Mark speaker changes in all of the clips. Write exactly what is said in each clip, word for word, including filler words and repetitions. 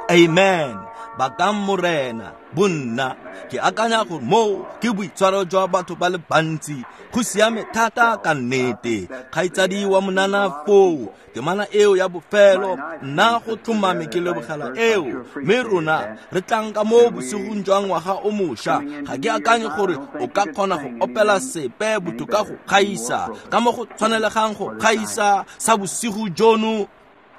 Speaker 1: Amen. Bakang Morena, bonna, ke akanya gore moo ke boitshwaro jwa batho ba le bantsi. Go siame thata ka nnete. Kgaitsadi wa monana foo, temana eo ya bofelo, nna go tlhomame ke lebogela eo. Mme rona re tlang ka mo bosigong jwa ngwaga o mošwa. Ga ke akanye gore o ka kgona go opela sepe botoka go gaisa, ka mo go tshwanelegang go gaisa sa bosigo jono.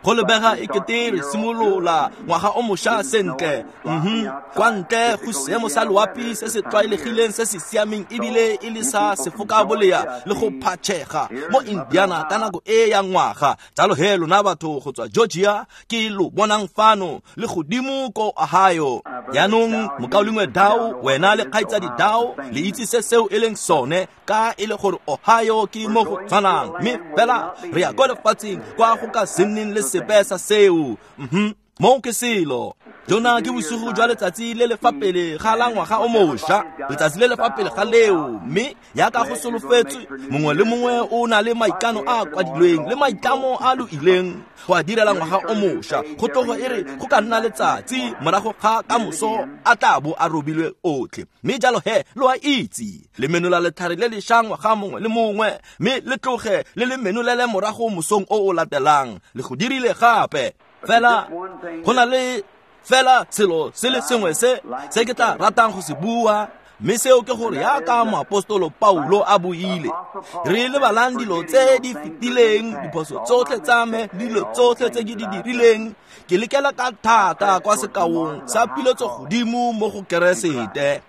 Speaker 1: Go lebega e kete re simolola ngwaga o mošwa sentle. Mhm. Kwa ntle go seemo sa loapi se se tlwaelegileng se se siameng ebile e le sa sefokabolea le go phatšhega mo Indiana ka nako e ya ngwaga. Jalo he lona batho go tswa Georgia ke lo bonang fano le godimo ko Ohio. Jaanong mokaulengwe Dow, wena le kgaitsadi Dow, le itse se seo e leng sone, ka e le gore Ohio ke mo go tshwanang, mme fela re ya kwa lefatsheng kwa go ka se nneng le sepe sa seo. Mhm. Moo ke selo. Jona ke bosigo jwa letsatsi le le fa pele ga la ngwaga o mošwa, letsatsi le le fa pele ga leo, mme yaka go solofetswe mongwe le mongwe o na le maikano a a kwadilweng le maitlamo a lo ileng go a direla ngwaga o mošwa. Go tlogo e re go ka nna letsatsi morago ga kamoso a tla bo a robilwe otlhe. Mme jalo he lo a itse, le menola letlhare le lešwa ngwaga mongwe le mongwe, mme le tloge le le menolele morago mosong o o latelang. Le go dirile gape. Fela go na le fela selo se le sengwe se se ke tla ratang go se bua, mme seo ke gore yaka moapostolo Paulo a buile, re lebalang dilo tse di fetileng, diphoso tsotlhe tsa me, dilo tsotlhe tse ke di dirileng, ke lekela ka thata kwa sekaong sa piletso godimo mo go Keresete.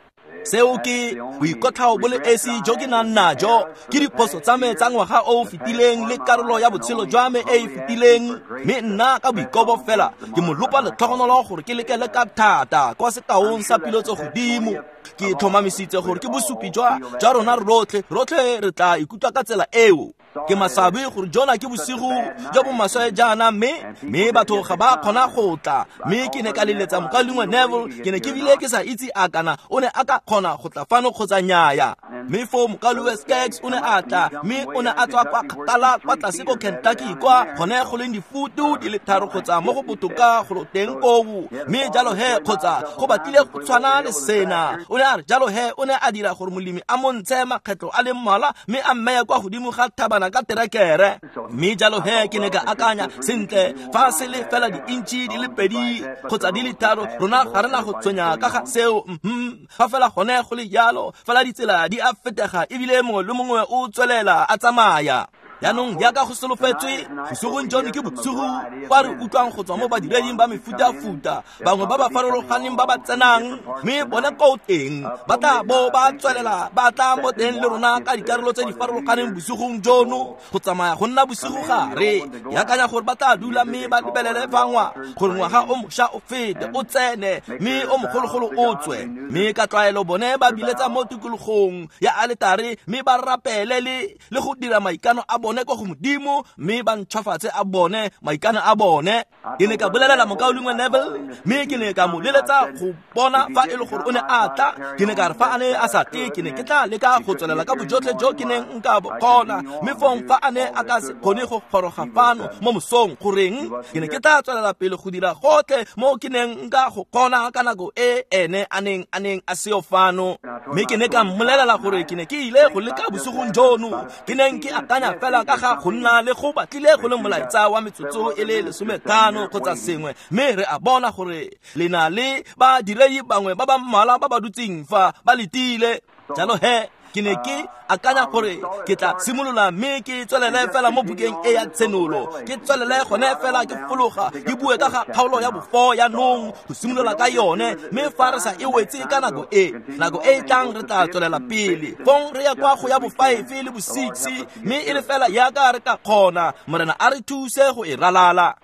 Speaker 1: Seo ke boikotlhao bo le esi jo ke nang najo, ke diphoso tsa me tsa ngwaga o o fetileng le karolo ya botshelo jwa me e e fetileng, mme nna ka boikobo fela ke mo lopa letlhogonolo gore ke lekele ka thata kwa sekaong sa piletso godimo. Ke tlhomamisitse gore ke bosupi jwa jwa rona rotlhe, rotlhe re tla ikutlwa ka tsela eo. Ke maswabi gore jona ke bosigo jo bo maswe jaana, mme mme batho ga ba kgona go tla. Mme ke ne ka leletsa mokaulengwe Neville, ke ne ke bile ke sa itse a kana o ne a ka kgona go tla fano kgotsa nnyaya. Mme foo mokaulengwe Skaggs o ne a tla, mme o ne a tswa kwa kgakala kwa tlase ko Kentucky, kwa gone go leng difutu di le tharo kgotsa mo go botoka go teng koo. Mme jalo he kgotsa go batlile go tshwana le sena. O ne a re jalo he o ne a dira gore molemi a mo ntshe makgetlo a le mmalwa mme a mmeye kwa godimo ga thabana ka terekere. Mme jalo he ke ne ka akanya sentle, fa se le fela di-intšhi di le pedi kgotsa di le tharo, rona ga re na go tshwenya ka ga seo. Mhm. Fa fela gone go le jalo, fela ditsela di a fetega ebile mongwe le mongwe o tswelela a tsamaya. Jaanong jaaka go solofetswe, bosigong jono ke bosigo kwa re utlwang go tswa mo badireding ba mefutafuta, bangwe ba ba farologaneng ba ba tsenang, mme bone ko teng ba tla bo ba tswelela ba tla mo teng le rona ka dikarolo tse di farologaneng bosigong jono go tsamaya go nna bosigo gare. Ke akanya gore ba tla dula mme ba lebelele fa ngwa gore ngwaga o mošwa o fete o tsene mme o mogologolo o tswe. Mme ka tlwaelo bone ba biletsa mo tikologong ya aletare mme ba rapele le le go dira maikano a bone ko go Modimo, mme ba ntšhwafatse a bone maikano a bone. Ke ne ka bolelela mokaulengwe Neville, mme ke ne ka mo leletsa go bona fa e le gore o ne a tla. Ke ne ka re fa a ne a sa tle, ke ne ke tla leka go tswelela ka bojotlhe jo ke neng nka bo kgona, mme fong fa a ne a ka se kgone go goroga fano mo mosong, goreng ke ne ke tla tswelela pele go dira gotlhe mo ke neng nka go kgona ka nako e ene a neng a neng a seo fano. Mme ke ne ka mmolelela gore ke ne ke ile go leka bosigong jono, ke neng ke akanya fela ka ga go nna le go batlile go le molaetsa wa metsotso e le lesometlhano kgotsa sengwe, mme re a bona gore le na le badiredi bangwe ba ba mmalwa ba ba dutseng fa ba letile. Jalo he ke ne ke akanya gore ke tla simolola mme ke tswelele fela mo bukeng e ya Tshenolo, ke tswelele gone fela ke fologa ke bue ka ga kgaolo ya bofo ya nong go simolola ka yone, mme fa re sa e wetse ka nako e, nako e e tlang re tla tswelela pele. Fong re ya kwa go ya bo five le bo six, mme e le fela yaka re ka kgona, Morena a re thuse go e ralala.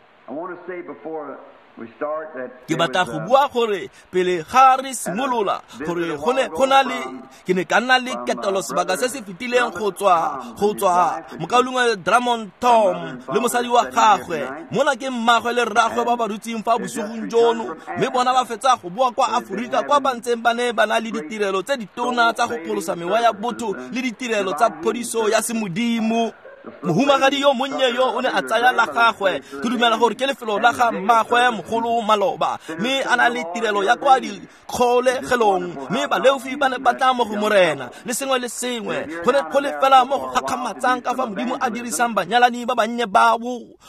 Speaker 1: Ke batla go bua gore pele ga re simolola gore go ne go na le ke ne ka nna le ketelo sebaka se se fetileng go tswa go tswa mokaulengwe Drummond Tom le mosadi wa gagwe. Mona ke mmagwe le rragwe ba ba dutseng fa bosigong jono, mme bona ba fetsa go boa kwa Aforika kwa ba ntseng ba ne ba na le ditirelo tse ditona tsa go pholosa mewa ya botho le ditirelo tsa phodiso ya semodimo. Mohumagadi yo monnye yo o ne a tsaya la gagwe, ke dumela gore ke lefelo la ga mmagwe mogolo maloba, mme a na le tirelo ya kwa dikgolegelong, mme baleofi ba ne ba tla mo go Morena le sengwe le sengwe. Go ne go le fela mo go gakgamatsang ka fa Modimo a dirisang banyalani ba bannye bao.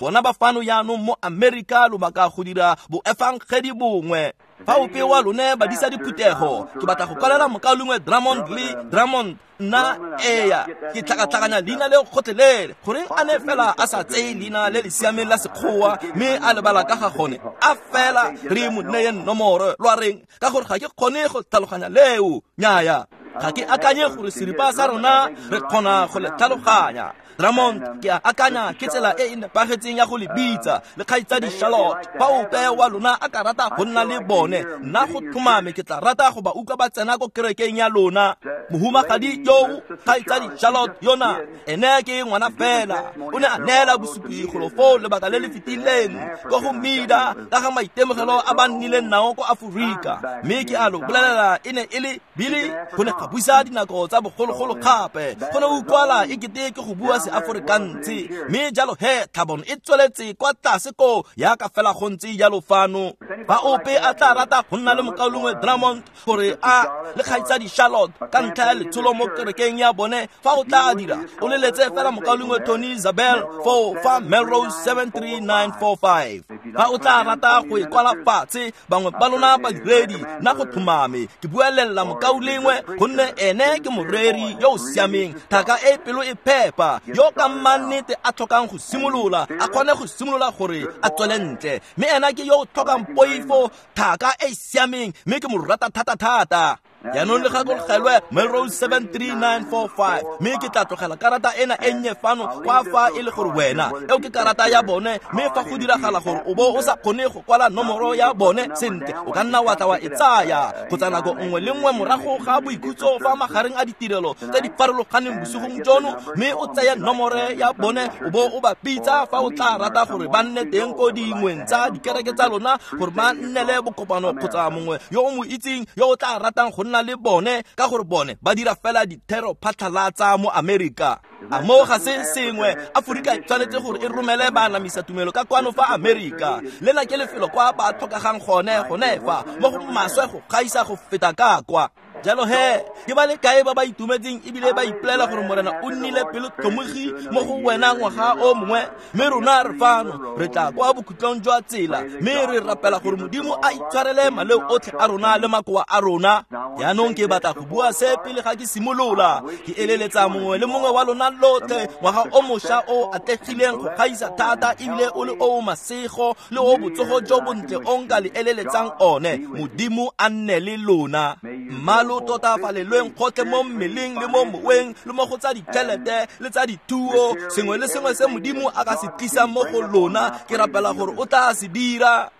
Speaker 1: Bona ba fano jaanong mo Amerika lobaka go dira boefangedi bongwe. Fa ope wa lone badisa diphuthego, ke batla go kwalela mokaulengwe Drummond le Drummond nna eya ke tlhakatlhakanya leina leo gotlhelele. Goreng a ne fela a sa tseye leina le le siameng la Sekgowa mme a lebala ka ga gone, a fela re mo neye nomoro lwa reng, ka gore ga ke kgone go tlhaloganya leo. Nnyaya, ga ke akanye gore seripa sa rona re kgona go le tlhaloganya. Drummond, ke a akanya ke tsela e e nepagetseng ya go le bitsa, le kgaitsadi Charlotte. Fa ope wa lona a ka rata go nna le bone, nna go tlhomame ke tla rata go ba utlwa ba tsena ko kerekeng ya lona. Mohumagadi yo kgaitsadi Charlotte yona, ene ke ngwana fela, o ne a neela bosupi golo foo lebaka le le fetileng ko go Mida ka ga maitemogelo a ba nnileng nao ko Aforika. Mme ke a lo bolelela, e ne e le Billy go ne ga buisa dinako tsa bogologolo gape, go ne utlwala e kete ke go bua Seaforikanse. Mme jalo he tlhabono e tsweletse kwa tlase ko yaka fela go ntse jalo fano. Fa ope a tla rata go nna le mokaulengwe Drummond gore a le kgaitsadi Charlotte ka ntlha ya letsholo mo kerekeng ya bone, fa o tla dira o leletse fela mokaulengwe Tony Zabel foo fa Melrose seven three nine four five. Fa o tla rata go e kwala fatshe, bangwe ba lona badiredi, nna go tlhomame ke buelela mokaulengwe, gonne ene ke moreri yo o siameng, thaka e pelo e phepa, yo ka mannete a tlhokang go simolola, a kgone go simolola gore a tswele ntle. Mme ena ke yo o tlhokang poifo, thaka e siameng, mme ke mo rata thata-thata. Jaanong le gakologelwe Melrose seven three nine four five, mme ke tla tlogela karata ena e nnye fano kwa fa e le gore wena eo ke karata ya bone, mme fa go diragala gore o bo o sa kgone go kwala nomoro ya bone sentle, o ka nna wa tla wa e tsaya kgotsa nako nngwe le nngwe morago ga boikhutso fa magareng a ditirelo tse di farologaneng bosigong jono, mme o tseye nomoro ya bone o bo o ba bitsa fa o tla rata gore ba nne teng ko dingweng tsa dikereke tsa lona, gore ba nnele bokopano kgotsa mongwe yo o mo itseng yo o tla ratang go nna le bone, ka gore bone ba dira fela dithero phatlhalatsa mo Amerika. A mo ga se sengwe, Aforika e tshwanetse gore e romele baanamisa tumelo ka kwano fa Amerika. Lena ke lefelo kwa ba tlhokagang gone gone fa mo go maswe go gaisa go feta ka kwa. Jalo he, ke ba le kae ba ba itumetseng ebile ba ipolela gore Morena o nnile pelotlhomogi mo go wena ngwaga o mongwe, mme rona re fano re tla kwa bokhutlong jwa tsela, mme re rapela gore Modimo a itshwarele maleo otlhe a rona le makoa a rona. Jaanong ke batla go bua se pele ga ke simolola. Ke eleletsa mongwe le mongwe wa lona lotlhe ngwaga o mošwa o atlegileng go gaisa thata ebile o le o masego le o botsogo jo bontle o nka le eleletsang one. Modimo a nne le lona. Mmalo tota falelweng gotlhe mo mmeleng le mo moweng le mo go tsa ditšhelete le tsa dithuo, sengwe le sengwe se Modimo a ka se tlisang mo go lona, ke rapela gore o tla se dira.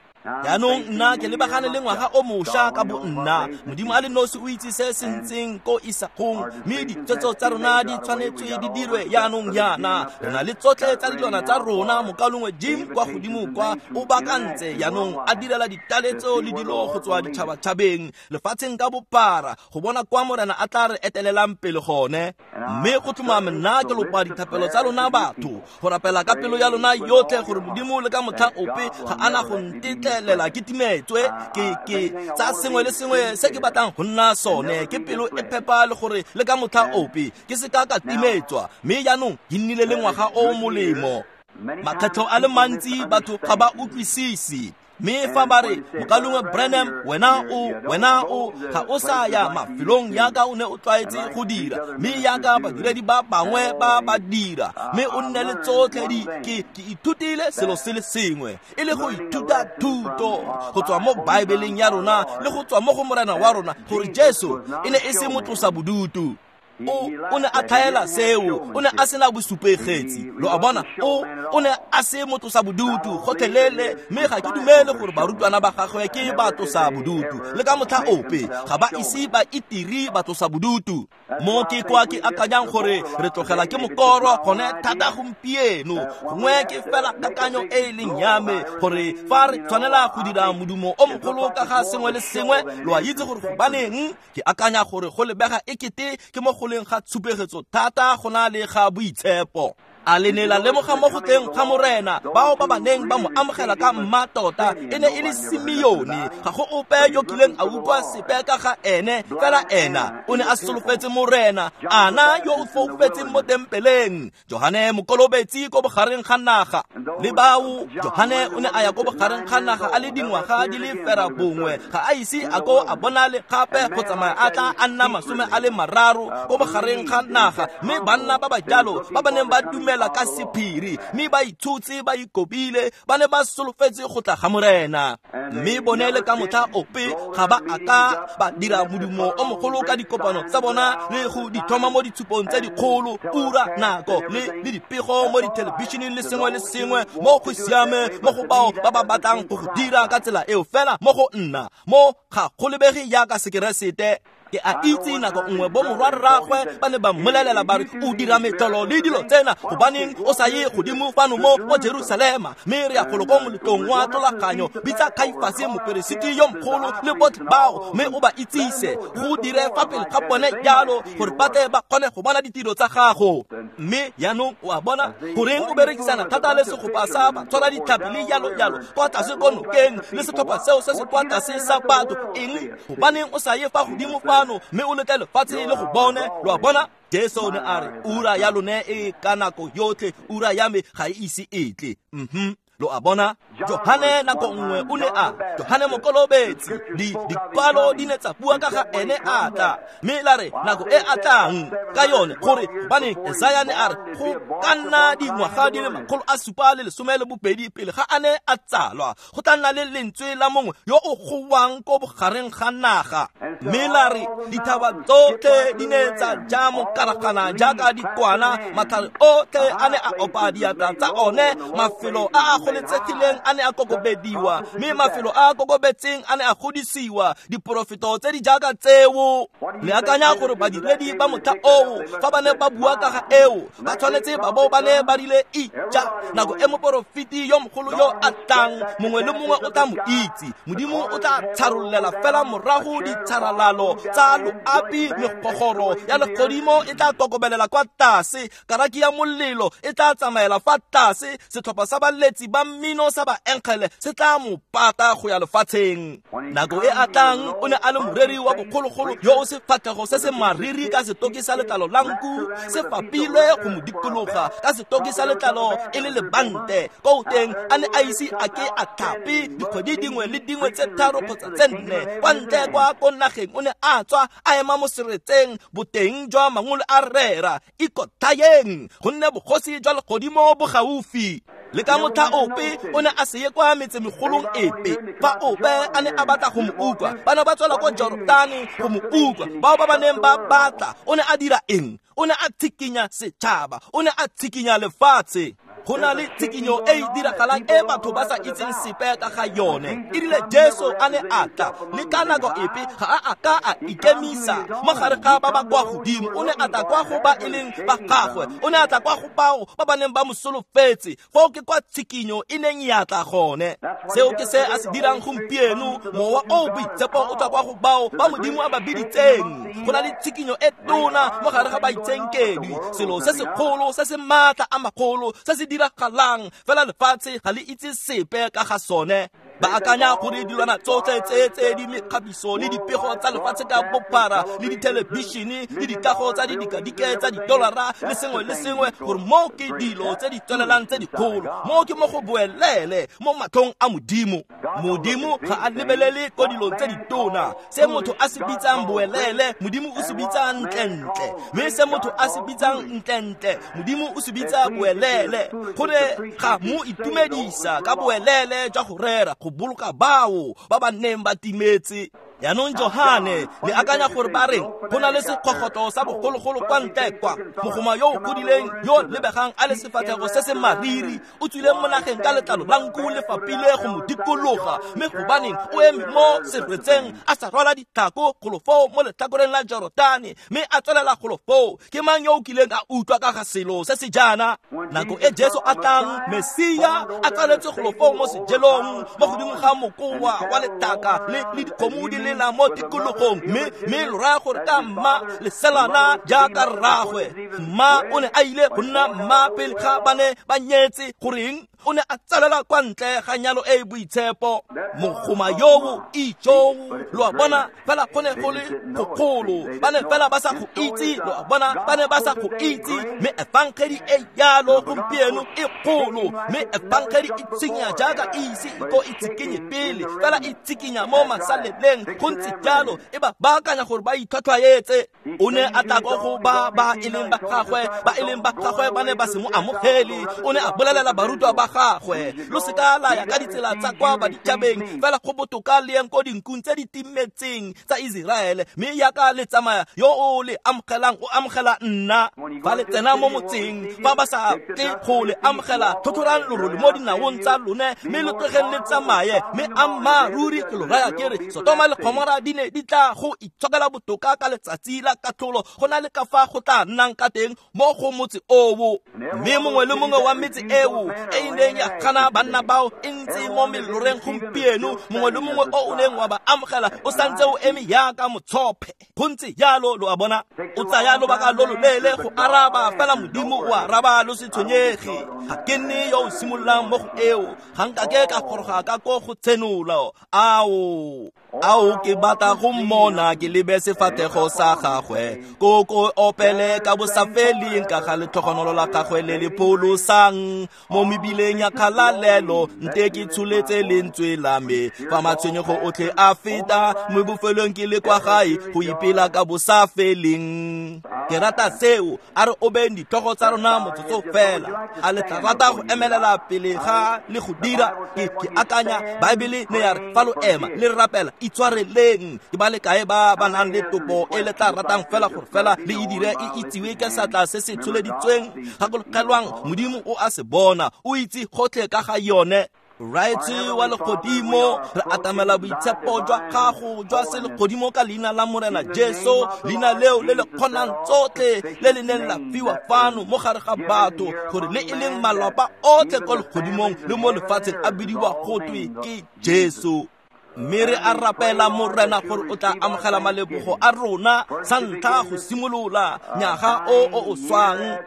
Speaker 1: Jaanong nna ke lebagane le ngwaga o mošwa ka bo nna. Modimo a le nosi o itse se se ntseng ko isagong, mme ditshwetso tsa rona di tshwanetswe di dirwe jaanong jaana. Re na le tsotlhe tsa dilwana tsa rona. Mokaulengwe Jim kwa godimo kwa o baakantse jaanong a direla ditaletso le dilo go tswa ditšhabatšhabeng lefatsheng ka bophara go bona kwa Morena a tla re etelelang pele gone. Mme go tlhomame nna ke lopa dithapelo tsa lona batho, go rapela ka pelo ya lona yotlhe gore Modimo le ka motlha ope ga ana go ntetlelela ke timetswe ke ke tsa sengwe le sengwe se ke batlang go nna sone, ke pelo e phepa le gore le ka motlha ope ke se ka ka timetswa. Mme jaanong ke nnile le ngwaga o molemo. Makgetlho a le mantsi batho ga ba utlwisise, mme fa ba re mokaulengwe Branham, wena o wena o ga o sa ya mafelong yaka o ne o tlwaetse go dira, mme yaka badiredi ba bangwe ba ba dira, mme o nne le tsotlhe di. Ke ke ithutile selo se le sengwe, e le go ithuta thuto go tswa mo Baebeleng ya rona le go tswa mo go Morena wa rona, gore Jesu e ne e se motlosa bodutu. O o ne a tlhaela seo, o ne a sena bosupegetsi. Lo a bona, o o ne a se motlosa bodutu gotlhelele, mme ga ke dumele gore barutwana ba gagwe ke batlosa bodutu le ka motlha ope, ga ba ise ba itiri batlosa bodutu. Mo ke kwa ke akanyang gore re tlogela ke mokoro gone thata gompieno, gongwe ke fela kakanyo e e leng ya me gore fa re tshwanela go dira modumo o mogolo ka ga sengwe le sengwe, lo a itse gore gobaneng ke akanya gore go lebega e kete ke mo go leng ga tshupegetso thata go na le ga boitshepo. A le ne la lemoga mo go tleng ga Morena bao ba ba neng ba mo amogela ka mmatota e ne e le Simeone. Ga go ope yo kileng a utlwa sepe ka ga ene, fela ena o ne a solofetse Morena. Ana yo o foufetseng mo tempeleng, Johane Mokolobetsi ko bogareng ga naga le bao. Johane o ne a ya ko bogareng ga naga a le dingwaga di le fera bongwe, ga a ise a ko a bonale gape go tsamaya a tla a nna masome a le mararo ko bogareng ga naga. Mme banna ba ba jalo ba ba neng ba dumela ka sephiri mme ba itshotse ba ikobile, ba ne ba solofetse go tla ga Morena. Mme bone le ka motlha ope ga ba a ka ba dira modumo o mogolo ka dikopano tsa bona le go di thoma mo ditshupong tse dikgolo, ura, nako le le dipego mo dithelebišeneng le sengwe le sengwe. Mo go siame mo go bao ba ba batlang go go dira ka tsela eo, fela mo go nna mo ga go lebege jaaka Sekeresete. Ke a itse nako nngwe bo morwarragwe ba ne ba mmolelela ba re o dira metlolo le dilo tsena, gobaneng o sa ye godimo fano mo mo Jerusalema? Mme re ya golo ko moletlong wa tlolaganyo, bitsa Kaifase moperesiti yo mogolo le botlhe bao, mme o ba itsise go dire fa pele ga bone jalo gore ba tle ba kgone go bona ditiro tsa gago. Mme jaanong o a bona goreng o berekisana thata le segopa sa batshwara ditlhapi le jalo jalo kwa tlase ko nokeng le setlhopha seo se se kwa tlase sa batho. Eng? Gobaneng o sa ye fa godimo fa mme o letle lefatshe le go bone? Lo a bona? Jesu o ne a re ura ya lone e ka nako yotlhe, ura ya me ga e ise e tle. Mhm. Lo a bona? Johane nako nngwe o ne a Johane Mokolobetsi, di dikwalo di ne tsa bua ka ga ene a tla, mme la re nako e a tlang ka yone gore gobane Esaya ne a re go ka nna dingwaga di le makgolo a supa le lesome le bobedi pele ga a ne a tsalwa, go tla nna le lentswe la mongwe yo o gowang ko bogareng ga naga. Mme la re dithaba tsotlhe di ne tsa ja mokaragana jaaka dikwana, matlhare otlhe a ne a opa diatla tsa one, mafelo a a goletsegileng a ne a kokobediwa, mme mafelo a a kokobetseng a ne a godisiwa. Diporofeto tse di jaaka tseo. Le akanya gore badiredi ba motlha oo fa ba ne ba bua ka ga eo ba tshwanetse ba bo ba ne ba rile ija nako e moporofeti yo mogolo yo a tlang, mongwe le mongwe o tla mo itse. Modimo o tla tsharollela fela morago ditsharalalo tsa loapi, megogoro ya legodimo e tla kokobelela kwa tlase, karaki ya molelo e tla tsamaela fa tlase, setlhopha sa baletsi ba mmino sa baenkgele se tla mo pata go ya lefatsheng. Nako e a tlang o ne a le moreri wa bogologolo yo o sefatlhego se se mariri ka setoki sa letlalo la nku se fapilwe go mo dikologa ka setoki sa letlalo e le lebante. Ko teng a ne a ise a ke a tlhape dikgwedi dingwe le dingwe tse tharo kgotsa tse nne. Kwa ntle kwa ko nageng o ne a tswa a ema mo seretseng boteng jwa mangolo a rera ikothayeng, gonne bogosi jwa legodimo bo gaufi. Le ka motlha ope o ne a se ye kwa metsemegolong epe. Fa ope a ne a batla go mo utlwa, ba ne ba tswela ko Jorotane go mo utlwa. Bao ba ba neng ba batla, o ne a dira eng? O ne a tshikinya setšhaba, o ne a tshikinya lefatshe. Go na le tshikinyo e e diragalang e batho ba sa itseng sepe ka ga yone. E rile Jesu a ne a tla, le ka nako epe ga a a ka a ikemisa mo gare ga ba ba kwa godimo. O ne a tla kwa go ba e leng ba gagwe, o ne a tla kwa go bao ba ba neng ba mo solofetse. Foo ke kwa tshikinyo e neng ya tla gone. Seo ke se a se dirang gompieno. Mowa o o boitshepo o tla kwa go bao ba Modimo a ba biditseng. Go na le tshikinyo e tona mo gare ga baitsenkedi, selo se segolo se se maatla a magolo se se diragalang, fela lefatshe ga le itse sepe ka ga sone. Ba akanya gore dilwana tsotlhe tse tse di mekgabiso le dipego tsa lefatshe ka bophara le dithelebišene le dikago tsa didikadike tsa didolara le sengwe le sengwe, gore mo ke dilo tse di tswelelang tse dikgolo, mo ke mo go boelele mo matlhong a Modimo. Modimo ga a lebelele ko dilong tse ditona. Se motho a se bitsang boelele, Modimo o se bitsa ntlentle, mme se motho a se bitsang ntlentle, Modimo o se bitsa boelele. Gore ga mo itumedisa ka boelele jwa go rera go boloka bao ba ba neng ba timetse. Jaanong Johane le akanya gore ba reng go na le sekgogotlo sa bogologolo kwa ntle kwa, mogoma yo o godileng yo lebegang a le sefatlhego se se mariri o tswile mo nageng ka letlalo la nku le fapile go mo dikologa. Mme gobaneng o eme mo seretseng a sa rwala ditlhako golo foo mo letlhakoreng la Jorotane, mme a tswelela golo foo. Ke mang yo o kileng a utlwa ka ga selo se se jaana? Nako e Jesu a tlang, Mesia a tsaletswe golo foo mo sejelong mo godimo ga mokoa wa letaka le le dikgomo di le lela mo tikologong mme mme lo raya gore ka mma leselana jaaka rraagwe. Mma o ne a ile go nna mma pele ga ba ne ba nyetse. Goreng? O ne a tsalela kwa ntle ga nyalo e e boitshepo. Mogoma yoo ijoo, lo a bona, fela go ne go le gogolo. Ba ne fela ba sa go itse, lo a bona, ba ne ba sa go itse. Mme efangedi e yalo gompieno e kgolo, mme efangedi e tshinya jaaka e ise e ko e tsikinye pele, fela e tsikinya mo masaleleng. Go ntse jalo, e ba baakanya gore ba itlhwatlhwaetse. O ne a tla ko go ba ba e leng ba gagwe, ba e leng ba gagwe ba ne ba se mo amogele. O ne a bolelela barutwa ba gagwe, lo seka la ya ka ditsela tsa kwa baditšhabeng, fela go botoka le yeng ko dinkung tse di timetseng tsa Iseraele. Mme yaka le tsamaya, yo o le amogelang o amogela nna. Fa le tsena mo motseng, fa ba sa tle go le amogela, tlhotlhorang lorole mo dinaong tsa lone, mme lo tlogeng le tsamaye. Mme ammaaruri ke lo raya ke re, Sotoma le Gomora di ne di tla go itshokela botoka ka letsatsi la katlholo go na le ka fa go tla nnang ka teng mo go motse oo. Mme mongwe le mongwe wa metse eo e e neng ya gana banna bao e ntse mo meloreng gompieno, mongwe le mongwe o o neng wa ba amogela o santse o eme yaka motshophe. Go ntse jalo, lo a bona. O tsaya lobaka lo loleele go araba, fela Modimo o araba, lo se tshwenyege. Ga ke nne yo o simololang mo go eo, ga nkake ka goroga ka ko go tshenolo. Ao, ao, ke batla go mmona, ke lebe sefatlhego sa gagwe, ko ko opele ka bosafeleng ka ga letlhogonolo la gagwe le le pholosang mo mebileng ya kgalalelo. Nte ke tsholetse lentswe la me fa matshwenyego otlhe a feta, mo bofelong ke le kwa gae go ipela ka bosafeleng. Ke rata seo. A re obeng ditlhogo tsa rona motsotso fela. A le tla rata go emelela pele ga le go dira? Ke ke akanya Baebele ne ya re fa lo ema le rapela, itshwareleng. Ke ba le kae ba ba nang le topo e le tla ratang fela gore fela le e dire e itsiwe ka seatla se se tsholeditsweng? Gakologelwang, Modimo o a se bona, o itse gotlhe ka ga yone. Raetswe wa legodimo, re atamela boitshepo jwa gago jwa selegodimo ka leina la Morena Jesu, leina leo le le kgonang tsotlhe le le neng la fiwa fano mo gare ga batho, gore le e leng malapa otlhe ko legodimong le mo lefatsheng a bidiwa gotwe ke Jesu. Mme re a rapela Morena gore o tla amogela malebogo a rona sa ntlha go simolola nyaga o o o swang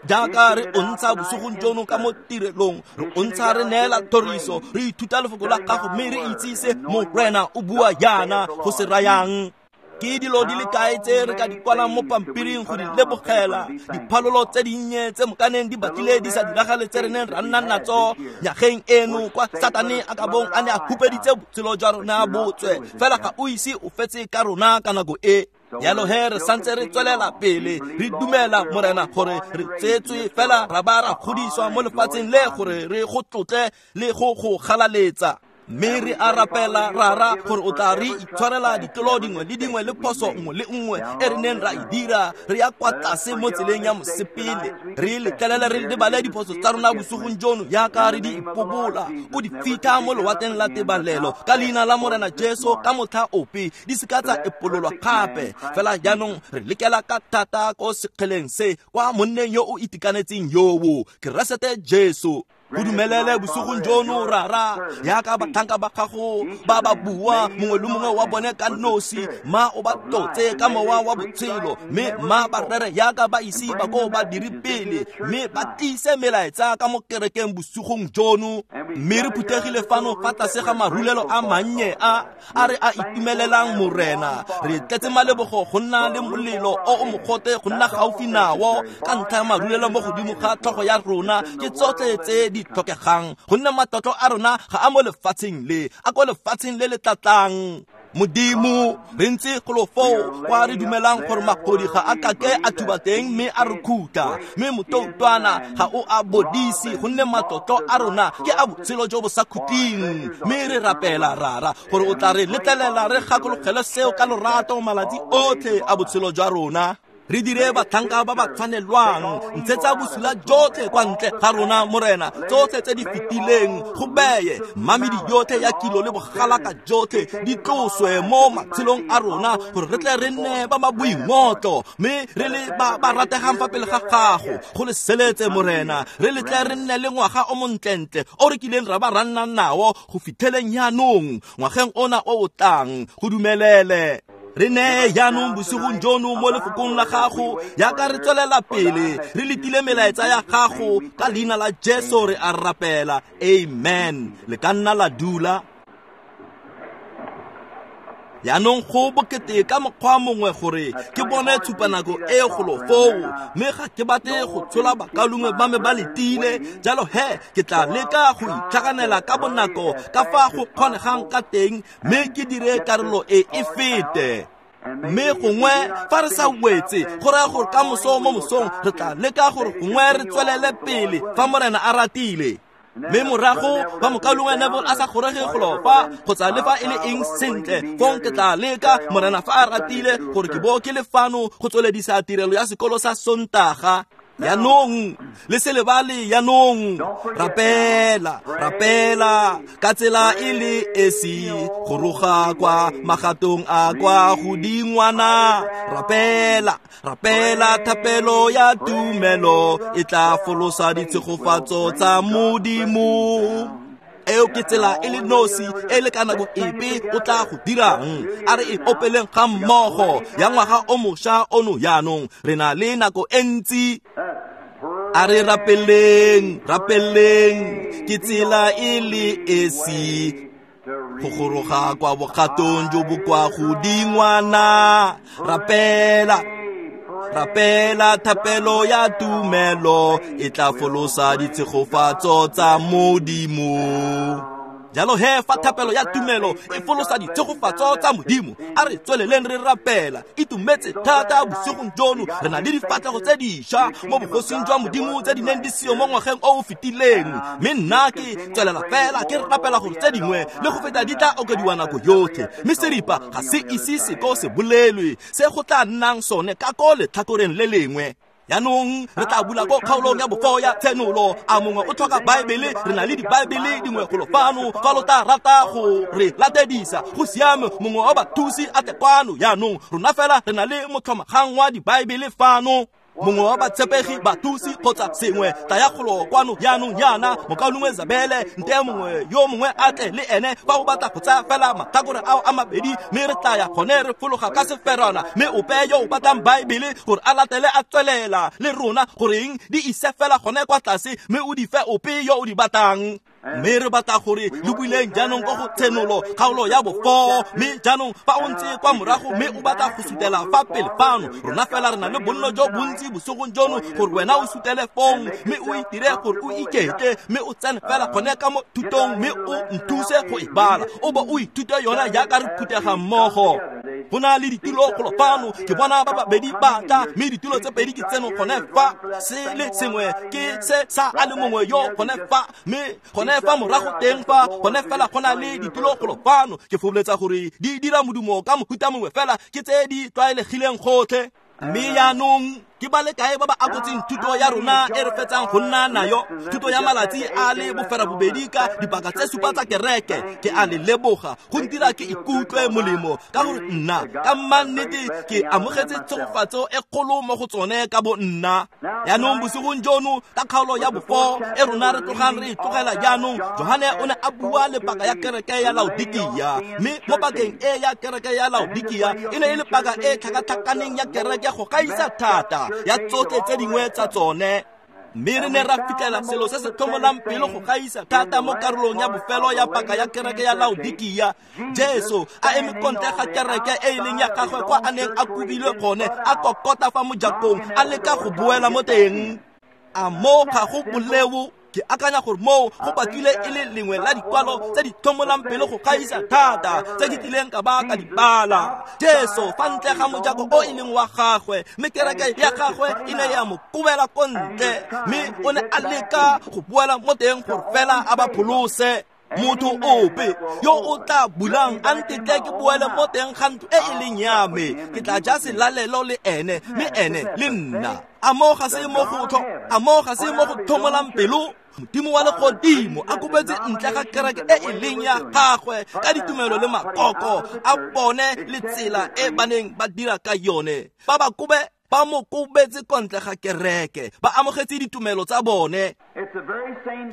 Speaker 1: jaaka re o ntsha bosigong jono ka mo tirelong. Re o ntsha re neela thoriso, re ithuta lefoko la gago, mme re itsise Morena o bua yana go se rayang. Ke dilo di le kae tse re ka di kwalang mo pampiring go di lebogela, diphalolo tse dinnye tse mokaneng di batlile di sa diragale tse re neng ra nna natso nyageng eno kwa Satane a ka bong a ne a hupeditse botshelo jwa rona botswe, fela ga o ise o fetse ka rona ka nako e. Jalo he re santse re tswelela pele, re dumela Morena gore re tsetswe fela ra ba ra godiswa mo lefatsheng le gore re go tlotle le go go galaletsa. Mme re a rapela Rara gore o tla re itshwarela ditlolo dingwe le dingwe le phoso nngwe le nngwe e re neng ra e dira re ya kwa tlase mo tseleng ya mosepele. Re letlelele re lebale diphoso tsa rona bosigong jono yaka re di ipobola, o di fitlha mo lewatleng la tebalelo ka leina la Morena Jesu. Ka motlha ope di seka tsa epololwa gape. Fela jaanong re lekela ka thata ko sekgeleng se kwa monneng yo o itekanetseng yoo, Keresete Jesu. Go dumelele bosigong jono Rara, yaka batlhanka ba gago ba ba bua mongwe le mongwe wa bone ka nosi, ma o ba tlotse ka mowa wa botshelo, mme ma ba rere yaka ba ise ba ko ba dire pele, mme ba tlise melaetsa ka mo kerekeng bosigong jono. Mme re phuthegile fano fa tlase ga marulelo a mannye a a re a itumelelang Morena. Re tletse malebogo go nna le molelo o o mogote go nna gaufi nao ka ntlha ya marulelo mo godimo ga tlhogo ya rona. Ke tsotlhe tse di tlhokegang, gonne matlotlo a rona ga a mo lefatsheng le, a ko lefatsheng le le tlatlang. Modimo, re ntse golo foo kwa re dumelang gore magodi ga a kake a thuba teng mme a re khutla, mme motoutwana ga o a bodise, gonne matlotlo a rona ke a botshelo jo bo sa khutleng. Mme re rapela Rara gore o tla re letlelela re gakologele seo ka lorato malatsi otlhe a botshelo jwa rona. Re dire batlhanka ba ba tshwanelwang. Ntshetsa bosula jotlhe kwa ntle ga rona Morena, tsotlhe tse di fetileng go beye mamedi yotlhe ya kilo le bogalaka jotlhe di tloswe mo matshelong a rona, gore re tle re nne ba ba boingotlo mme re le ba ba rategang fa pele ga gago. Go le seletse Morena, re le tle re nne le ngwaga o montlentle o re kileng ra ba ra nna nao go fitlheleng jaanong, ngwageng ona o o tlang. Go dumelele re neye jaanong bosigong jono mo lefokong la gago, jaaka re tswelela pele re letile melaetsa ya gago. Ka leina la Jesu re a rapela, amen. Le ka nna la dula. Jaanong go bokete ka mokgwa mongwe gore ke bone tshupanako e golo foo, mme ga ke batle go tshola bakalungwe ba me ba letile. Jalo he ke tla leka go itlhaganela ka bonako ka fa go kgonegang ka teng, mme ke dire karolo e e fete. Mme gongwe fa re sa wetse, go raya gore ka moso mo mosong re tla leka gore gongwe re tswelele pele fa Morena a ratile. Mme morago fa mokalungwe Neville a sa kgorege golo fa kgotsa le fa e le eng sentle, fong ke tla leka Morena fa a ratile gore ke bo ke le fano go tsweledisa tirelo ya sekolo sa Sontaga. Jaanong le se lebale, jaanong rapela, rapela ka tsela e le esi, go roga kwa magatong a kwa godingwana. Rapela, rapela thapelo ya tumelo e tla folosa ditshegofatso tsa Modimo. Eo ke tsela e le nosi e le ka nako epe o tla go dirang. A re e opeleng ga mmogo ya ngwaga o mošwa ono jaanong, re na le nako e ntsi. A re rapeleng, rapeleng ke tsela e le esi go goroga kwa bogatong jo bo kwa godingwana. Rapela, rapela thapelo ya tumelo e tla folosa ditshegofatso tsa Modimo. Jalo he fa thapelo ya tumelo e folosa ditshegofatso tsa Modimo, a re tsweleleng re rapela. Itumetse thata bosigong jono, re na le difatlhego tse dišwa mo bogosing jwa Modimo tse di neng di seo mo ngwageng o o fetileng. Mme nna ke tswelela fela ke rapela gore tse dingwe le go feta di tla okediwa nako yotlhe. Mme seripa ga se ise se ko se bolelwe se go tla nnang sone ka ko letlhakoreng le lengwe. Jaanong re tla bula ko kgaolong ya bofo ya Tshenolo. A mongwe o tlhoka Baebele? Re na le dibaebele dingwe golo fano fa lo tla rata go re latedisa. Go siame, mongwe wa bathusi a tle kwano. Jaanong rona fela re na le motlhomagang wa dibaebele fano. Mongwe wa batshepegi, bathusi kgotsa sengwe, tla ya golo kwano jaanong jaana. Mokaulengwe Zabele, nte mongwe yo mongwe a tle le ene fa o batla go tsaya fela matlhakore ao a mabedi, mme re tla ya gone re fologa ka seferana. Mme ope yo o batlang Baebele gore a latele a tswelela le rona, goreng di ise fela gone kwa tlase, mme o di fe ope yo o di batlang. Mme re batla gore le buileng jaanong ko go Tshenolo kgaolo ya bofo. Mme jaanong fa o ntse kwa morago mme o batla go sutela fa pele fano, rona fela re na le bonno jo bontsi bosigong jono gore wena o sutele fong, mme o itire gore o iketle, mme o tsene fela gone ka mo thutong, mme o nthuse go e bala, o bo o ithute yona jaaka re phuthega mmogo. Go na le ditulo golo fano, ke bona ba babedi ba tla, mme ditulo tse pedi ke tseno gone fa, se le sengwe ke se sa a le mongwe yo gone fa, mme gone fa morago teng fa gone fela go na le ditulo golo fano. Ke fopholetsa gore di dira modumo ka mohuta mongwe fela ke tse di tlwaelegileng gotlhe. Mme jaanong ke ba le kae ba ba akotseng thuto ya rona e re fetsang go nna nayo, thuto ya malatsi a le boferabobedi ka dipaka tse supa tsa kereke? Ke a le leboga, go ntira ke ikutlwe molemo ka gore nna ka mannete ke amogetse tshegofatso e kgolo mo go tsone ka bo nna. Jaanong bosigong jono ka kgaolo ya bofo e rona re tlogang re e tlogela jaanong, Johane o ne a bua le paka ya kereke ya Laodikia. Mme mo pakeng e ya kereke ya Laodikia e ne e le paka e tlhakatlhakaneng ya kereke go gaisa thata ya tsotlhe tse dingwe tsa tsone. Mme re ne ra fitlhela selo se se tlhomolang pelo go gaisa thata mo karolong ya bofelo ya paka ya kereke ya Laodikia. Jesu a eme ko ntle ga kereke e e leng ya gagwe kwa a neng a kobilwe gone, a kokota fa mojakong, a leka go boela mo teng. A mo ga go boleo? Ke akanya gore moo go batlile e le lengwe la dikwalo tse di tlhomolang pelo go gaisa thata tse ke tlileng ka ba ka di bala. Jesu fa ntle ga mojako o e leng wa gagwe, mme kereke ya gagwe e ne ya mo kobela ko ntle, mme o ne a leka go boela mo teng gore fela a ba pholose. Motho ope yo o tla bulang a ntetle ke boele mo teng ga ntlo e e leng ya me, ke tla ja selalelo le ene, mme ene le nna. A mo ga se mo go a mo ga se mo go tlhomolang pelo? Modimo wa legodimo a kopetse ntle ga kereke e e leng ya gagwe ka ditumelo le makoko a bone le tsela e ba neng ba dira ka yone. Ba ba kobe ba mo kobetse kwa ntle ga kereke, ba amogetse ditumelo tsa bone.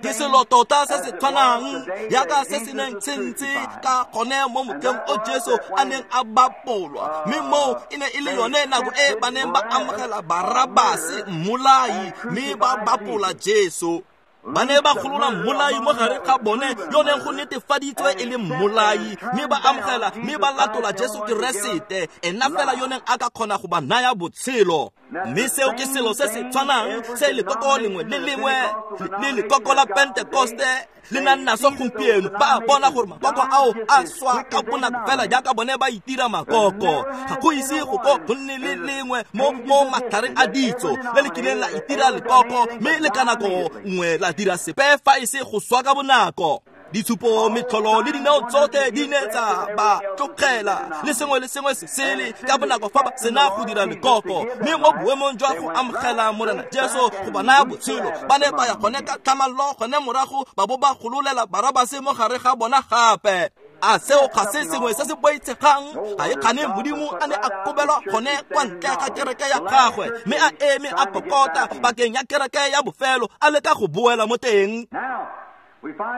Speaker 1: Ke selo tota se se tshwanang yaka se se neng se ntse ka gone mo motlheng o Jesu a neng a bapolwa, mme moo e ne e le yone nako e ba neng ba amogela Barabase mmolai, mme ba bapola Jesu. Ba ne ba golola mmolai mo gare ga bone yo neng go netefaditswe e le mmolai, mme ba amogela mme ba latola Jesu Keresete, ena fela yo neng a ka kgona go ba naya botshelo. Mme seo ke selo se se tshwanang se lekoko lengwe le lengwe le lekoko la Pentekoste le nang naso gompieno. Ba bona gore makoko ao a swa ka bonako fela jaaka bone ba itira makoko. Ga go ise go ko go nne le lengwe mo mo matlhareng a ditso le le kileng la itira lekoko, mme le ka nako nngwe la dira sepe fa e se go swa ka bonako. Ditshupo, metlholo le dineo tsotlhe di ne tsa ba tlogela, le sengwe le sengwe se sele ka bonako fa ba sena go dira lekoko. Mme mo boemong jwa go amogela Morena Jesu go ba naya botshelo, ba ne ba ya gone ka tlhamallo gone morago ba bo ba gololela Barabase mo gare ga bona gape. A seo ga se sengwe se se boitshegang? Ga e kgane Modimo a ne a kobelwa gone kwa ntle ga kereke ya gagwe, mme a eme a kokota bakeng ya kereke ya bofelo, a leka go boela mo teng.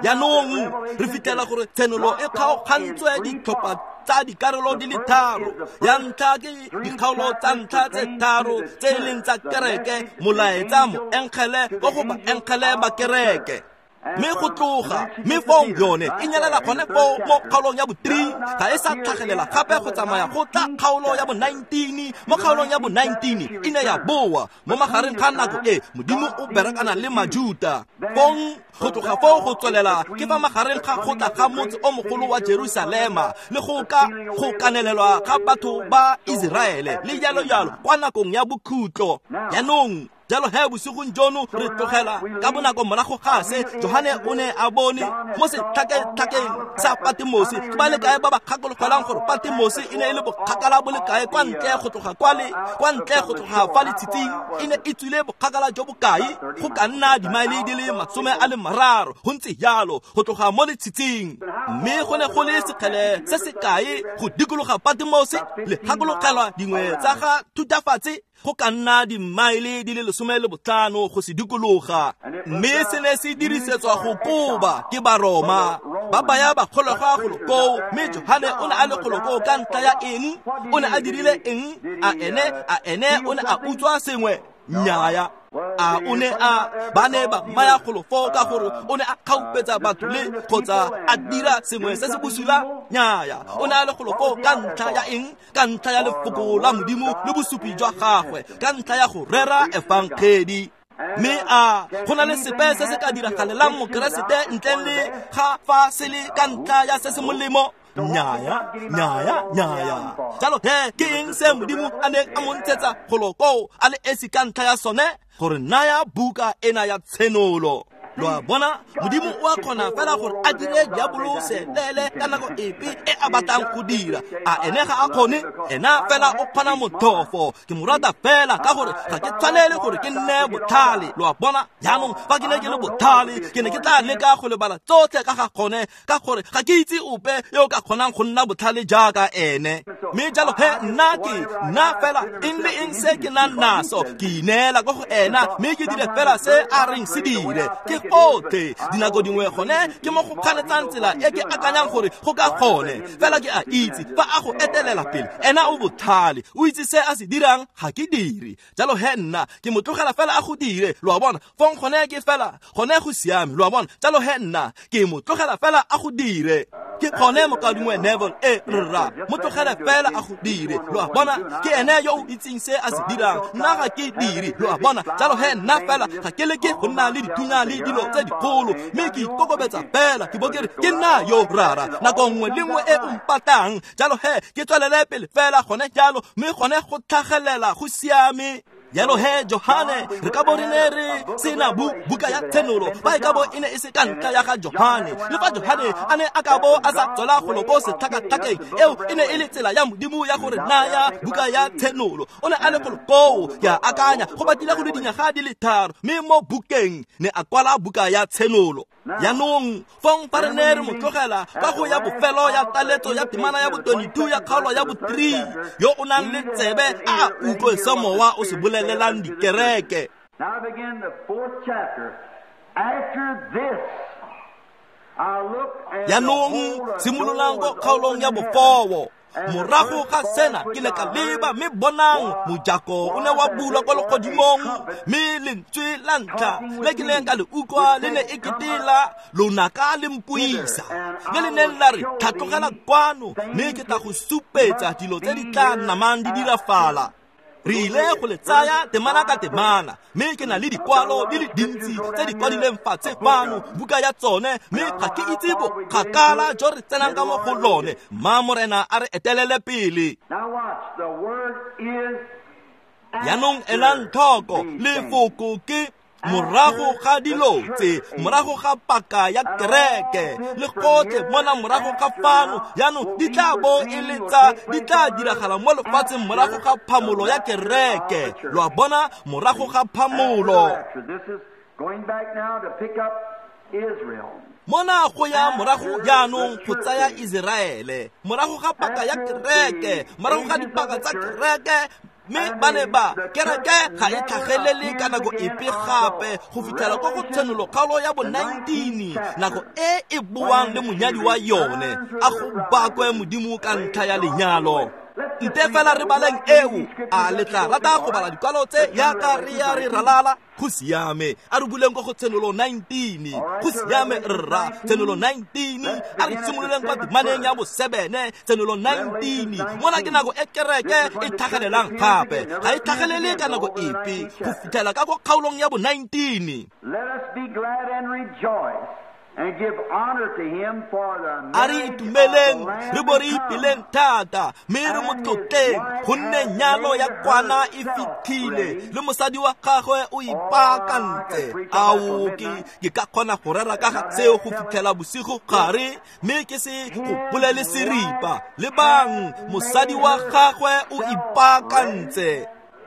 Speaker 1: Jaanong re fitlhela gore tshenolo e kgaogantswe ditlhopha tsa dikarolo di le tharo. Ya ntlha ke dikgaolo tsa ntlha tse tharo tse e leng tsa kereke, molaetsa, moengele ko go baengele ba kereke. Mme go tloga mme fong yone e nyelela gone foo mo kgaolong ya bo three, ga e sa tlhagelela gape go tsamaya go tla kgaolo ya bo nineteen. Mo kgaolong ya bo nineteen e ne ya boa mo magareng ga nako e Modimo o berekana le Majuta. Fong go tloga foo go tswelela ke fa magareng ga go tla ga motse o mogolo wa Jerusalema le go ka go kanelelwa ga batho ba Iseraele le jalo jalo kwa nakong ya bokhutlo. Jaanong jalo he bosigong jono re tlogela ka bonako morago ga se Johane o ne a bone mo setlhaketlhakeng sa Patmose. Ke ba le kae ba ba gakologelang gore Patmose e ne e le bokgakala bo le kae kwa ntle go tloga kwa le kwa ntle go tloga fa letshitsing? E ne e tswile bokgakala jo bokae? Go ka nna dimaele di le masome a le mararo, go ntse jalo, go tloga mo letshitsing. Mme go ne go le sekgele se se kae go dikologa Patmose? Le gakologelwa dingwe tsa ga thutafatse? Go ka nna dimaele di le lesome le botlhano go se dikologa. Mme se ne se dirisetswa go koba ke Baroma ba baya bakgolegwa golo koo. Mme Johane o ne a le golo koo ka ntlha ya eng? O ne a dirile eng? A ene a ene o ne a utswa sengwe? Nnyaya. A o ne a ba ne ba maya golo foo ka gore o ne a kgaupetsa batho le kgotsa a dira sengwe se se bosula? Nnyaya. O ne a le golo foo ka ntlha ya eng? Ka ntlha ya lefoko la Modimo le bosupi jwa gagwe, ka ntlha ya go rera efangedi. Mme a go na le sepe se se ka diragalelang Mokeresete ntleng le ga fa se le ka ntlha ya se se molemo? Nnyaya, nnyaya, nnyaya. Jalo he ke eng se Modimo a neng a mo ntshetsa golo koo a le esi ka ntlha ya sone? Gore naya buka ena ya tshenolo. Lo a bona, Modimo o a kgona fela gore a dire diabolo selele ka nako epe e a batlang go dira. A ene ga a kgone? Ena fela o kgona motlhofo. Ke mo rata fela ka gore ga ke tshwanele gore ke nne botlhale. Lo a bona, jaanong fa ke ne ke le botlhale ke ne ke tla leka go lebala tsotlhe ka ga gone, ka gore ga ke itse ope yo o ka kgonang go nna botlhale jaaka ene. Mme jalo he nna ke nna fela eng le eng se ke nang naso ke ineela ko go ena, mme ke dire fela se a reng se dire. Ke gotlhe. Dinako dingwe gone ke mo go kganetsang tsela e ke akanyang gore go ka gone, fela ke a itse fa a go etelela pele ena o botlhale, o itse se a se dirang, ga ke dire. Jalo he nna ke mo tlogela fela a go dire. Lo a bona, fong gone ke fela gone go siame. Lo a bona, jalo he nna ke mo tlogela fela a go dire. Ke gone mokadingwe Neville e rra, mo tlogele fela a go dire. Lo a bona, ke ene yo o itseng se a se dirang, nna ga ke dire. Lo a bona, jalo he nna fela ga ke leke go nna le dithunya le dilo tse dikgolo, mme ke ikokobetsa fela ke bo ke re ke nna yo rara nako nngwe le nngwe e o mpatang. Jalo he ke tswelele pele fela gone jalo, mme gone go tlhagelela go siame. Jalo he Johane re ka bo re ne re sena bu buka ya Tshenolo fa e ka bo e ne e se ka ntlha ya ga Johane. Le fa Johane a ne a ka bo a sa tswela golo ko setlhakatlhakeng, eo e ne e le tsela ya Modimo ya gore naya buka ya Tshenolo. O ne a le golo koo, ke a akanya go batlile go le dinyaga di le tharo, mme mo bukeng ne a kwala buka ya Tshenolo. Jaanong fong fa re ne re mo tlogela ka go ya bofelo ya taletso ya temana ya bo twenty-two ya kgaolo ya bo three, yo o nang le tsebe a utlwe se Mowa o se bolelelang dikereke.
Speaker 2: Now begin the fourth chapter. After this, I looked and
Speaker 1: Jaanong simololang ko kgaolong ya bofowo. Morago ga sena ke ne ka leba, mme bonang mojako o ne wa bulwa kwa legodimong, mme lentswe la ntlha le ke neng ka le utlwa le ne e kete la lonaka le mpuisa, le le neng la re, tlhatlogela kwano, mme ke tla go supetsa dilo tse di tla namang di dirafala. Re ile go le tsaya temana ka temana, mme ke na le dikwalo di le dintsi tse di kwadileng fatshe fano, buka ya tsone, mme ga ke itse bokgakala jo re tsenang ka mo go lone. Mma Morena a re etelele pele.
Speaker 2: Now watch, the word is
Speaker 1: Jaanong elang tlhoko, lefoko ke morago ga dilo tse, morago ga paka ya kereke, le gotlhe mona morago ga fano, jaanong di tla bo e le tsa, di tla diragala mo lefatsheng morago ga phamolo ya kereke. Lo a bona, morago ga phamolo.
Speaker 2: This is going back now to pick up Israel.
Speaker 1: Mona go ya morago jaanong go tsaya Iseraele, morago ga paka ya kereke, morago ga dipaka tsa kereke, mme ba ne ba kereke ga e tlhagelele ka nako epe gape go fitlhela ko go Tshenolo kgaolo ya bo nineteen, nako e e boang le monyadi wa yone. A go bakwe Modimo ka ntlha ya lenyalo. Nte fela re baleng eo, a le tla rata go bala dikwalo tse yaka re ya re ralala? Go siame, a re buleng ko go Tshenolo nineteen. Go siame rra, Tshenolo nineteen, a re simololeng kwa temaneng ya bo seven, Tshenolo nineteen. Mona ke nako e kereke e tlhagelelang gape, ga e tlhagelele ka nako epe go fitlhela ka ko kgaolong ya bo nineteen.
Speaker 2: Let us be glad and rejoice and give honor to him for the
Speaker 1: A re itumeleng, re bo re ipeleng thata, mme re mo tlotleng, gonne nyalo ya kwana e fitlhile, le mosadi wa gagwe o ipaakantse. Ao, ke, ke ka kgona go rera ka ga seo go fitlhela bosigo gare, mme ke se go bolele seripa. Lebang, mosadi wa gagwe o ipaakantse.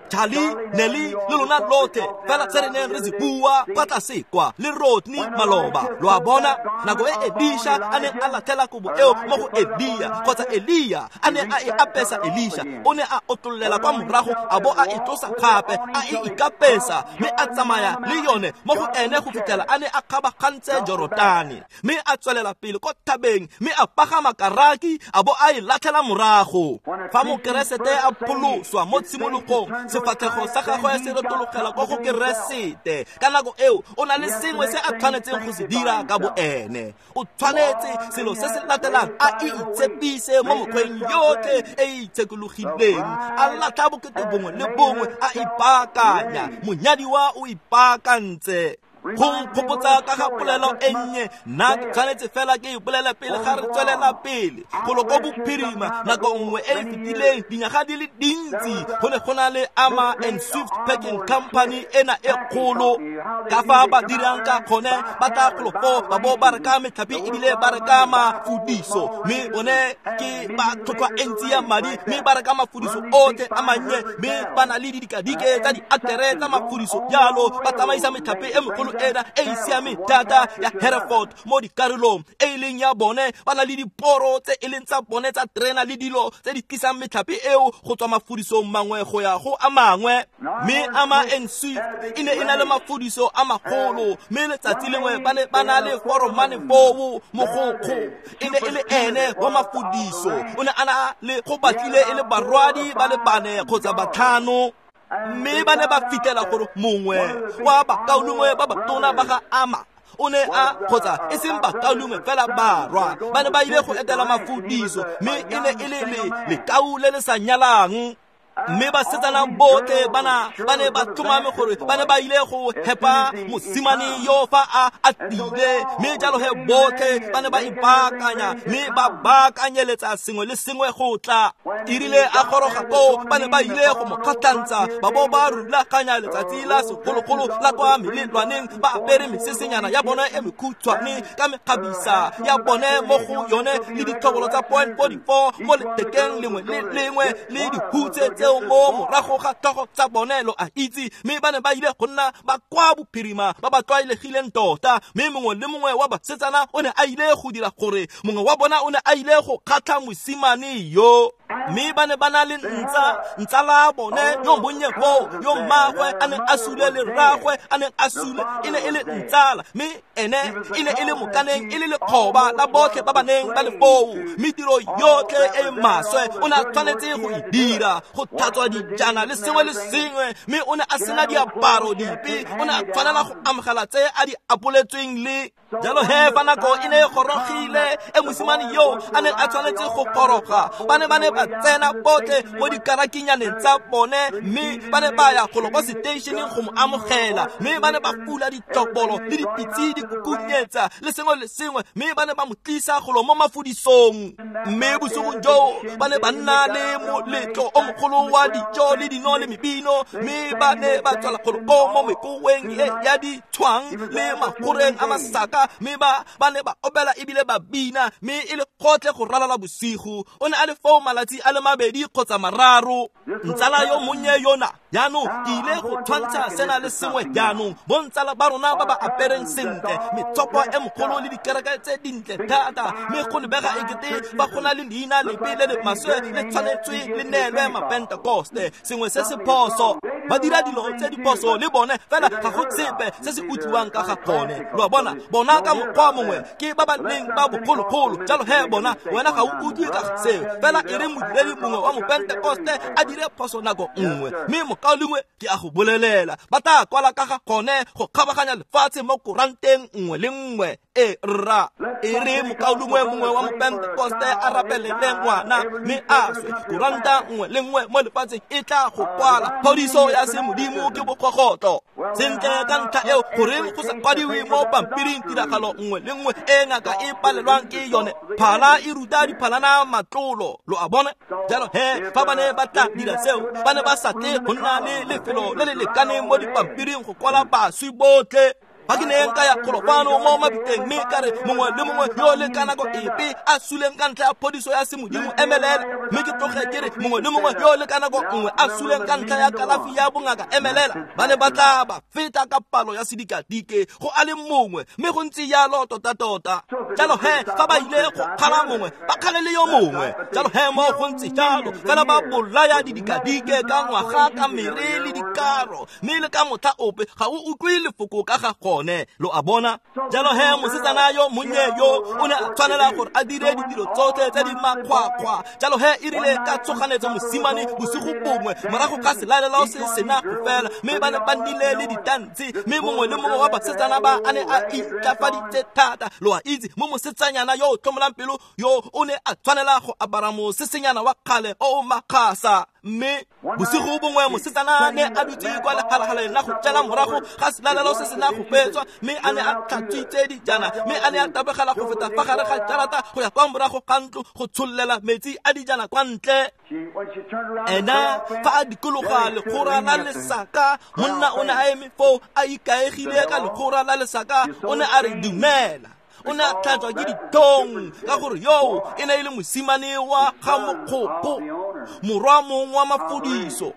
Speaker 1: Charlie, Nelly, le lona lotlhe, fela se re neng re se bua kwa tlase kwa le Rodney maloba. Lo a bona, nako e Elisha a neng a latlhela kobo eo mo go Elia, kgotsa Elia a ne a e apesa Elisha, o ne a otlollela kwa morago a bo a e tlosa gape, a e ikapesa, mme a tsamaya le yone mo go ene go fitlhela a ne a kgabagantse Jorotane, mme a tswelela pele ko thabeng, mme a pagama karaki a bo a e latlhela morago. Fa Mokeresete a pholoswa mo tshimologong, sefatlhego sa gagwe se retologela ko go Keresete. Ka nako eo o na le sengwe se a tshwanetseng go se dira ka bo ene. O tshwanetse selo se se latelang a itshepise mo mokgweng yotlhe e e itshekologileng, a latlha bokete bongwe le bongwe, a ipaakanya. Monyadiwa o ipaakantse. Go nkgopotsa ka ga polelo e nnye, nna ke tshwanetse fela ke e bolele pele ga re tswelela pele. Golo ko bophirima nako nngwe e e fetileng, dinyaga di le dintsi, go ne go na le Ama and Swift Packing Company ena e kgolo. Ka fa ba dirang ka gone, ba tla golo foo ba bo ba reka metlhapi ebile ba reka mafudiso, mme bone ke ba tlhotlhwa e ntsi ya madi, mme ba reka mafudiso otlhe a mannye, mme ba na le didikadike tsa diatere tsa mafudiso jalo, ba tsamaisa metlhapi e megolo ena e e siameng thata ya Hereford mo dikarolong e e leng ya bone. Ba na le diporo tse e leng tsa bone tsa terena le dilo tse di tlisang metlhapi eo go tswa mafudisong mangwe go ya go a mangwe. Mme Ama and Swift e ne e na le mafudiso a magolo, mme letsatsi lengwe ba ne ba na le foromane foo mogokgo e ne e le ene wa mafudiso, o ne a na le go batlile e le barwadi ba le bane kgotsa batlhano. Mme ba ne ba fitlhela gore mongwe wa bakaulengwe ba batona ba ga Ama o ne a, kgotsa e seng bakaulengwe fela barwa, ba ne ba ile go etela mafudiso, mme e ne e le lekau le le sa nyalang. Mme basetsana botlhe bana ba ne ba tlhomame gore ba ne ba ile go hepa mosimane yo fa a atile, mme jalo he botlhe ba ne ba ipaakanya mme ba baakanyeletsa sengwe le sengwe go tla. E rile a goroga koo ba ne ba ile go mo kgatlhantsha, ba bo ba rulaganya letsatsi la segologolo la kwa melelwaneng, ba apere mesesenyana ya bone e mekhutshwane ka mekgabisa ya bone mo go yone le ditlhobolo tsa point forty-four mo lethekeng lengwe le lengwe le dihutse tseo mo morago ga tlhogo tsa bone, lo a itse. Mme ba ne ba ile go nna ba kwa bophirima ba ba tlwaelegileng tota, mme mongwe le mongwe wa basetsana o ne a ile go dira gore mongwe wa bona o ne a ile go kgatlha mosimane yo. Mme ba ne ba na le ntsa ntsala bone yo monnye foo, yo mmaagwe a neng a sule le rraagwe a neng a sule, e ne e le ntsala, mme ene e ne e le mokaneng, e le lekgoba la botlhe ba ba neng ba le foo. Mme tiro yotlhe e e maswe o ne a tshwanetse go e dira, go tlhatswa dijana le sengwe le sengwe, mme o ne a sena diaparo dipe, o ne a tshwanela go amogela tse a di apoletsweng le. Jalo he fa nako e ne e gorogile e mosimane yo a neng a tshwanetse go goroga, ba ne ba ne ba tsena botlhe mo dikarakinyaneng tsa bone, mme ba ne ba ya golo kwa seteišeneng go mo amogela, mme ba ne ba fula ditlhobolo le dipitse di kukunyetsa le sengwe le sengwe, mme ba ne ba mo tlisa golo mo mafudisong. Mme bosigong joo ba ne ba nna le moletlo o mogolo wa dijo le dino le mebino, mme ba ne ba tswela golo ko mo mekoweng e ya ditshwang le magoreng a masaka, mme ba ba ne ba opela ebile ba bina, mme e le gotlhe go ralala bosigo. O ne a le foo malatsi a le mabedi kgotsa mararo. Ntsala yo monnye yona jaanong ke ile go tshwantsha sena le sengwe jaanong, bontsala ba rona ba ba apereng sentle, metsopo e mogolo le dikereke tse dintle thata, mme go lebega ekete ba go na le leina lepe le le maswe le tshwanetswe le neelwe mapentekoste, sengwe se se phoso. Ba dira dilo tse di phoso le bone, fela ga go sepe se se utlwiwang ka ga gone. Lo a bona, bona ka mokgwa mongwe ke ba ba leng ba bogologolo, jalo he bona wena ga o utlwe ka ga seo. Fela e re modiredi mongwe wa mopentekoste a dire phoso nako nngwe, mme mokaulengwe ke a go bolelela, ba tla kwala ka ga gone go kgabaganya lefatshe mo koranteng nngwe le nngwe. E rra, e re mokaulengwe mongwe wa mopentekoste a rapelele ngwana mme a swe, koranta nngwe le nngwe mo lefatsheng e tla go kwala phodiso ya semodimo ke bokgogotlo. Sentle ka ntlha eo goreng go sa kwadiwe mo pampiring tiragalo nngwe le nngwe e ngaka e palelwang ke yone? Phala e ruta diphalana matlolo, lo a bona. Jalo he fa ba ne ba tla dira seo, ba ne ba sa tle go nna le lefelo le le lekaneng mo dipampiring go kwala baswi botlhe. Fa ke neng ka ya golo fano mo mabitleng mme ka re mongwe le mongwe yo le ka nako epe a suleng ka ntlha ya phodiso ya semodimo emelela, mme ke tloge ke re mongwe le mongwe yo le ka nako nngwe a suleng ka ntlha ya kalafi ya bongaka emelela, ba ne ba tla ba feta ka palo ya sedikadike go a le mongwe, mme go ntse jalo tota-tota. Jalo he fa ba ile go kgala mongwe ba kgale le yo mongwe, jalo he mo go ntse jalo fela ba bolaya didikadike ka ngwaga ka mere le dikaro, mme le ka motlha ope ga o utlwe lefoko ka ga gone, lo a bona. Jalo he mosetsana yo monnye yo o ne a tshwanela gore a dire ditiro tsotlhe tse di makgwakgwa. Jalo he e rile ka tshoganetso mosimane bosigo bongwe morago ga selalelo se sena go fela, mme ba ne ba nnile le ditantse, mme mongwe le mongwe wa basetsana ba a ne a itlafaditse thata, lo a itse, mo mosetsanyana yo o tlhomolang pelo yo o ne a tshwanela go apara mosesenyana wa kgale o o makgasa. Mme bosigo bongwe mosetsana ne a dutse kwa legalagaleng la go jela morago ga selalelo se sena go fetswa, mme a ne a tlhatswitse dijana, mme a ne a tabogela go feta fa gare ga jarata go ya kwa morago ga ntlo go tshollela metsi a dijana kwa ntle. Ena fa a dikologa legora la lesaka, monna o ne a eme foo a ikaegile ka legora la lesaka, o ne a re dumela. O ne a tlhatswa ke ditlhong ka gore yo e ne e le mosimane wa ga mokgoko, morwa mongwe wa mafudiso.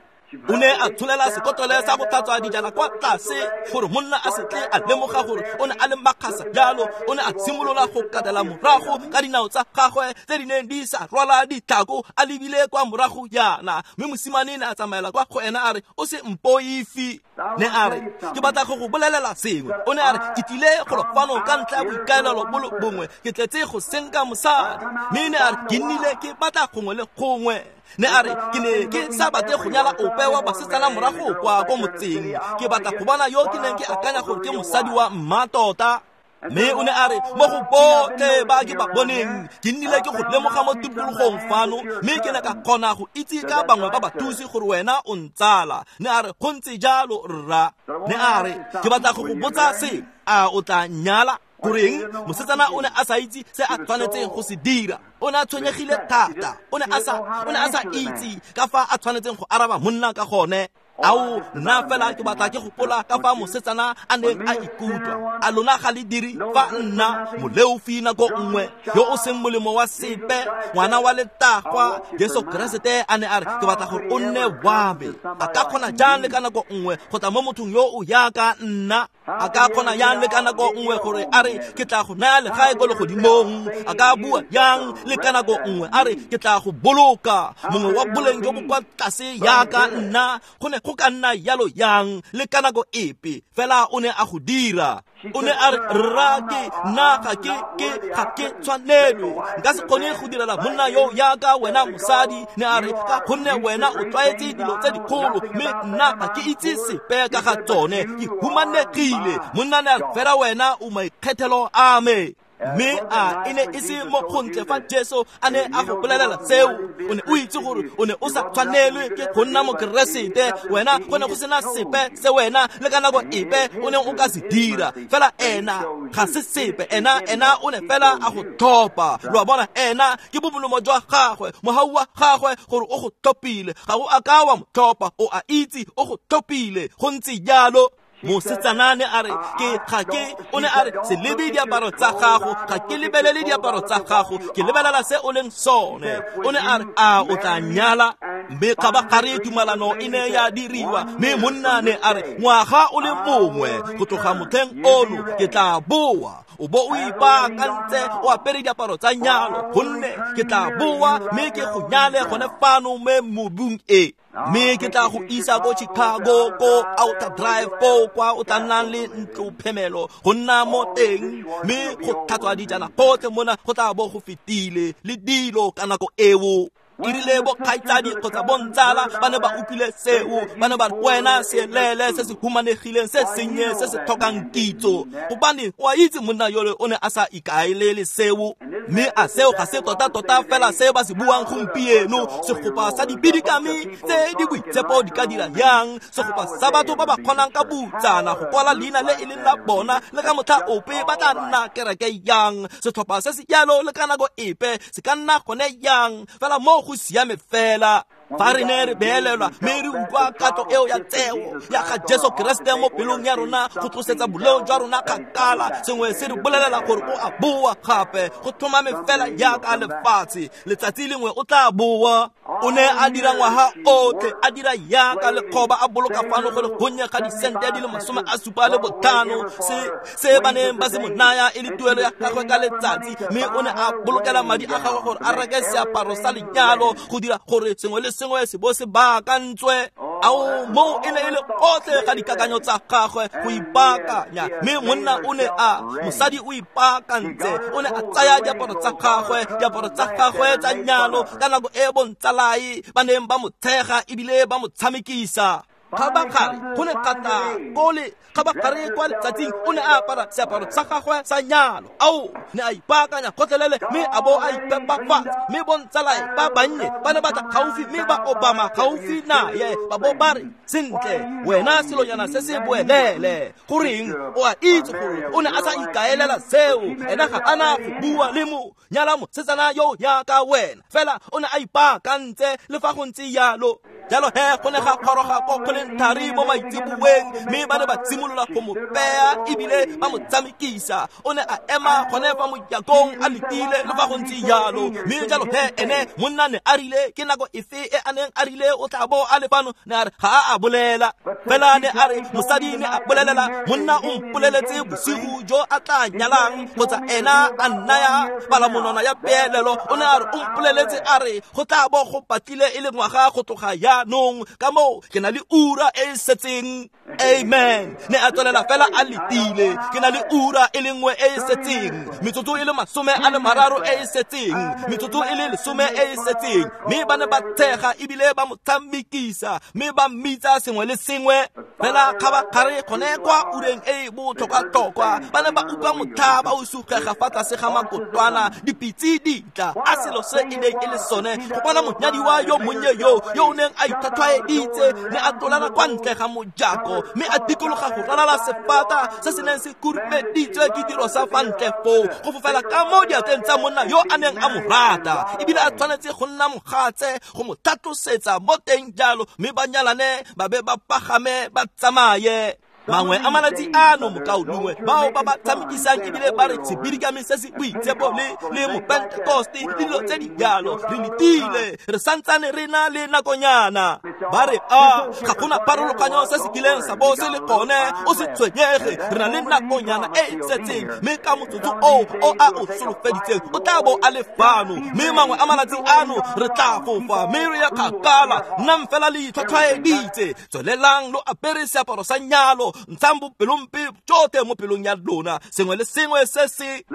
Speaker 1: O ne a tsholela sekotlolo sa go tlhatswa dijana kwa tlase gore monna a se tle a lemoga gore o ne a le makgasa jalo. O ne a simolola go katela morago ka dinao tsa gagwe tse di neng di sa rwala ditlhako, a lebile kwa morago jaana. Mme mosimane ne a tsamaela kwa go ena a re, o se mpoifi. Ne a re, ke batla go go bolelela sengwe. O ne a re, ke tlile golo fano ka ntlha ya boikaelelo bo le bongwe, ke tletse go senka mosadi. Mme ne a re, ke nnile ke batla gongwe le gongwe. Ne a re, ke ne ke sa batle go nyala ope wa basetsana morago kwa ko motseng, ke batla go bona yo ke neng ke akanya gore ke mosadi wa mmatota. Mme o ne a re mo go botlhe ba ke ba boneng ke nnile ke go lemoga mo tikologong fano mme ke ne ka kgona go itse ka bangwe ba bathusi gore wena o ntsala. Ne a re go ntse jalo rra. Ne a re ke batla go go botsa se, a o tla nyala? Goreng mosetsana o ne a sa itse se a tshwanetseng go se dira. O ne a tshwenyegile thata. O ne a sa o ne a sa itse ka fa a tshwanetseng go araba monna ka gone. Ao nna fela ke batla ke gopola ka fa mosetsana a neng a ikutlwa. A lona ga le dire fa nna moleofi nako nngwe yo o seng molemo wa sepe, ngwana wa letagwa Jesu Keresete a ne a re ke batla gore o nne wa me. A ka kgona jang le ka nako nngwe go tla mo mothong yo o yaka nna? A ka kgona yang le ka nako nngwe gore a re ke tla go naya legae ko legodimong? A ka bua yang le ka nako nngwe a re ke tla go boloka mongwe wa boleng jo bo kwa tlase yaka nna? Go ne go ka nna yalo yang le ka nako epe? Fela o ne a go dira. O ne a re rra ke nna ga ke ke ga ke tshwanelwe, nka se kgone go direla monna yo yaka wena mosadi. Ne a re ka gonne wena o tlwaetse dilo tse dikgolo mme nna ga ke itse sepe ka ga tsone, ke humanegile. Monna ne a re fela wena o maikgethelo a me. Mme a e ne e se mo gontle fa Jesu a ne a go bolelela seo. O ne o itse gore o ne o sa tshwanelwe ke go nna mokeresete. Wena go ne go sena sepe se wena le ka nako epe o neng o ka se dira. Fela ena ga se sepe, ena ena o ne fela a go tlhopha. Lo a bona, ena ke bomolomo jwa gagwe, mohau wa gagwe gore o go tlhophile. Ga o a ka wa mo tlhopha, o a itse o go tlhophile. Go ntse jalo. Mosetsana ne a re ke ga ke o ne a re se lebe diaparo tsa gago, ga ke lebelele diaparo tsa gago, ke lebelela se o leng sone. O ne a re a o tla nyala? Mme kgabagare tumalano e ne ya diriwa. Mme monna ne a re ngwaga o le mongwe go tloga motlheng ono ke tla boa, o bo o ipaakantse o apere diaparo tsa nyalo, gonne ke tla boa mme ke go nyale gone fano mo mobung e. Mme ke tla go isa ko Chicago ko Outer Drive ko kwa o tla nnang le ntlo phemelo go nna mo teng, mme go tlhatswa dijana gotlhe mona go tla bo go fetile le dilo ka nako eo. E rile bo kgaitsadi kgotsa bontsala ba ne ba utlwile seo, ba ne ba re wena seelele se se humanegileng se sennye se se tlhokang kitso, gobane o a itse monna yole o ne a sa ikaelele seo. Mme a seo ga se tota-tota fela se ba se buang gompieno. Segopa sa dibidikami tse di boitshepo di ka dira yang? Segopa sa batho ba ba kgonang ka butsana go kwala leina le e leng la bona le ka motlha ope ba tla nna kereke yang? Setlhopha se se jalo le ka nako epe se ka nna gone yang? Fela mo go siame fela. Fa re ne re beelelwa mme re utlwa katlo eo ya tseo ya ga Jesu Keresete mo pelong ya rona go tlosetsa boleo jwa rona kgakala, sengwe se re bolelela gore o a boa gape go tlhomame fela yaka lefatshe. Letsatsi lengwe o tla boa. O ne a dira ngwaga otlhe a dira yaka lekgoba, a boloka fano go le gonnye ga disente di le masome a supa le botlhano se se ba neng ba se mo naya e le tuelo ya gagwe ka letsatsi. Mme o ne a bolokela madi a gagwe gore a reke seaparo sa lenyalo go dira gore sengwe le sengwe se bo se baakantswe. Ao moo e ne e le otlhe ga dikakanyo tsa gagwe go ipaakanya. Mme monna o ne a mosadi o ipaakantse, o ne a tsaya diaparo tsa gagwe, diaparo tsa gagwe tsa nyalo ka nako e bontsalae ba neng ba mo tshega ebile ba mo tshamekisa. Kgabagare go ne ga tla kole kgabagare kwa letsatsing o ne a apara seaparo sa gagwe sa nyalo. Ao ne a ipaakanya gotlhelele mme a bo a ipepafatsa. Mme bontsalae ba bannye ba ne ba tla gaufi mme ba obama gaufi naye, ba bo ba re sentle wena selonyana se se boelele, goreng o a itse gore o ne a sa ikaelela seo, ena ga ana go bua le mo nyala mosetsana yo yaka wena. Fela o ne a ipaakantse le fa go ntse yalo. Jalo he go ne ga kgoroga ko kgoleng thari mo maitseboeng, mme ba ne ba simolola go mo peya ebile ba mo tshamekisa. O ne a ema gone fa mojakong a letile le fa go ntse jalo. Mme jalo he ene monna ne a rile ke nako efe e a neng a rile o tla bo a le fano? Ne a re ga a a bolela. Fela ne a re mosadi ne a bolelela monna o mpoleletse bosigo jo a tla nyalang kgotsa ena a nnaya palamonwana ya peelelo. O ne a re o mpoleletse a re go tla bo go patlile e le ngwaga go tloga ya jaanong, ka moo ke na le ura e e setseng. Amen. Ne a tswelela fela a letile. Ke na le ura e le nngwe e e setseng, metsotso e le masome a le mararo e e setseng, metsotso e le lesome e e setseng. Mme ba ne ba tshega ebile ba mo tshamekisa, mme ba mmitsa sengwe le sengwe. Fela kgabagare gone kwa ureng e e botlhokwa-tlhokwa, ba ne ba utlwa motlhaba o sugega fa tlase ga makotwana, dipitse di tla. A selo se e neng e le sone go bona monyadiwa yo monnye yo yo o neng a itlhwatlhwaeditse, ne a tlolela kwa ntle ga mojako, mme a dikologa go ralala sefata se se neng se khurumeditswe ke dilo sa fa ntle foo, go fofela ka mo diatleng tsa monna yo a neng a mo rata, ebile a tshwanetse go nna mogatse go mo tlhatlosetsa mo teng jalo, mme ba nyalane ba be ba pagame ba tsamaye. Mangwe a malatsi ano, mokaulengwe, bao ba ba tshamekisang ebile ba re sebidikame se se boitshepo le le mopentekoste le dilo tse di jalo, re letile, re santsane re na le nakonyana. Ba re a ga gona pharologanyo se se kileng sa bo se le gone, o se tshwenyege, re na le nakonyana e e setseng, mme ka motsotso oo o a o solofeditseng o tla bo a le fano. Mme mangwe a malatsi ano re tla fofa mme re ya kgakala. Nnang fela le itlhwatlhwaeditse, tswelelang lo apere seaparo sa nyalo, ntshang bopelompe tsotlhe mo pelong ya lona, sengwe le sengwe se se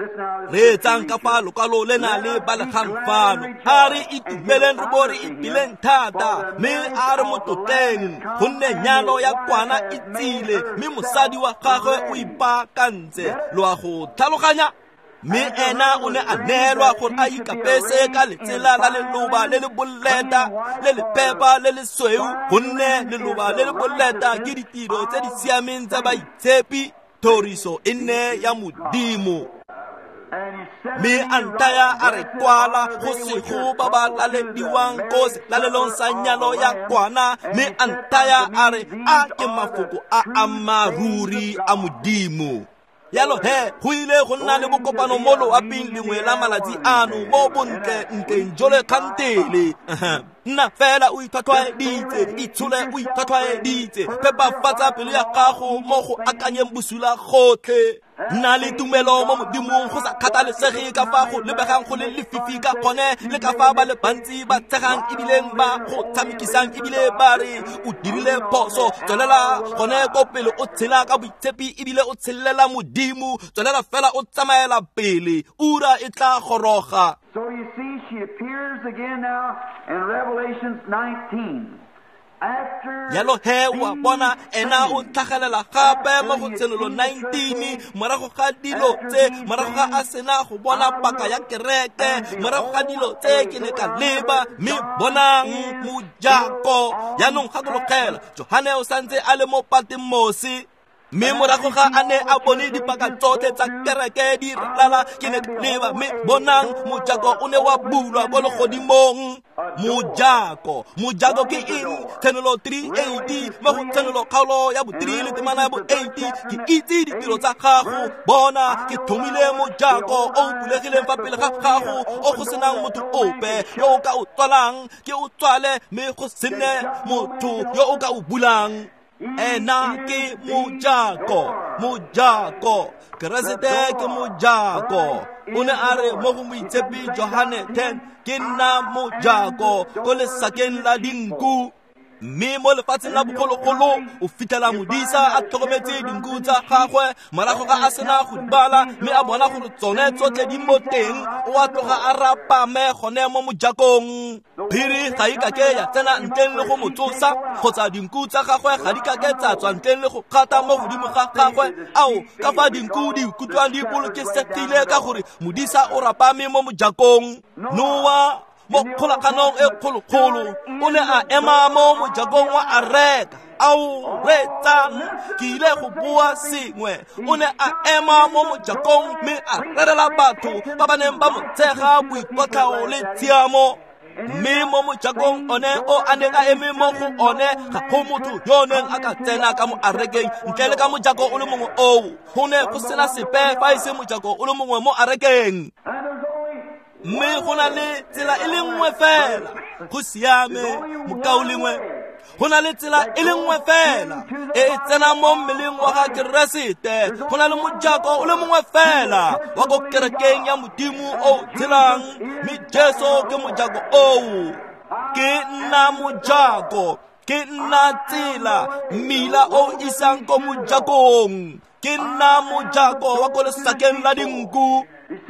Speaker 1: reetsang ka fa lokwalo lena le balegang fano. A re itumeleng re bo re ipileng thata, mme a re mo tlotleng, gonne nyalo ya kwana e tsile, mme mosadi wa gagwe o ipaakantse. Lo a go tlhaloganya? Mme ena o ne a neelwa gore a ikapese ka letsela la leloba le le boleta le le phepa le le sweu, gonne leloba le le boleta ke ditiro tse di siameng tsa baitshepi. Thoriso e nne ya Modimo. Mme a nthaya a re kwala go sego ba ba lalediwang ko selalelong sa nyalo ya kwana, mme a nthaya a re a ke mafoko a ammaaruri a Modimo. Yalo he, go ile go nna le bokopano mo loaping lengwe la malatsi ano mo bontle ntleng jole kgantele. Nna fela o itlhwatlhwaeditse, itshole o itlhwatlhwaeditse, phepafatsa pelo ya gago mo go akanyeng bosula gotlhe. Nna le tumelo mo Modimong go sa kgathalesege ka fa go lebegang go le lefifi ka gone, le ka fa ba le bantsi ba tshegang ebileng ba go tshamekisang ebile ba re o dirile phoso. Tswelela gone ko pele o tshela ka boitshepi ebile o tshelela Modimo. Tswelela fela o tsamaela pele, ura e tla goroga.
Speaker 2: So you see, she appears again now in Revelation nineteen.
Speaker 1: Yalo he, wa bona ena o tlhagelela gape mo go Tshenolo nineteen, morago ga dilo tse, morago ga a sena go bona paka ya kereke, morago ga dilo tse ke ne ka leba, mme bonang mojako. Jaanong gakologela, Johane o santse a le mo Patmose. Mme morago ga a ne a bone dipaka tsotlhe tsa kereke di ralala, ke ne ka leba, mme bonang mojako o ne wa bulwa ko legodimong. Mojako, mojako ke eng? Tshenolo three eighty, mo go Tshenolo kgaolo ya bo three le temana ya bo eighty, ke itse ditiro tsa gago, bona ke tlhomile mojako o o bulegileng fa pele ga gago, o go senang motho ope yo o ka o tswalang, ke o tswale mme go se nne motho yo o ka o bulang. Ena ke mojako, mojako, Keresete ke mojako. O ne a re mo go moitshepi Johane ten, ke nna mojako ko lesakeng la dinku. Mme mo lefatsheng la bogologolo o fitlhela modisa a tlhokometse dinku tsa gagwe, morago ga a sena go di bala, mme a bona gore tsone tsotlhe di mo teng, o a tloga a rapame gone mo mojakong. Phiri ga e kake ya tsena ntleng le go mo tsosa, kgotsa dinku tsa gagwe ga di kake tsa tswa ntleng le go kgata mo godimo ga gagwe. Ao, ka fa dinku di ikutlwang di bolokesegile ka gore modisa o rapame mo mojakong. Noa mo kgolaganong e kgolokgolo o ne a ema mo mojakong wa areka. Ao, reetsang, ke ile go bua sengwe. O ne a ema mo mojakong mme a rerela batho ba ba neng ba mo tshega boikotlhao le tshiamo. Mme mo mojakong one o a neng a eme mo go one, ga go motho yo neng a ka tsena ka mo arekeng ntle le ka mojako o le mongwe oo. Go ne go sena sepe fa e se mojako o le mongwe mo arekeng. Mme go na le tsela e le nngwe fela go siame, mokaulengwe. Go na le tsela e le nngwe fela e e tsenang mo mmeleng wa ga Keresete. Go na le mojako o le mongwe fela wa ko kerekeng ya Modimo o o tshelang, mme Jesu ke mojako oo. Ke nna mojako, ke nna tsela, mmila o isang ko mojakong. Ke nna mojako wa ko lesakeng la dinku.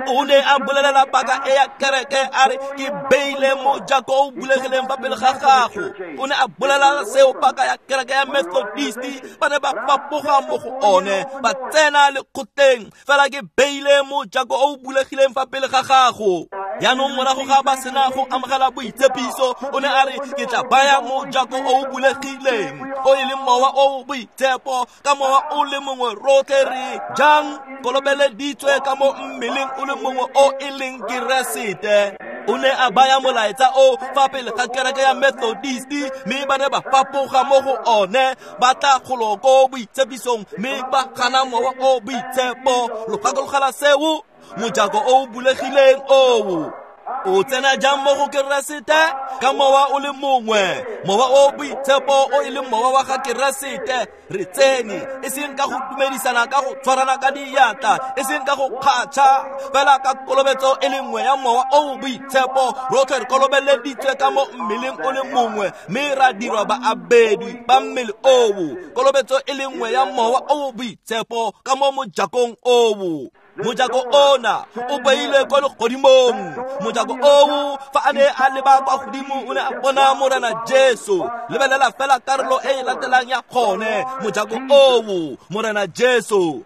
Speaker 1: O ne a bolelela paka e ya kereke a re ke beile mojako o bulegileng fa pele ga gago. O ne a bolela seo paka ya kereke ya Methodist ba ne ba fapoga mo go one ba tsena lekgotleng, fela ke beile mojako o bulegileng fa pele ga gago. Jaanong morago ga ba sena go amogela boitshepiso, o ne a re ke tla baya mojako o o bulegileng, o e leng mowa o boitshepo. Ka mowa o le mongwe rotlhe re jang kolobeleditswe ka mo mmeleng o le mongwe o e leng Keresete. O ne a baya molaetsa o fa pele ga kereke ya Methodist, mme ba ne ba fapoga mo go one, ba tla golo ko boitshepisong, mme ba gana mowa o boitshepo. Lo gakologela seo? Mojako o bulegileng oo o tsena jang mo go Keresete? Ka mowa o le mongwe, mowa o boitshepo o e leng mowa wa ga Keresete. Re tsene e seng ka go dumedisana, ka go tshwarana ka diatla, e seng ka go kgatšha, fela ka kolobetso e le nngwe ya mowa o boitshepo. Rotlhe re kolobeleditswe ka mo mmeleng o le mongwe, mme ra dirwa baabedi ba mmele oo. Kolobetso e le nngwe ya mowa o boitshepo ka mo mojakong oo. Mojako ona o beilwe kwa legodimong. Mojako oo fa a ne a leba kwa godimo o ne a bona Morena Jesu. Lebelela fela karolo e e latelang ya gone. Mojako oo, Morena Jesu.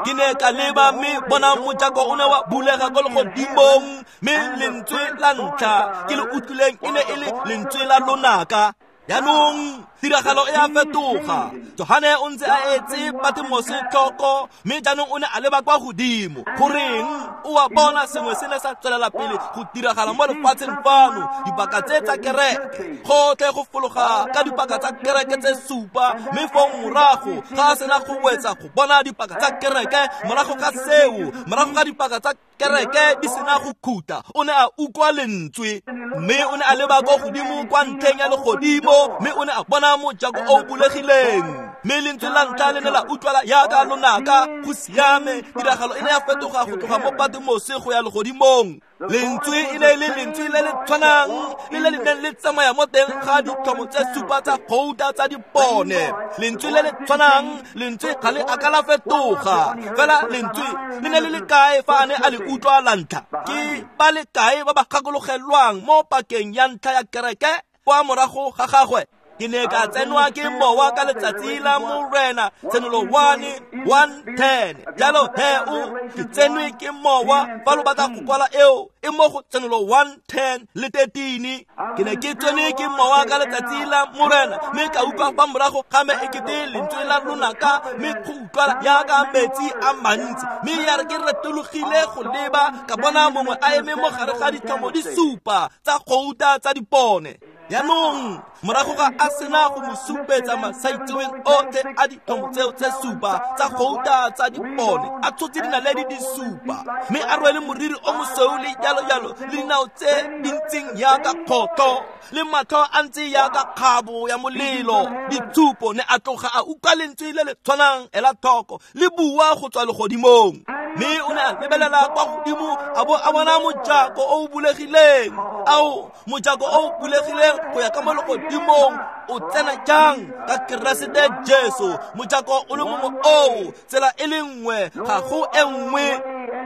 Speaker 1: Ke ne ka leba mme bona mojako o ne wa bulega kwa legodimong, mme lentswe la ntlha ke le utlwileng e ne e le lentswe la lonaka. Jaanong tiragalo e a fetoga. Johane o ntse a etse Patmose tlhoko, mme jaanong o ne a leba kwa godimo. Goreng o a bona sengwe se ne sa tswelela pele go diragala mo lefatsheng fano? Dipaka tse tsa kereke, gotlhe go fologa ka dipaka tsa kereke tse supa, mme fong morago ga a sena go wetsa go bona dipaka tsa kereke, morago ga seo, morago ga dipaka tsa kereke di sena go khuta, o ne a utlwa lentswe, mme o ne a leba kwa godimo kwa ntlheng ya legodimo, mme o ne a bona mojako o bulegileng. Mme lentswe la ntlha le ne la utlwala yaka lonaka. Go siame, tiragalo e ne ya fetoga go tloga mo Patmose go ya legodimong. Lentswe e ne e le lentswe le le tshwanang le le neng le tsamaya mo teng ga ditlhomo tse supa tsa gouta tsa dipone. Lentswe le le tshwanang, lentswe ga le a ka la fetoga. Fela lentswe le ne le le kae fa a ne a le utlwa la ntlha? Ke ba le kae ba ba gakologelwang mo pakeng ya ntlha ya kereke kwa morago ga gagwe? Ke ne ka tsenwa ke mowa ka letsatsi la Morena, Tshenolo one one ten. Jalo he o ke tsenwe ke mowa fa lo batla go kwala eo e mo go Tshenolo one ten le thirteen. Ke ne ke tsenwe ke mowa ka letsatsi la Morena, mme ka utlwa fa morago ga me ekete lentswe la lonaka, mme go utlwala yaka metsi a mantsi. Mme ya re ke retologile go leba, ka bona mongwe a eme mo gare ga ditlhomo di supa tsa gouta tsa dipone. Jaanong morago ga a sena go mo supetsa masaitseweng otlhe a ditlhomo tseo tse supa tsa gouta tsa dipone, a tshotse dinaledi di supa, mme a rwele moriri o mosweu le jalo-jalo, le dinao tse di ntseng yaka kgotlho, le matlho a ntse yaka kgabo ya molelo. Ditshupo ne a tloga a utlwa lentswe le le tshwanang, ela tlhoko, le bua go tswa legodimong. Mme o ne a lebelela kwa godimo a bo a bona mojako o o bulegileng. Ao, mojako o o bulegileng go ya ka mo legodimong o tsena jang? Ka Keresete Jesu. Mojako o le mongwe oo, tsela e le nngwe, ga go e nngwe.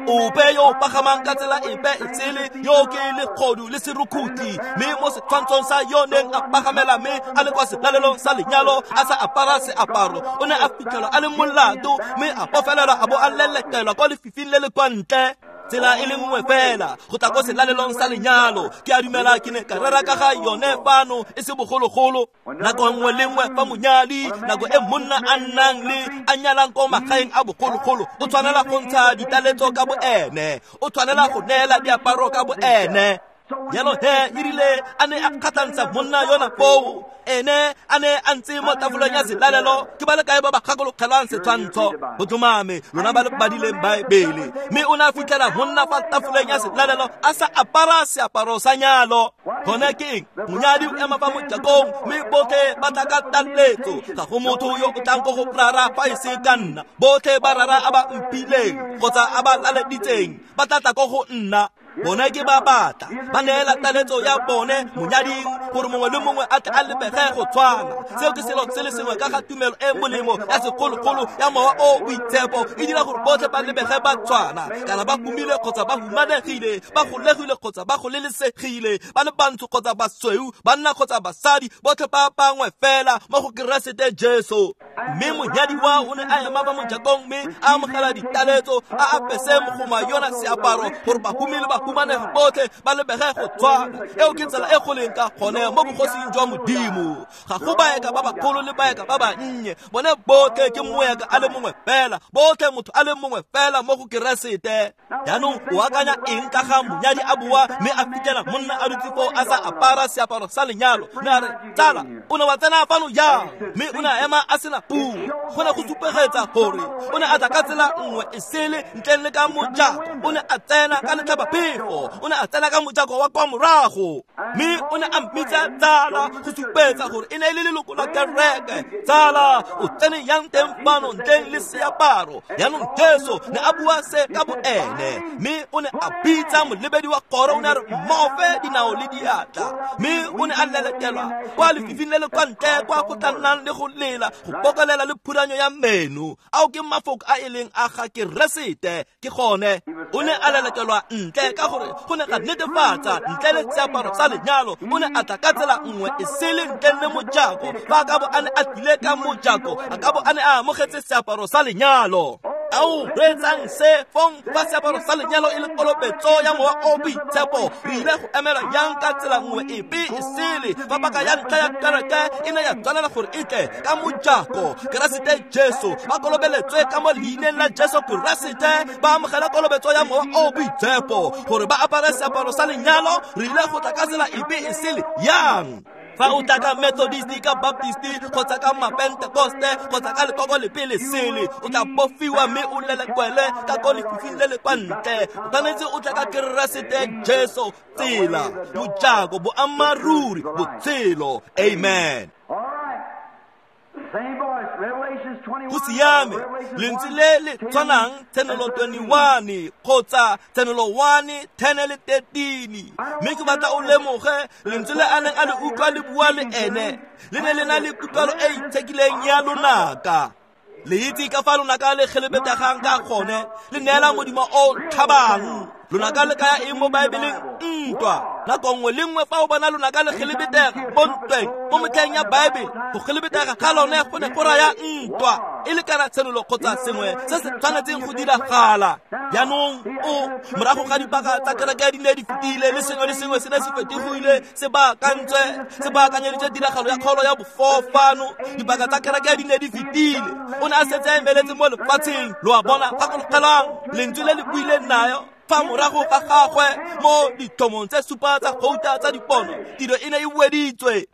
Speaker 1: Ope yo o pagamang ka tsela epe e tsele, yo ke legodu le serukhutlhi. Mme mo setshwantshong sa yo neng a pagamela mme a le kwa selalelong sa lenyalo a sa apara seaparo, o ne a fitlhelwa a le molato, mme a bofelelwa a bo a lelekelwa kwa lefifing le le kwa ntle. Tsela e le nngwe fela go tla ko selalelong sa lenyalo. Ke a dumela ke ne ka rera ka ga yone fano e se bogologolo. Nako nngwe le nngwe fa monyadi, nako e monna a nnang le a nyalang ko magaeng a bogologolo, o tshwanela go ntsha ditaletso ka boene, o tshwanela go neela diaparo ka boene. Jalo he e rile a ne a kgatlhantsha monna yona foo, ene a ne a ntse mo tafoleng ya selalelo. Ke ba le kae ba ba gakologelwang setshwantsho? Go tlhomame lona ba le badileng Baebele. Mme o ne a fitlhela monna fa tafoleng ya selalelo a sa apara seaparo sa nyalo. Gone ke eng? Monyadi o ema fa mojakong, mme botlhe ba tla ka taletso. Ga go motho yo o tlang ko go rara fa e se ka nna. Botlhe ba rara a ba mphileng kgotsa a ba laleditseng ba tla tla ko go nna. Bone ke ba batla ba neela taletso ya bone monyading gore mongwe le mongwe a tle a lebege go tshwana. Seo ke selo se le sengwe ka ga tumelo e molemo ya segologolo ya mowa o boitshepo, e dira gore botlhe ba lebege ba tshwana, kana ba humile kgotsa ba humanegile, ba golegile kgotsa ba golelesegile, ba le bantsho kgotsa basweu, banna kgotsa basadi, botlhe ba bangwe fela mo go Keresete Jesu. Mme monyadiwa o ne a ema ba mojakong mme a amogela ditaletso, a apese mogoma yona seaparo gore bahumi le bahumanegi botlhe ba lebege go tshwana. Eo ke tsela e go leng ka gone mo bogosing jwa Modimo. Ga go baeka ba bagolo le baeka ba bannye, bone botlhe ke moeka a le mongwe fela, botlhe motho a le mongwe fela mo go Keresete. Jaanong o akanya eng ka ga monyadi a boa mme a fitlhela monna a dutse foo a sa apara seaparo sa lenyalo? Mme a re, tsala, o ne wa tsena fano jang? Mme o ne a ema a sena puo. Go ne go supegetsa gore o ne a tla ka tsela nngwe e sele ntleng le ka mojako. O ne a tsena ka letlhabaphefo, o ne a tsena ka mojako wa kwa morago, mme o ne a mmitsa tsala go supetsa gore e ne e le leloko la kereke. Tsala, o tsene yang teng fano ntleng le seaparo? Jaanong Jesu ne a bua se ka boene, mme o ne a bitsa molebedi wa kgoro, o ne a re mmofe dinao le diatla, mme o ne a lelekelwa kwa lefifing le le kwa ntle kwa go tla nnang le go lela, go bokolela le phuranyo ya meno. Ao ke mafoko a e leng a ga Keresete. Ke gone o ne a lelekelwa ntle ka gore go ne ga netefatsa ntle le seaparo sa lenyalo. O ne a tla ka tsela nngwe e sele ntle le mojako. Fa a ka bo a ne a tlile ka mojako, a ka bo a ne a amogetse seaparo sa lenyalo. Ao reetsang se fong fa seaparo sa lenyalo e le kolobetso ya mowa o boitshepo, re ile go emela yang ka tsela nngwe epe e sele fa paka ya ntlha ya kereke e ne ya tshwanela gore e tle ka mojako? Keresete Jesu ba kolobeletswe ka mo leineng la Jesu Keresete, ba amogela kolobetso ya mowa o boitshepo gore ba apare seaparo sa lenyalo. Re ile go tla ka tsela epe e sele yang? Fa o tla ka Methodist, ka Baptist, kgotsa ka Mapentekoste, kgotsa ka lekoko lepe le sele, o tla bofiwa mme o lelekwele ka ko lefifing le le kwa ntle. O tshwanetse o tla ka Keresete Jesu, tsela, mojako, boammaaruri, botshelo. Amen. Go siame, lentswe le le tshwanang Tshenolo twenty-one kgotsa Tshenolo one ten le thirteen. Mme ke batla o lemoge lentswe le a neng a le utlwa le bua le ene le ne le na le kutlwalo e itshekileng ya lonaka. Le itse ka fa lonaka le kgelebetegang ka gone, le neela modimo o tlhabang. Lonaka le kaya eng mo Baebeleng? Ntwa. Nako nngwe le nngwe fa o bona lonaka le kgelebetega mo ntweng mo metlheng ya Baebele, go kgelebetega ga lone go ne go raya ntwa, e le kana tshenolo kgotsa sengwe se se tshwanetseng go diragala. Jaanong o morago ga dipaka tsa kereke di ne di fetile, le sengwe le sengwe se ne se fetogile, se baakantswe, se baakanyeditswe tiragalo ya kgolo ya bofofano. Dipaka tsa kereke di ne di fetile, o ne a setse a emeletse mo lefatsheng. Lo a bona, gakologelang lentswe le le buileng nayo fa morago ga gagwe mo ditlhomong tse supa tsa gouta tsa dipono, tiro e ne e weditswe.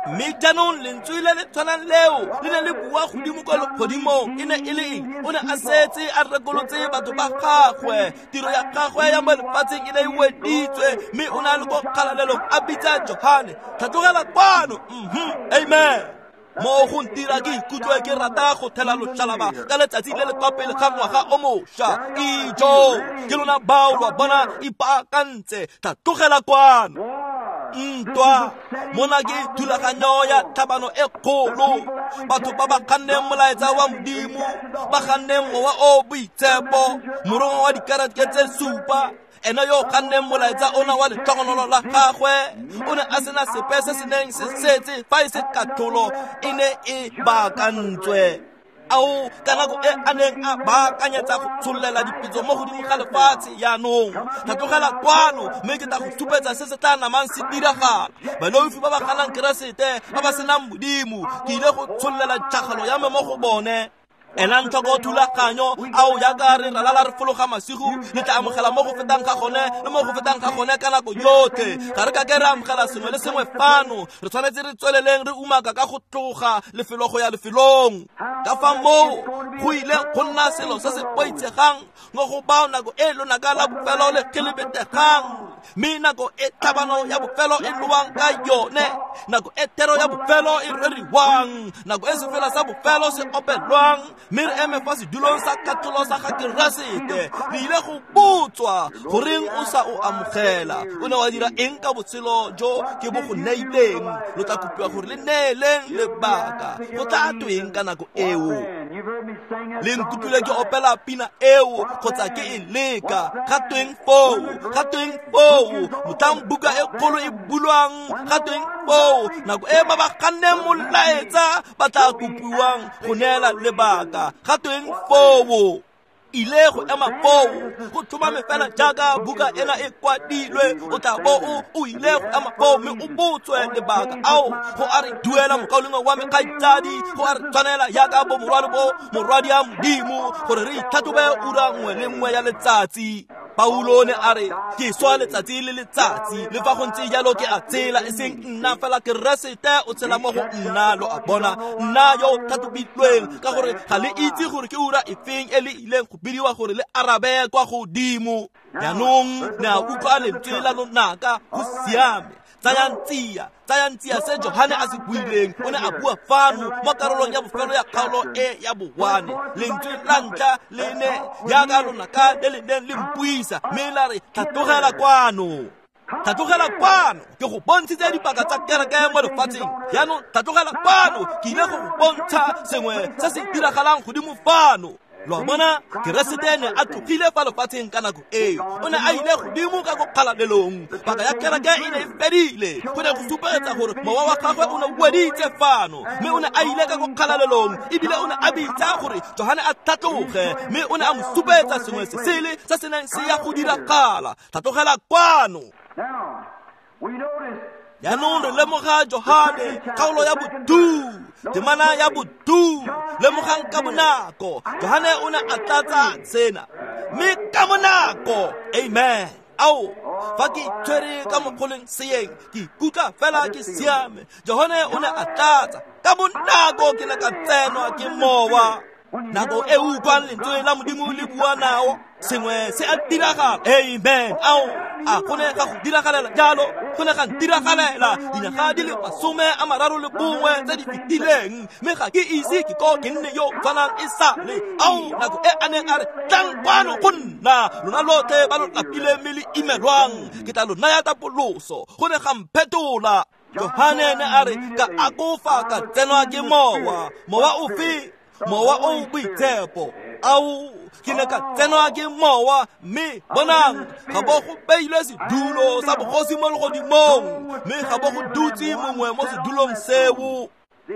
Speaker 1: Mme jaanong lentswe le le tshwanang leo le ne le bua godimo kwa legodimong. E ne e le eng? O ne a setse a rekolotse batho ba gagwe, tiro ya gagwe ya mo lefatsheng e ne e weditswe, mme o ne a le ko kgalalelong a bitsa Johane, tlhatlogela kwano. Mhm, amen. Mo go ntira ke ikutlwe ke rata go thela loshalaba ka letsatsi le le kwa pele ga ngwaga o mošwa. Ijo, ke lona bao lwa bona ipaakantse, tlhatlogela kwano. Ntwa mona ke thulaganyo ya tlhabano e kgolo. Batho ba ba ganneng molaetsa wa Modimo, ba ganneng mowa o boitshepo, morongwa wa dikereke tse supa, ena yo ganneng molaetsa ona wa letlhogonolo la gagwe, o ne a sena sepe se se neng se setse fa e se katlholo e ne e baakantswe. Ao ka nako e a neng a baakanyetsa go tshollela dipitso mo godimo ga lefatshe. Jaanong tlhatlogela kwano mme ke tla go supetsa se se tla namang se diragala. Baleofi ba ba ganang Keresete, ba ba senang Modimo, ke ile go tshollela tšhakgalo ya me mo go bone. Elang tlhoko thulaganyo ao jaaka re ralala re fologa masigo, le tla amogela mo go fetang ga gone le mo go fetang ga gone ka nako yotlhe. Ga re ka ke re amogela sengwe le sengwe fano, re tshwanetse re tsweleleng re umaka ka go tloga lefelo go ya lefelong. Ka fa moo go ile go nna selo se se boitshegang mo go bao nako e lonaka la bofelo le kgelebetegang, mme nako e tlhabano ya bofelo e lowang ka yone, nako e thero ya bofelo e reriwang, nako e sefela sa bofelo se opelwang, Mme re eme fa sedulong sa katlholo sa ga Keresete. Re ile go botswa goreng o sa o amogela. O ne wa dira eng ka botshelo jo ke bo go neileng? Lo tla kopiwa gore le neeleng lebaka. Go tla tweng ka nako eo? Le nkutlwile ke opela pina eo kgotsa ke e leka. Ga tweng foo? Ga tweng foo? Motlhang buka e kgolo e bulwang, ga tweng foo? Nako e ba ba ganneng molaetsa ba tla kopiwang go neela lebaka. Ga tweng foo? Ile go ema foo go tlhomame fela jaaka buka ena e kwadilwe. O tla bo o o ile go ema foo mme o botswe lebaka. Ao, go a re duela mokaulengwe wa me kgaitsadi, go a re tshwanela jaaka bo morwadi bo morwadi ya Modimo gore re itlhatlhobe ura nngwe le nngwe ya letsatsi. Paulo ne a re ke swa letsatsi le letsatsi, le fa go ntse jalo ke a tsela, e seng nna fela Keresete o tshela mo go nna. Lo a bona, nna yo o tlhatlhobilweng, ka gore ga le itse gore ke ura efeng e le ileng go bidiwa gore le arabe kwa godimo. Jaanong ne a utlwa lentswe la lonaka. Go siame. Tsayang tsia, tsayang tsia se Johane a se buileng. O ne a bua fano mo karolong ya bofelo ya kgaolo e ya bowane. Lentswe la ntlha le ne jaaka lonaka le le neng le mpuisa, mme la re tlhatlogela kwano. Tlhatlogela kwano, ke go bontshitse dipaka tsa kereke mo lefatsheng. Jaanong tlhatlogela kwano, ke ile go go bontsha sengwe se se diragalang godimo fano. Lo a bona, Keresete ne a tlogile fa lefatsheng ka nako eo. O ne a ile godimo ka ko kgalalelong. Paka ya kereke e ne e fedile. Go ne go supegetsa gore mowa wa gagwe o ne o weditse fano, mme o ne a ile ka ko kgalalelong. Ebile o ne a bitsa gore Johane a tlhatloge, mme o ne a mo supetsa sengwe se sele se se neng se ya go diragala. Tlhatlogela kwano. Jaanong re lemoga Johane, kgaolo ya botu, temana ya botu. Lemogang ka bonako, Johane o ne a tlatsa sena, mme ka bonako, amen. Ao, fa ke itshwere ka mokgoleng seeng, ke ikutlwa fela ke siame. Johane o ne a tlatsa ka bonako, ke ne ka tsenwa ke mowa. Nako e utlwang lentswe la Modimo le bua nao, sengwe se a diragala. Amen. Ao, a go ne ga go diragalela jalo, go ne ga ntiragalela dinyaga di le masome a mararo le bongwe tse di fetileng, mme ga ke ise ke ko ke nne yo tshwanang e sale. Ao, nako e a neng a re tlang kwano go nna, lona lotlhe ba lo lapileng mme le imelwang, ke tla lo naya tapoloso. Go ne ga mphetola. Johane ne a re ka akofa ka tsenwa ke mowa. Mowa ofe? Mowa o boitshepo. Ao, ke ne ka tsenwa ke mowa, mme bonang, ga bo go beilwe sedulo sa bogosi mo legodimong, mme ga bo go dutse mongwe mo sedulong seo.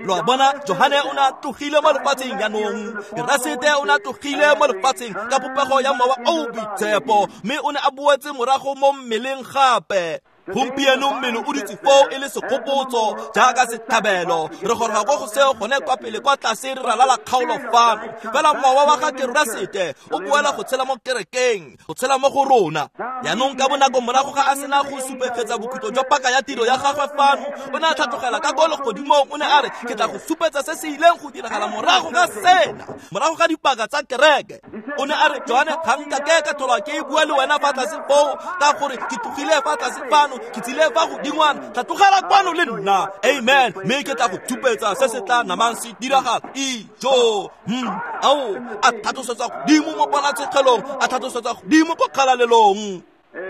Speaker 1: Lo a bona, Johane o ne a tlogile mo lefatsheng jaanong. Keresete o ne a tlogile mo lefatsheng ka popego ya mowa o boitshepo, mme o ne a boetse morago mo mmeleng gape. Gompieno mmele o dutse foo e le segopotso jaaka setlhabelo. Re goroga ko go seo gone kwa pele kwa tlase re ralala kgaolo fano. Fela mowa wa ga Keresete o boela go tshela mo kerekeng, go tshela mo go rona. Jaanong ka bonako morago ga a sena go supegetsa bokhutlo jwa paka ya tiro ya gagwe fano, o ne a tlhatlogela ka ko legodimong. O ne a re ke tla go supetsa se se ileng go diragala morago ga sena, morago ga dipaka tsa kereke. O ne a re Johane, ga nkake ka tlhola ke bua le wena fa tlase foo, ka gore ke tlogile fa tlase fano, ke tsile fa godingwana. Tlhatlogela kwano le nna. Amen. Mme ke tla go thupetsa se se tla namang se diragala. Ijo. Hmm. Ao, a tlhatlosetsa godimo mo ponatshegelong, a tlhatlosetsa godimo ko kgalalelong.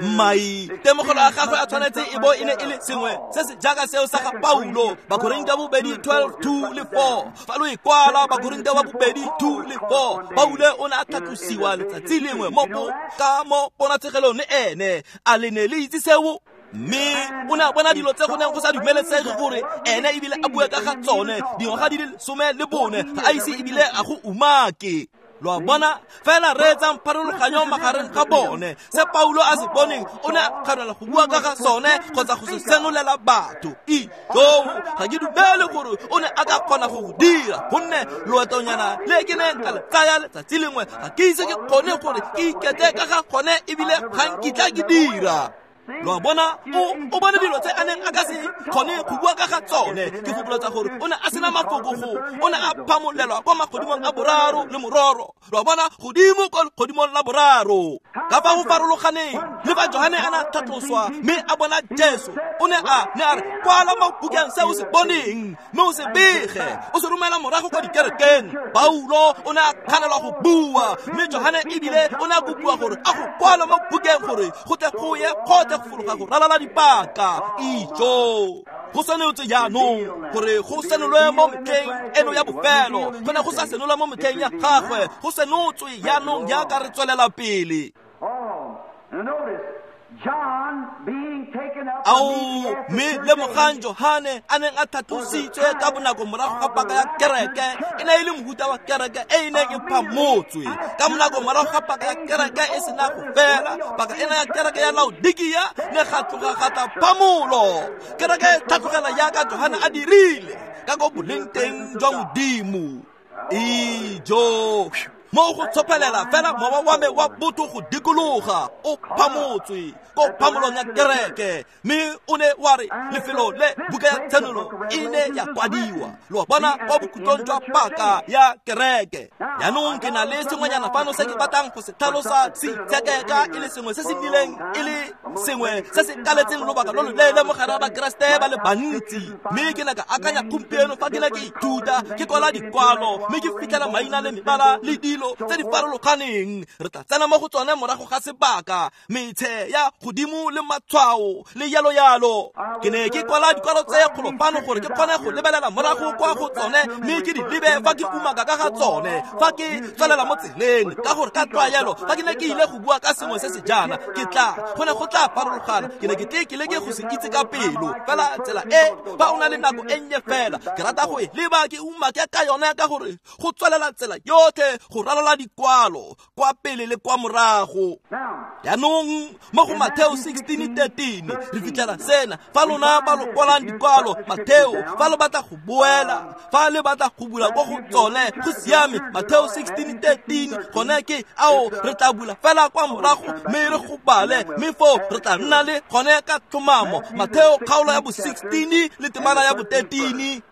Speaker 1: Mai temogelo a gagwe a tshwanetse e bo e ne e le sengwe se se jaaka seo sa ga Paulo. Bakorinthe ba bobedi twelve two le four. Fa lo e kwala, Bakorinthe ba bobedi two le four. Paulo o ne a tlhatlosiwa letsatsi lengwe mo ka mo ponatshegelong le ene. A le ne le itse seo? Mme o ne a bona dilo tse go neng go sa dumelesege gore ene ebile a bue ka ga tsone dingwaga di le lesome le bone, ga a ise ebile a go umake. Lo a bona, fela reetsang pharologanyo magareng ga bone. Se Paulo a se boneng, o ne a kganela go bua ka ga sone kgotsa go se senolela batho. Ijo, ga ke dumele gore o ne a ka kgona go go dira, gonne loetonyana le ke neng ka le tsaya letsatsi lengwe ga ke ise ke kgone gore ke ikete ka ga gone, ebile ga nkitla ke dira. Lo a bona, o o bone dilo tse a neng a ka se kgone go bua ka ga tsone. Ke gopoletsa gore o ne a sena mafoko go, o ne a phamolelwa kwa magodimong a boraro le mororo. Lo a bona, godimo kwa legodimong la boraro. Ka fa go farologaneng le fa Johane a ne a tlhatloswa mme a bona Jesu, o ne a ne a re kwala mo bukeng se o se boneng mme o se bege, o se romela morago kwa dikerekeng. Paulo o ne a kganelwa go bua, mme Johane ebile o ne a kopiwa gore a go kwala mo bukeng gore go tle go ye kgothe go fologa go ralala dipaka. Ijo go tshwanetse jaanong gore go senolwe mo metlheng eno ya bofelo, go ne go sa senolwa mo metlheng ya gagwe, go senotswe jaanong jaaka re tswelela pele. Ao, mme lemogang Johane a neng a tlhatlositswe ka bonako morago ga paka ya kereke, e ne e le mohuta wa kereke e e neng e phamotswe ka bonako morago ga paka ya kereke e sena go fela. Paka ena ya kereke ya Laodikia ne ga tloga ga tla phamolo, kereke e tlhatlogela jaaka Johane a dirile ka ko boleng teng jwa Modimo. Ijo mo go tshopelela fela mowa wa me wa botho go dikologa o phamotswe ko phamolong ya kereke, mme o ne wa re lefelo le buka ya Tshenolo e ne ya kwadiwa. Lo a bona, kwa bokhutlong jwa paka ya kereke. Jaanong ke na le sengwenyana fano se ke batlang go se tlhalosa se itshekeka e le sengwe se se nnileng e le sengwe se se kaletseng lobaka lo loleele mo gare ga Bakeresete ba le bantsi. Mme ke ne ka akanya gompieno fa ke ne ke ithuta ke kwala dikwalo mme ke fitlhela maina le mebala le dilo tse di farologaneng. Re tla tsena mo go tsone morago ga sebaka, metshe ya godimo le matshwao le yalo yalo. Ke ne ke kwala dikwalo tse kgolo fano gore ke kgone go lebelela morago kwa go tsone mme ke di lebe fa ke umaka ka ga tsone fa ke tswelela mo tseleng, ka gore ka tlwaelo fa ke ne ke ile go bua ka sengwe se se jaana ke tla go ne go tla farologana. Ke ne ke tle ke leke go se itse ka pelo fela tsela e fa o na le nako e nnye fela ke rata go e leba ke umake ka yone, ka gore go tswelela tsela yotlhe go ralola dikwalo kwa pele le kwa morago. Jaanong mo go Mateo sixteen thirteen re fitlhela sena: fa lona ba lo kwalang dikwalo, Mateo, fa lo batla go boela, fa le batla go bula ko go tsone, go siame. Mateo sixteen thirteen gone ke ao re tla bula fela kwa morago mme re go bale, mme foo re tla nna le gone ka tlhomamo. Mateo kgaolo ya bo sixteen le temana ya bo thirteen.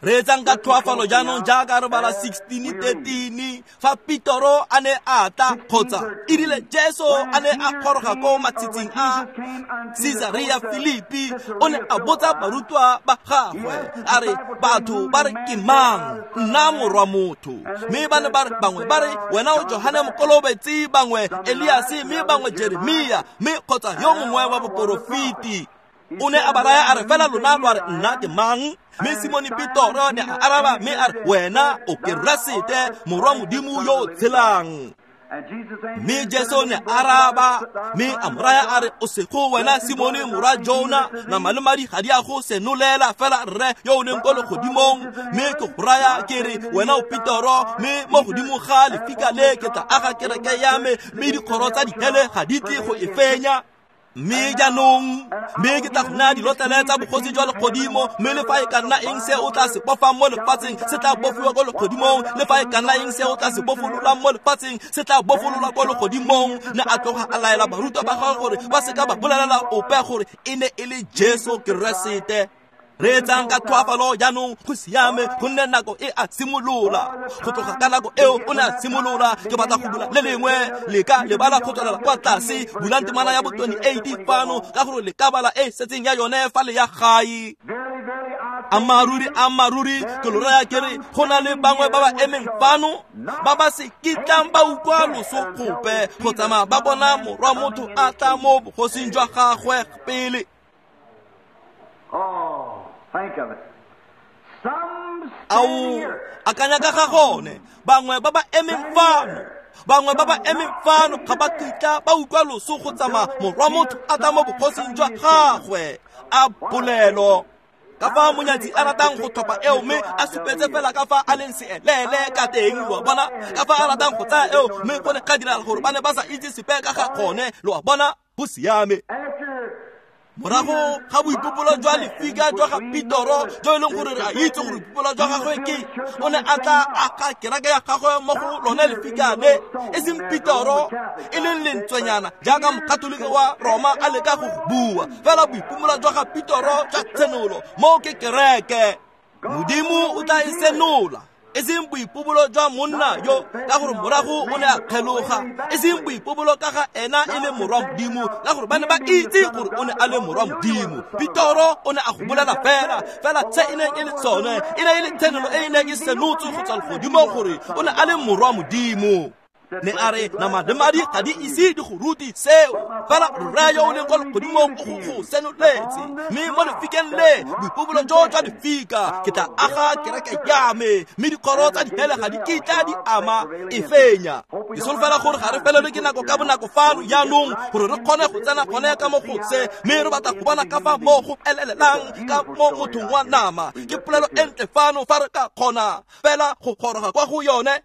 Speaker 1: Re etsang ka tlhoafalo jaanong jaaka re bala sixteen thirteen fa Petoro a ne a tla, kgotsa e rile Jesu a ne a goroga ko matshitsing a Caesarea Philippi, o ne a botsa barutwa ba gagwe a re, batho ba re ke mang nna morwa motho? Mme ba ne ba re, bangwe ba re wena o Johane Mokolobetsi, bangwe Eliase, mme bangwe Jeremia, mme kgotsa yo mongwe wa boporofeti. O ne a ba raya a re, fela lona lwa re nna ke mang? Mme Simone Petoro ne a araba mme a re, wena o Keresete morwa Modimo yo o tshelang. Mme Jesu ne araba mme a mo raya a re, o sego wena Simone morwa Jona, nama le madi ga di a go senolela fela rre yo o leng ko legodimong. Mme ke go raya ke re, wena o Petoro, mme mo godimo ga lefika le ke tla aga kereke ya me, mme dikgoro tsa dihele ga di tle go e fenya. Mme jaanong mme ke tla go naya dilotlele tsa bogosi jwa legodimo, mme le fa e ka nna eng se o tla se bofang mo lefatsheng se tla bofiwa ko legodimong, le fa e ka nna eng se o tla se bofololang mo lefatsheng se tla bofololwa ko legodimong. Ne a tloga a laela barutwa ba gagwe gore ba seka ba bolelela ope gore e ne e le Jesu Keresete. Re etsang ka tlhoafalo jaanong, go siame, gonne nako e a simolola. Go tloga ka nako eo o ne a simolola. Ke batla go bula le lengwe le ka lebala go tswelela kwa tlase. Bulang temana ya bo twenty-eight fano, ka gore le ka bala e setseng ya yone fa le ya gae. Ammaruri, ammaruri, ke lo raya ke re, go na le bangwe ba ba emeng fano ba ba se kitlang ba utlwa loso gope go tsamaya ba bona morwa motho a tla mo bogosing jwa gagwe pele.
Speaker 2: Think of it. Some
Speaker 1: Ao, akanya ka ga gone, bangwe ba ba emeng fano, bangwe ba ba emeng fano ga ba kitla ba utlwa loso go tsamaya morwa motho a tla mo bogosing jwa gagwe. A polelo ka fa monyatsi a ratang go tlhopha eo mme a supetse fela ka fa a leng seelele ka teng, lo a bona, ka fa a ratang go tsaya eo mme go ne ga diragala gore ba ne ba sa itse sepe ka ga gone, lo a bona, go siame.
Speaker 2: After
Speaker 1: Morago ga boipopolo jwa lefika jwa ga Petoro jo e leng gore re a itse gore boipopolo jwa gagwe ke o ne a tla aga kereke ya gagwe mo go lone lefika le e seng Petoro e leng lentswenyana jaaka mokatolike wa Roma a leka go bua fela boipopolo jwa ga Petoro jwa tshenolo mo ke kereke Modimo o tla e senola e seng boipobolo jwa monna yo ka gore morago o ne a kgeloga e seng boipobolo ka ga ena e le morwa Modimo ka gore ba ne ba itse gore o ne a le morwa Modimo. Petoro o ne a go bolela fela fela se e neng e le tsone e ne e le tshenolo e e neng e senotswe go tswa legodimong gore o ne a le morwa Modimo. Ne a re nama le madi ga di ise di go rute seo fela rre yo o leng kwa legodimong o go go senoletse mme mo lefikeng le boipobolo jo jwa lefika ke tla aga kereke ya me mme dikgoro tsa dihele ga di kitla di ama e fenya. Ke solofela gore ga re felelwe ke nako ka bonako fano jaanong gore re kgone go tsena gone ka mo go se mme re batla go bona ka fa mo go elelelang ka mo mothong wa nama. Ke polelo e ntle fano fa re ka kgona fela go goroga kwa go yone.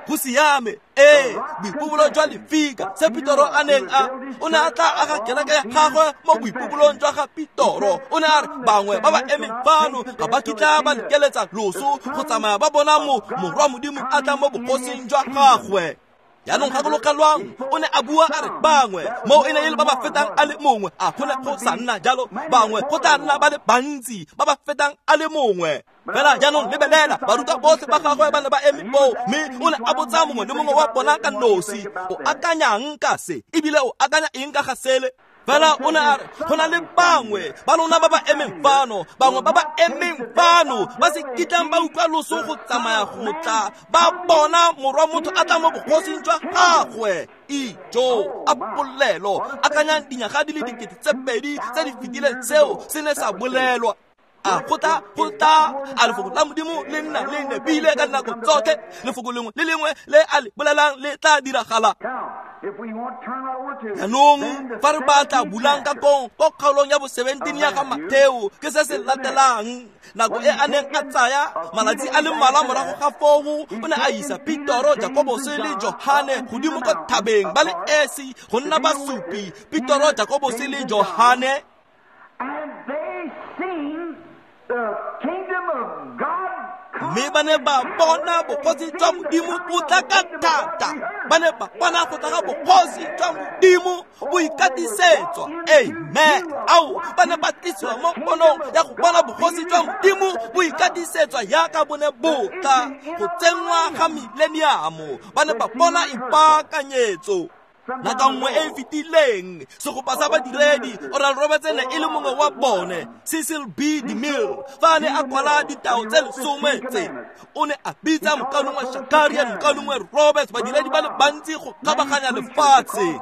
Speaker 1: Go siame ee boipobolo jwa lefika se Petoro a neng a o ne a tla aga kereke ya gagwe mo boipobolong jwa ga Petoro. O ne a re bangwe ba ba emeng fano ga ba kitla ba lekeletsa loso go tsamaya ba bona mo morwa Modimo a tla mo bogosing jwa gagwe. Jaanong gakologelwang o ne a bua a re bangwe mo e ne e le ba ba fetang a le mongwe a go ne go sa nna jalo bangwe go tla nna ba le bantsi ba ba fetang a le mongwe. Fela jaanong lebelela barutwa botlhe ba gagwe ba ne ba eme foo mme o ne a botsa mongwe le mongwe wa bona ka nosi o akanyang ka se ebile o akanya eng ka ga sele. Fela o ne a re go na le bangwe ba lona ba ba emeng fano bangwe ba ba emeng fano ba se kitlang ba utlwa loso go tsamaya go tla ba bona morwa motho a tla mo bogosing jwa gagwe. Ijo a polelo akanyang dinyaga di le dikete tse pedi tse di fetileng seo se ne sa bolelwa. A go tla go tla a lefoko la Modimo le nna le nepile ka dinako tsotlhe lefoko lengwe le lengwe le a le bolelang le tla diragala. Jaanong fa re batla bulang ka kong ko kgaolong ya bo seventeen ya ga Matheo ke se se latelang nako e a neng a tsaya malatsi a le mmalwa morago ga foo o ne a isa Petoro, Jakobose le Johane godimo kwa thabeng ba le esi go nna basupi. Petoro, Jakobose le Johane. Mme ba ne ba bona bogosi jwa Modimo bo tla ka thata. Ba ne ba bona go tla ga bogosi jwa Modimo bo ikatisetswa. Amen. Ao ba ne ba tlisiwa mo ponong ya go bona bogosi jwa Modimo bo ikatisetswa yaka bo ne bo tla go tsenngwa ga mileniamo. Ba ne ba bona ipaakanyetso. Nako nngwe e e fetileng segopa sa badiredi Oral Roberts ne e le mongwe wa bone Cecil B. DeMille fa a ne a kwala ditao tse lesome tse o ne a bitsa mokaulengwe Shakarian mokaulengwe Roberts badiredi ba le bantsi go kgabaganya lefatshe.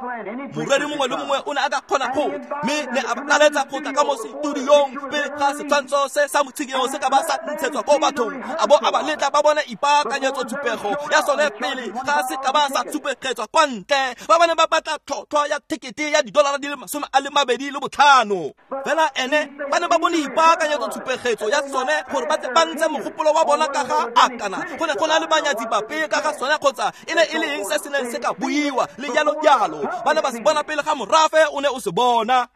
Speaker 1: Moreri mongwe le mongwe o ne a ka kgona go mme ne a laletsa go tla ka mo setudiong pele ga setshwantsho se sa motshikinyego se ka ba sa ntshetswa ko bathong a bo a ba letla ba bone ipaakanyetso tshupego ya sone pele ga se ka ba sa tshupegetswa kwa ntle. Ba ba ba batla tlhotlhwa ya tekete ya didolara di le masome a le mabedi le botlhano. Fela ene ba ne ba bone ipaakanyetso tshupegetso ya sone gore ba tle ba ntshe mogopolo wa bona ka ga akana go ne go na le banyatsi bape ka ga sone kgotsa e ne e le eng se se neng se ka buiwa le jalo jalo. Ba ne ba se bona pele ga morafe o ne o se bona.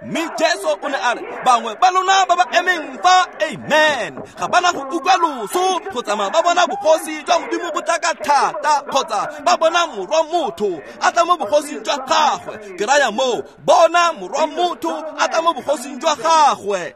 Speaker 1: Mme Jesu o ne a re bangwe ba lona ba ba emeng fa amen ga bana go utlwa loso go tsamaya ba bona bogosi jwa Modimo bo tla ka thata kgotsa ba bona morwa motho a tla mo bogosing jwa gagwe. Ke raya moo bona morwa motho a tla mo bogosing jwa gagwe.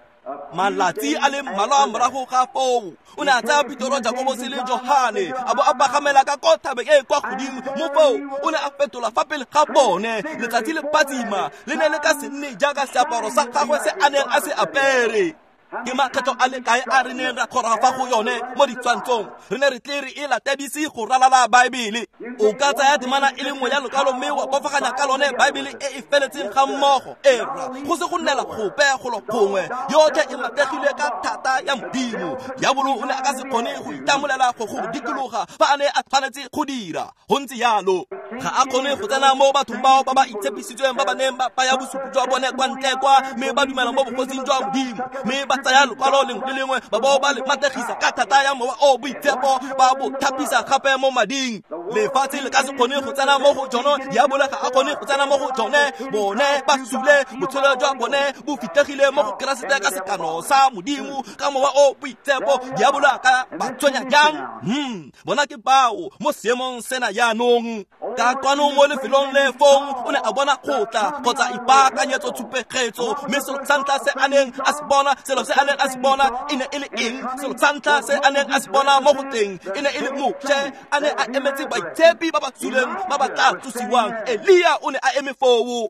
Speaker 1: Malatsi a le mmalwa morago ga foo o ne a tsaya Petoro, Jakobose le Johane a bo a pagamela ka ko thabeng e kwa godimo mo foo o ne a fetola fa pele ga bone. Letsatsi le phatsima le ne le ka se nne jaaka seaparo sa gagwe se a neng a se apere. Ke makgetho a le kae a re neng ra kgoroga fa go yone mo ditshwantshong re ne re tle re e latedise go ralala Baebele. O ka tsaya temana e le nngwe ya lokwalo mme wa bofaganya ka lone Baebele e e feletseng ga mmogo. Era go se go nnela gope golo gongwe yotlhe e mategile ka thata ya Modimo. Diabolo o ne a ka se kgone go itamolela go go dikologa fa a ne a tshwanetse go dira. Go ntse jalo ga a kgone go tsena mo bathong bao ba ba itshepisitsweng ba ba neng ba baya bosupi jwa bone kwa ntle kwa mme ba dumela mo bogosing jwa Modimo mme ba tsaya lokwalo lengwe le lengwe ba bo ba le mategisa ka thata ya mowa o boitshepo ba bo thapisa gape mo mading. Lefatshe le ka se kgone go tsena mo go tsone, diabolo ga a kgone go tsena mo go tsone. Bone ba sule, botshelo jwa bone bo fitlhegile mo go Keresete ka sekano sa Modimo ka mowa o boitshepo. Diabolo a ka ba tshwenya jang? Hmm, bona ke bao mo seemong sena jaanong. Ka kwano mo lefelong le fong o ne a bona kgotla kgotsa ipaakanyetso tshupegetso, mme selo sa ntlha se a neng a se bona, selo se a neng a se bona e ne e le eng? Selo sa ntlha se a neng a se bona mo go teng e ne e le Moshe a ne a emetse baitshepi ba ba suleng ba ba tla tsosiwang. Elia o ne a eme foo.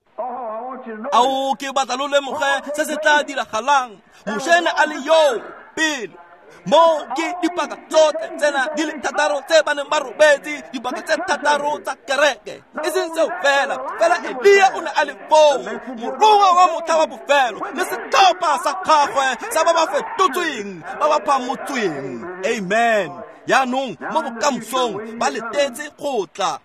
Speaker 1: Ao, ke batla lo lemoge se se tla diragalang. Moshe ne a le yo pele. Mo ke dipaka tsotlhe tsena di le thataro tse ba neng ba robetse, dipaka tse thataro tsa kereke. E seng seo fela, fela Elia o ne a le foo, morongwa wa motlha wa bofelo le setlhopha sa gagwe sa ba ba fetotsweng, ba ba phamotsweng. Amen. Jaanong mo bokamosong ba letetse go tla.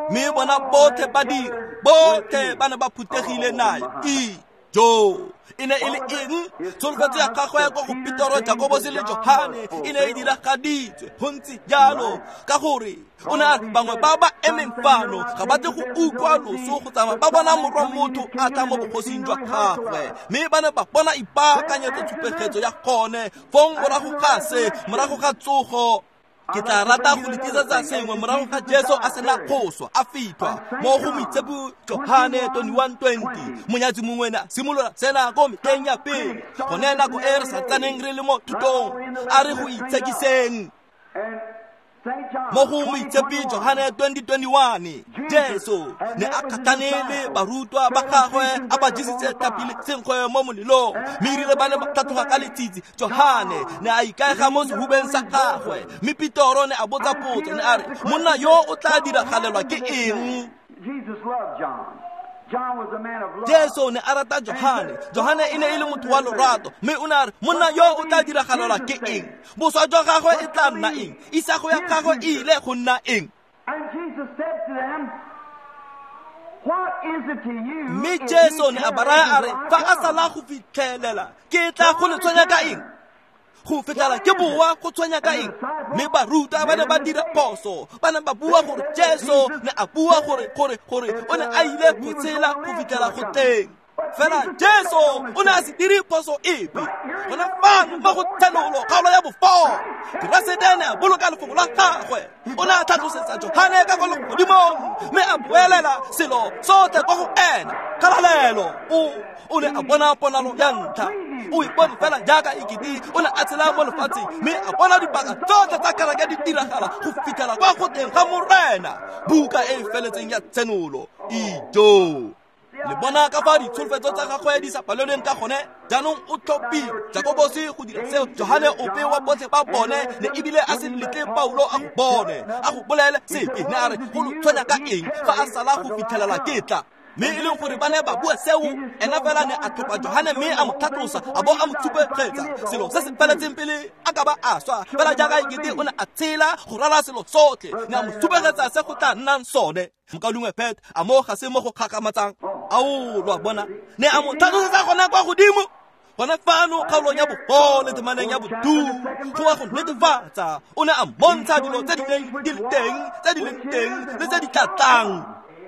Speaker 1: Mme bona botlhe ba dira, botlhe ba ne ba phuthegile nae. Ijo! E ne e le eng? Tsholofetso ya gagwe kwa go Petero, Jakobose le Johane e ne e diragaditswe. Go ntse jalo ka gore o ne a re bangwe ba ba emeng fano ga ba tle go utlwa loso go tsamaya ba bona morwa motho a tla mo bogosing jwa gagwe. Mme ba ne ba bona ipaakanyetso tshupegetso ya gone fong morago ga se, morago ga tsogo. Ke tla rata go le tlisetsa sengwe morago ga Jesu a sena go swa a fitlhwa mo go moitshepi Johane twenty-one twenty. Monyatsi mongwe ne a simolola sena ko metlheng ya pele, gone nako e re sa tsaneng re le mo thutong, a re go itshekiseng. Mo go moitshepi Johane twenty twenty-one, Jesu ne a kgatlhane le barutwa ba gagwe a ba jesitse tlhapi le senkgwe mo molelong, mme erile ba ne ba tlhatloga ka letsitsi, Johane ne a ikaega mo sehubeng sa gagwe. Mme Petero ne a botsa potso, ne a re, monna yo o tla diragalelwa ke eng? Jesu ne a rata Johane. Johane e ne e le motho wa lorato, mme o ne a re, monna yo o tla diragalelwa ke eng? Boswa jwa gagwe e tla nna eng? Isago ya gagwe e ile go nna eng? Mme Jesu ne a ba raya a re, fa a sala go fitlhelela, ke tla go le tshwenya ka eng? Go fitlhela ke boa go tshwenya ka eng? Mme barutwa ba ne ba dira phoso, ba ne ba bua gore Jesu ne a bua gore gore gore o ne a ile go tshela go fitlhela go teng. Fela Jesu o ne a se dire phoso epe. Gona fano mo go Tshenolo kgaolo ya bofo, Keresete ne a boloka lefoko la gagwe. O ne a tlhatlosetsa Johane ka kwa legodimong, mme a boelela selo sotlhe kwa go ena. Kgalalelo! O o ne a bona ponalo ya ntlha. O ipone fela jaaka ekete o ne a tshela mo lefatsheng, mme a bona dipaka tsotlhe tsa kereke di diragala go fitlhela kwa go teng ga Morena. Buka e e feletseng ya Tshenolo. Ijo! Le bona ka fa ditsholofetso tsa gagwe di sa palelweng ka gone. Jaanong o tlhophile Jakobose go dira seo, Johane ope wa botlhe ba bone ne ebile a se letle Paulo a go bone, a go bolele sepe. Ne a re go lo tshwenya ka eng fa a sala go fitlhelela ke tla? Mme e leng gore ba ne ba bua seo, ena fela ne a tlhopha Johane mme a mo tlhatlosa, a bo a mo tshupegetsa selo se se feletseng pele a ka ba a swa. Fela jaaka ekete o ne a tshela go rala selo sotlhe, ne a mo tshupegetsa se go tla nnang sone. Mokaulengwe Pet, a mo ga se mo go kgakgamatsang? Ao, lo a bona, ne a mo tlhatlosetsa gone kwa godimo, gone fano kgaolong ya bofo le temaneng ya bodu, go wa go netefatsa. O ne a mmontsha dilo tse di neng di le teng, tse di leng teng le tse di tla tlang.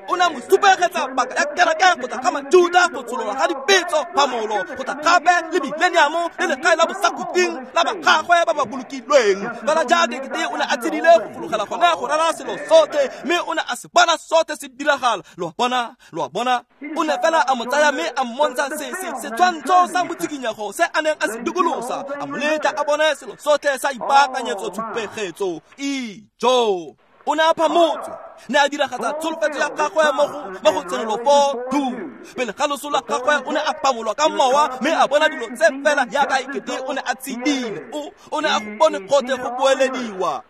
Speaker 1: O ne a mo supegetsa paka ya kereke go tla ga Majuda, go tsholola ga dipetso, phamolo, go tla gape le mileniamo le legae la bosakhutleng la ba gagwe ba ba bolokilweng. Fela jaaka ekete o ne a tshedile go fologela gone go rala selo sotlhe, mme o ne a se bona sotlhe se diragala. Lo a bona, lo a bona. O ne fela a mo tsaya mme a mmontsha se se setshwantsho sa motshikinyego se a neng a se dikolosa, a mo letla a bone selo sotlhe sa ipaakanyetso tshupegetso. Ijo! O ne a phamotswe, ne a diragatsa tsholofetso ya gagwe mo go mo go Tshenolo four two. Pele ga loso la gagwe o ne a phamolwa ka mowa, mme a bona dilo tse fela jaaka ekete o ne a tshedile. O o ne a go bone gotlhe go boelediwa.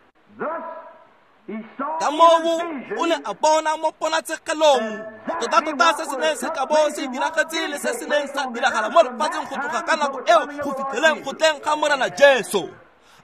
Speaker 1: Ka moo o ne a bona mo ponatshegelong tota-tota se se neng se ka bo se diragetse le se se neng sa diragala mo lefatsheng go tloga ka nako eo go fitlheleng go tleng ga Morena Jesu.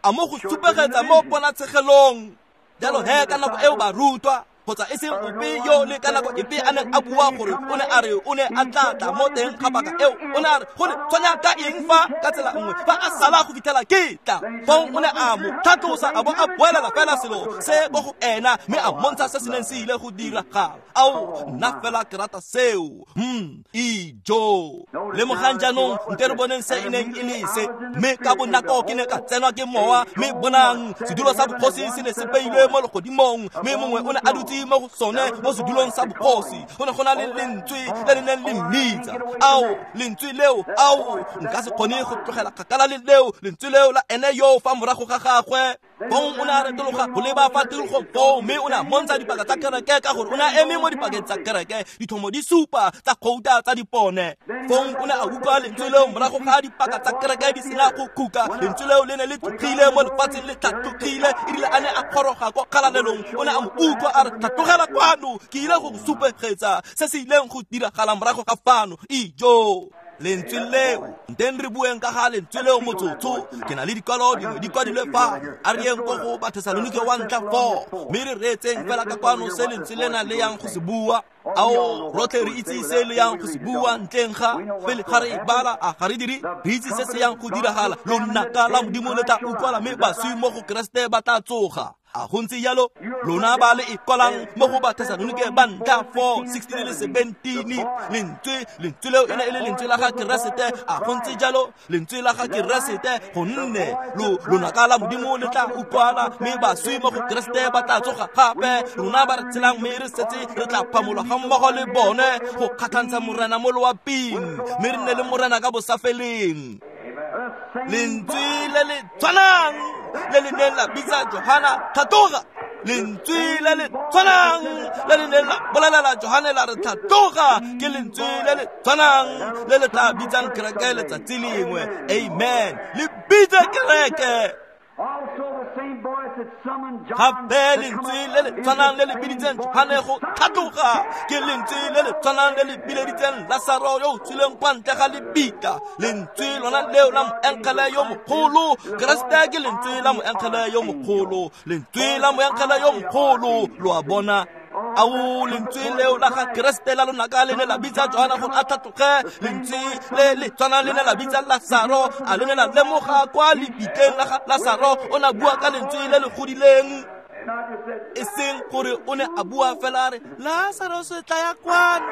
Speaker 1: A mo go supegetsa mo ponatshegelong. Jalo he ka nako eo barutwa Kgotsa e seng ope yo le ka nako epe a neng a bua gore o ne a re o ne a tla tla mo teng ga paka eo. O ne a re go le tshwanya ka eng fa ka tsela nngwe fa a sala go fitlhela ke tla. Fong o ne a mo tlhatlosa a bo a boelela fela selo se ko go ena mme a mmontsha se se neng se ile go diragala. Ao, nna fela ke rata seo. Hmm, ijo. Lemogang jaanong nte re boneng se e neng e le se. Mme ka bonako ke ne ka tsenwa ke mowa, mme bonang sedulo sa bogosi se ne se beilwe mo legodimong, mme mongwe o ne a dutse mo go sone mo sedulong sa bogosi. Go ne go na le lentswe le le neng le mmitsa. Ao, lentswe leo, ao, nka se kgone go tlogela kgakala le leo, lentswe leo la ene yo fa morago ga gagwe. Fong o ne a retologa go leba fa tikologong foo, mme o ne a mmontsha dipaka tsa kereke ka gore o ne a eme mo dipakeng tsa kereke, dithomo di supa tsa gouta tsa dipone. Fong o ne a utlwa lentswe leo morago ga dipaka tsa kereke di sena go khuka. Lentswe leo le ne le tlogile mo lefatsheng, le tlhatlogile. Erile a ne a goroga kwa kgalalelong, o ne a mo utlwa a re, tlhatlogela kwano, ke ile go go supegetsa se se ileng go diragala morago ga fano. Ijo. Lentswe leo, nteng re bueng ka ga lentswe leo motsotso. Ke na le dikwalo dingwe di kwadilwe fa. A re yeng ko go Bathesalonike wa ntlha four, mme re reetseng fela ka kwano se lentswe lena le yang go se bua. Ao, rotlhe re itse se le yang go se bua ntleng ga pele ga re e bala. A ga re dire? Re itse se se yang go diragala. Lonaka la Modimo le tla utlwala, mme baswi mo go Keresete ba tla tsoga. A go ntse jalo? Lona ba le e kwalang mo go Bathesalonike ba ntlha four, sixteen le seventeen. Lentswe, lentswe leo e ne e le lentswe la ga Keresete. A go ntse jalo? Lentswe la ga Keresete, gonne lo lonaka la Modimo le tla utlwala, mme baswi mo go Keresete ba tla tsoga gape. Rona ba re tshelang mme re setse re tla phamolwa ga mmogo le bone go kgatlhantsha Morena mo loaping, mme re nne le Morena ka bosafeleng. Lentswe le le tshwanang le le neng la bitsa Johana tlhatloga, lentswe le le tshwanang le le neng la bolelela Johane la re tlhatloga, ke lentswe le le tshwanang le le tla bitsang kereke letsatsi lengwe. Amen. Le bitse kereke. Gape lentswe le le tshwanang le le biditseng Johane go tlhatloga, ke lentswe le le tshwanang le le bileditseng Lasaro yo o tswileng kwa ntle ga lebitla. Lentswe lona leo la moengele yo mogolo. Keresete ke lentswe la moengele yo mogolo, lentswe la moengele yo mogolo. Lo a bona? Ao, lentswe leo la ga Keresete la lonaka le ne la bitsa Johana gore a tlhatloge. Lentswe le le tshwanang le ne la bitsa Lasaro. A le ne la lemoga kwa lebitleng la ga Lasaro o ne a bua ka lentswe le le godileng, e seng gore o ne a bua fela a re, Lasaro se tla ya kwano,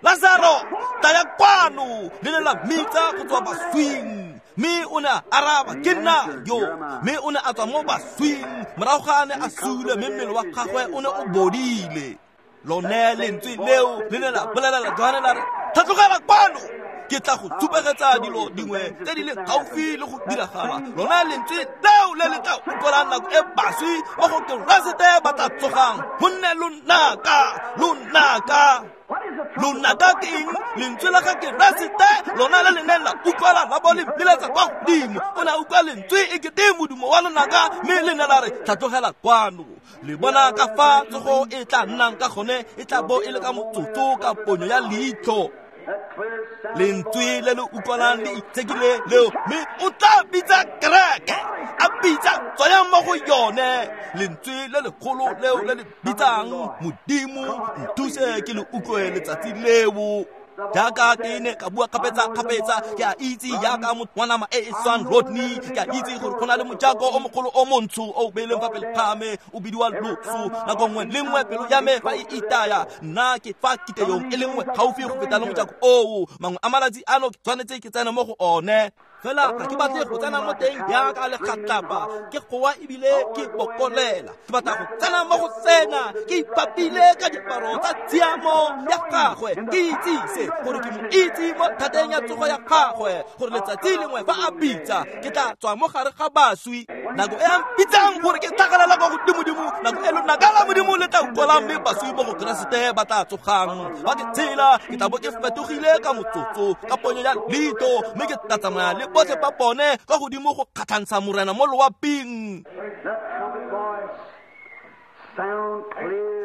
Speaker 1: Lasaro tla ya kwano. Le ne la mmitsa go tswa baswing, mme o ne a araba, ke nna yo. Mme o ne a tswa mo baswing morago ga a ne a sule, mme mmele wa gagwe o ne o bodile. Lone lentswe leo le ne la bolelela Johane la re, tlhatlogela kwano, ke tla go supegetsa dilo dingwe tse di le gaufi le go diragala. Lona lentswe leo le le tla utlwalang nako e baswi mo go Keresete ba tla tsogang, gonne lonaka, lonaka, lonaka ke eng? Lentswe la ga Keresete lona le le neng la utlwala la bo le biletsa kwa godimo. O ne a utlwa lentswe e kete modumo wa lonaka, mme le ne la re, tlhatlogela kwano. Le bona ka fa tsogo e tla nnang ka gone, e tla bo e le ka motsotso ka ponyo ya leitlho. Lentswe le le utlwalang le itshekile leo, mme o tla bitsa kereke, a bitsa tswayang mo go yone. Lentswe le legolo leo le le bitsang Modimo, nthuse ke le utlwe letsatsi leo. Jaaka ke ne ka bua kgapetsa-kgapetsa, ke a itse jaaka motho wa nama e e swang Rodney, ke a itse gore go na le mojako o mogolo o montsho o beileng fa pele ga me, o bidiwa loso. Nako nngwe le nngwe pelo ya me fa e itaya, nna ke fa kiteyong e le nngwe gaufi go feta le mojako oo. Mangwe a malatsi ano ke tshwanetse ke tsene mo go one, fela ga ke batle go tsena mo teng jaaka legatlapa, ke goa ebile ke bokolela. Ke batla go tsena mo go sena ke ipapile ka diaparo tsa tshiamo ya gagwe, ke itsise gore ke mo itse mo thateng ya tsogo ya gagwe, gore letsatsi lengwe fa a bitsa ke tla tswa mo gare ga baswi. Nako e a mpitsang gore ke tlhagelela kwa godimodimo, nako e lonaka la Modimo le tla utlwalang, mme baswi mo go Keresete ba tla tsogang. Fa ke tshela ke tla bo ke fetogile ka motsotso, ka ponyo ya leitlho, mme ke tla tsamaya le botlhe ba bone kwa godimo go kgatlhantsha Morena mo loaping.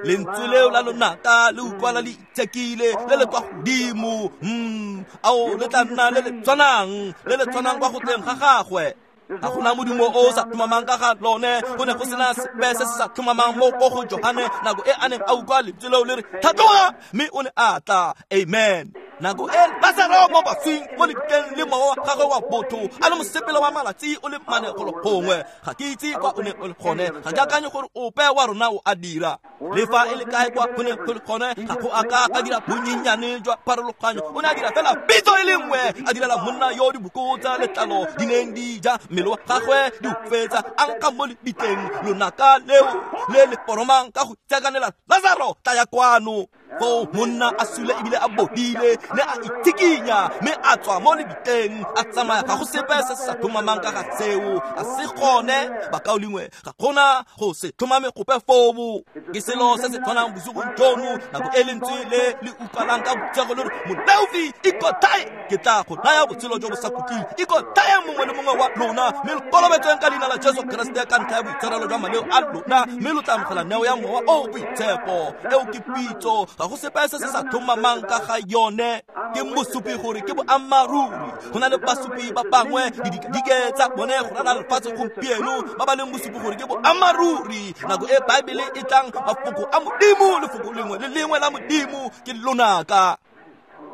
Speaker 1: Lentswe leo la lonaka le utlwala le itshekile le le kwa godimo. Mm, ao, le tla nna le le tshwanang, le le tshwanang kwa go tleng ga gagwe. Ga gona modumo o o sa tlhomamang ka ga lone. Go ne go sena sepe se se sa tlhomamang mo ko go Johane nako e a neng a utlwa lentswe leo le re tlhatloga, mme o ne a tla. Amen. Nako e Lasaro mo baswing mo lebitleng le mowa wa gagwe wa botho a le mosepele wa malatsi o le mane golo gongwe. Ga ke itse kwa o ne o le gone, ga ke akanye gore ope wa rona o a dira. Le fa e le kae kwa go ne go le gone, ga go a ka a dira bonyenyane jwa pharologanyo. O ne a dira fela pitso e le nngwe, a direla monna yo diboko tsa letlalo di neng di ja mmele wa gagwe di o fetsa, a nkga mo lebitleng lonaka leo le le poromang ka go itsekanela, Lasaro tlaya kwano. Foo monna a sule ebile a bodile, ne a itshikinya mme a tswa mo lebitleng a tsamaya. Ga go sepe se se sa tlhomamang ka ga seo, a se gone bakaulengwe, ga gona go se tlhomame gope foo. Ke selo se se tshwanang bosigong jono, nako e lentswe le le utlwalang ka botshego le re moleofi ikotlhae, ke tla go naya botshelo jo bo sa khutleng. Ikotlhae mongwe le mongwe wa lona, mme lo kolobetsweng ka leina la Jesu Keresete ka ntlha ya boitshwarelo jwa maleo a lona, mme lo tla amogela neo ya Mowa o o Boitshepo. Eo ke pitso, ga go sepe se se sa tlhomamang ka ga yone. Ke mosupi gore ke boammaaruri. Go na le basupi ba bangwe didikadike tsa bone go ralala lefatshe gompieno ba ba leng bosupi gore ke boammaaruri. Nako e Baebele e tlang, mafoko a Modimo, lefoko lengwe le lengwe la Modimo ke lonaka.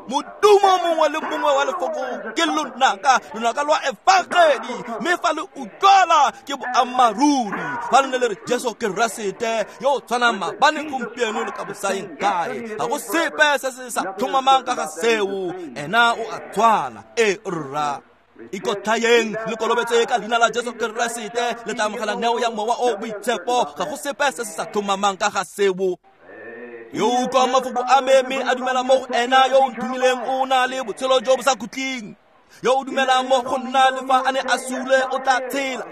Speaker 1: Modumo mongwe le mongwe wa lefoko ke lonaka, lonaka lwa efangedi, mme fa le utlwala ke boammaaruri. Fa le ne le re Jesu Keresete yo o tshwanang maabane, gompieno le ka bosaeng kae, ga go sepe se se sa tlhomamang ka ga seo. Ena o a tshwana. E rra. Ikotlhaeng le kolobetse ka leina la Jesu Keresete, le tla amogela neo ya Mowa o Boitshepo. Ga go sepe se se sa tlhomamang ka ga seo. Yo o utlwang mafoko a me mme a dumela mo go ena yo o nthomileng o na le botshelo jo bo sa khutleng. Yo o dumelang mo go nna le fa a ne a sule o tla tshela.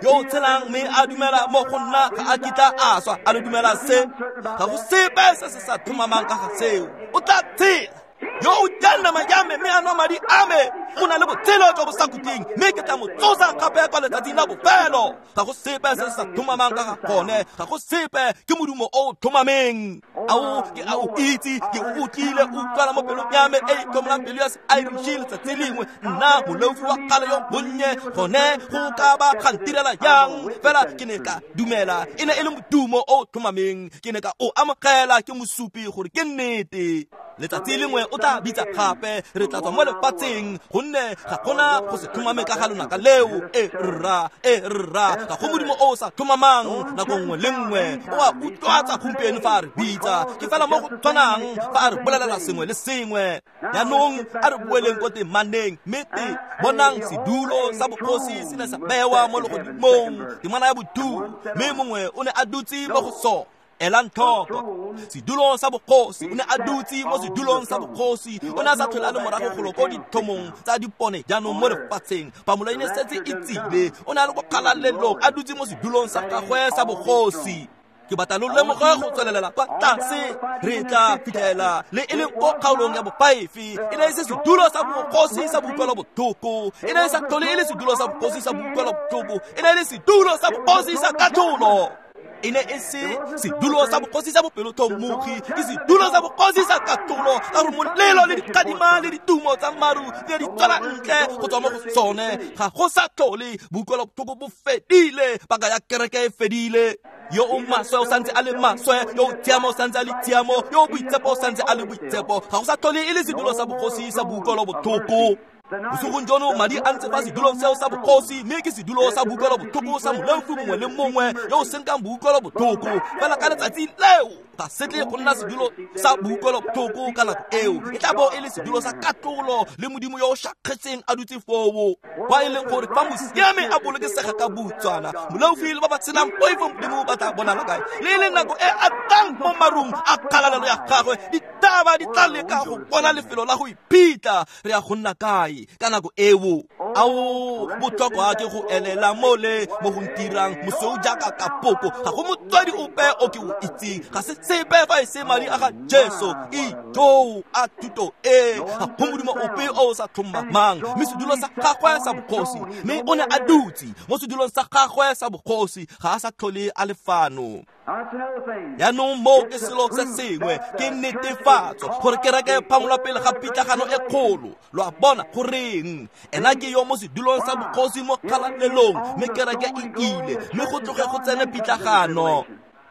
Speaker 1: Yo o tshelang mme a dumela mo go nna ga a kitla a swa. A le dumela se? Ga go sepe se se sa tlhomamang ka ga seo. O tla tshela. Yo o jang nama ya me mme a nwa madi a me o na le botshelo jo bo sa khutleng, mme ke tla mo tsosa gape kwa letsatsing la bofelo. Ga go sepe se se sa tlhomamang ka ga gone, ga go sepe, ke modumo o o tlhomameng. Ao ke a o itse, ke o utlwile o utlwala mo pelong ya me e e tlhomolang pelo ya se-Irish letsatsi lengwe. Nna moleofi wa kgale yo monnye, gone go ka ba ga ntirela jang? Fela ke ne ka dumela, e ne e le modumo o o tlhomameng, ke ne ka o amogela, ke mosupi gore ke nnete. Letsatsi lengwe o tla bitsa gape, re tla tswa mo lefatsheng, gonne ga gona go se tlhomame ka ga lonaka leo. E rra, e rra, ga go modimo o o sa tlhomamang. Nako nngwe le nngwe o a utlwatsa gompieno fa a re bitsa, ke fela mo go tshwanang fa a re bolelela sengwe le sengwe. Jaanong a re boeleng ko temaneng, mme te bonang sedulo sa bogosi se ne sa bewa mo legodimong, temana ya bodulo, mme mongwe o ne a dutse mo go sone. Elang tlhoko, sedulo sa bogosi, o ne a dutse mo sedulong sa bogosi. O ne a sa tlhole a le morago golo ko dithomong tsa dipone jaanong mo lefatsheng. Phamolo e ne setse e tsile, o ne a le ko kgalalelong a dutse mo sedulong sa gagwe sa bogosi. Ke batla lo lemoge go tswelelela kwa tlase, re tla fitlhela le e leng ko kgaolong ya bofaefe. E ne e se sedulo sa bogosi sa boutlwelo botlhoko, e ne e sa tlhole e le sedulo sa bogosi sa boutlwelo botlhoko, e ne e le sedulo sa bogosi sa katlholo. E ne e se sedulo sa bogosi sa bopelotlhomogi, ke sedulo sa bogosi sa katlholo, ka gore molelo le dikgadima le ditumo tsa maru di ne di tswela ntle go tswa mo go sone. Ga go sa tlhole boutlwelo botlhoko bo fedile, paka ya kereke e fedile. Yo o maswe o santse a le maswe, yo o tshiamo o santse a le tshiamo, yo o boitshepo o santse a le boitshepo. Ga go sa tlhole e le sedulo sa bogosi sa boutlwelo botlhoko. Bosigong jono madi a ntse fa sedulong seo sa bogosi, mme ke sedulo sa boutlwelo botlhoko sa moleofi mongwe le mongwe yo o senkang boutlwelo botlhoko. Fela ka letsatsi leo ga se tle go nna sedulo sa boutlwelo botlhoko ka nako eo, e tla bo e le sedulo sa katlholo le Modimo yo o šakgetseng a dutse foo. Kwa e leng gore fa mosiame a bolokesega ka boutswana, moleofi le ba ba tshelang poifo Modimo ba tla bonala kae? Le e leng nako e a tlang mo marung a kgalalelo ya gagwe, ditaba di tla leka go bona lefelo la go iphitlha. Re ya go nna kae ka nako eo? Ao botlhokwa ke go elela mole mo go ntirang mosweu jaaka kapoko. Ga go motswadi ope o ke o itseng, ga se sepe fa e se madi a ga Jesu. Ijoo a thuto e, ga go modimo ope o o sa tlhomamang. Mme sedulo sa gagwe sa bogosi, mme o ne a dutse mo sedulong sa gagwe sa bogosi, ga a sa tlhole a le fano. Jaanong moo ke selo se sengwe ke netefatso gore kereke e phamolwa pele ga pitlagano e kgolo. Lo a bona goreng ena ke yo mo sedulong sa bogosi mo kgalalelong, mme kereke e ile, mme go tloge go tsene pitlagano.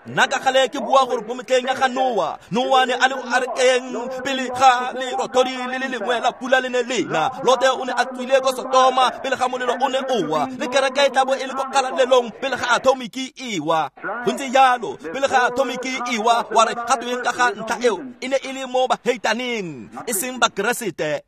Speaker 1: Nna ka gale ke bua gore mo metlheng ya ga Noa, Noa ne a le mo arekeng pele ga lerothodi le le lengwe la pula le ne lena. Lote o ne a tswile ko Sotoma pele ga molelo o ne o wa, le kereke e tla bo e le ko kgalalelong pele ga atomiki e wa. Go ntse jalo, pele ga atomiki e wa, wa re ga tweng ka ga ntlha eo e ne e le mo baheitaneng, e seng bakeresete.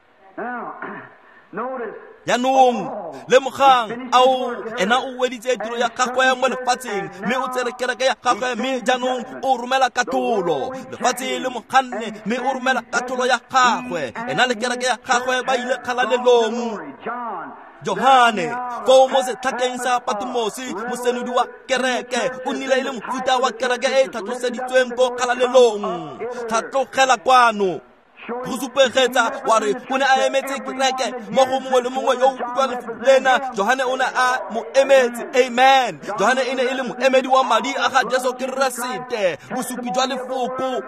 Speaker 1: Jaanong lemogang, ao ena o weditse tiro ya gagwe mo lefatsheng, mme o tsere kereke ya gagwe, mme jaanong o romela katlholo. Lefatshe le mo ganne, mme o romela katlholo ya gagwe. Ena le kereke ya gagwe ba ile kgalalelong. Johane foo mo setlhakeng sa Patmose, mosenodi wa kereke, o nnile e le mofuta wa kereke e e tlhatloseditsweng ko kgalalelong. Tlhatlogela kwano go supegetsa wa re o ne a emetse kereke mo go mongwe le mongwe yo o utlwang lefoko lena. Johane o ne a mo emetse. Amen. Johane e ne e le moemedi wa madi a ga Jesu Keresete, bosupi jwa lefoko.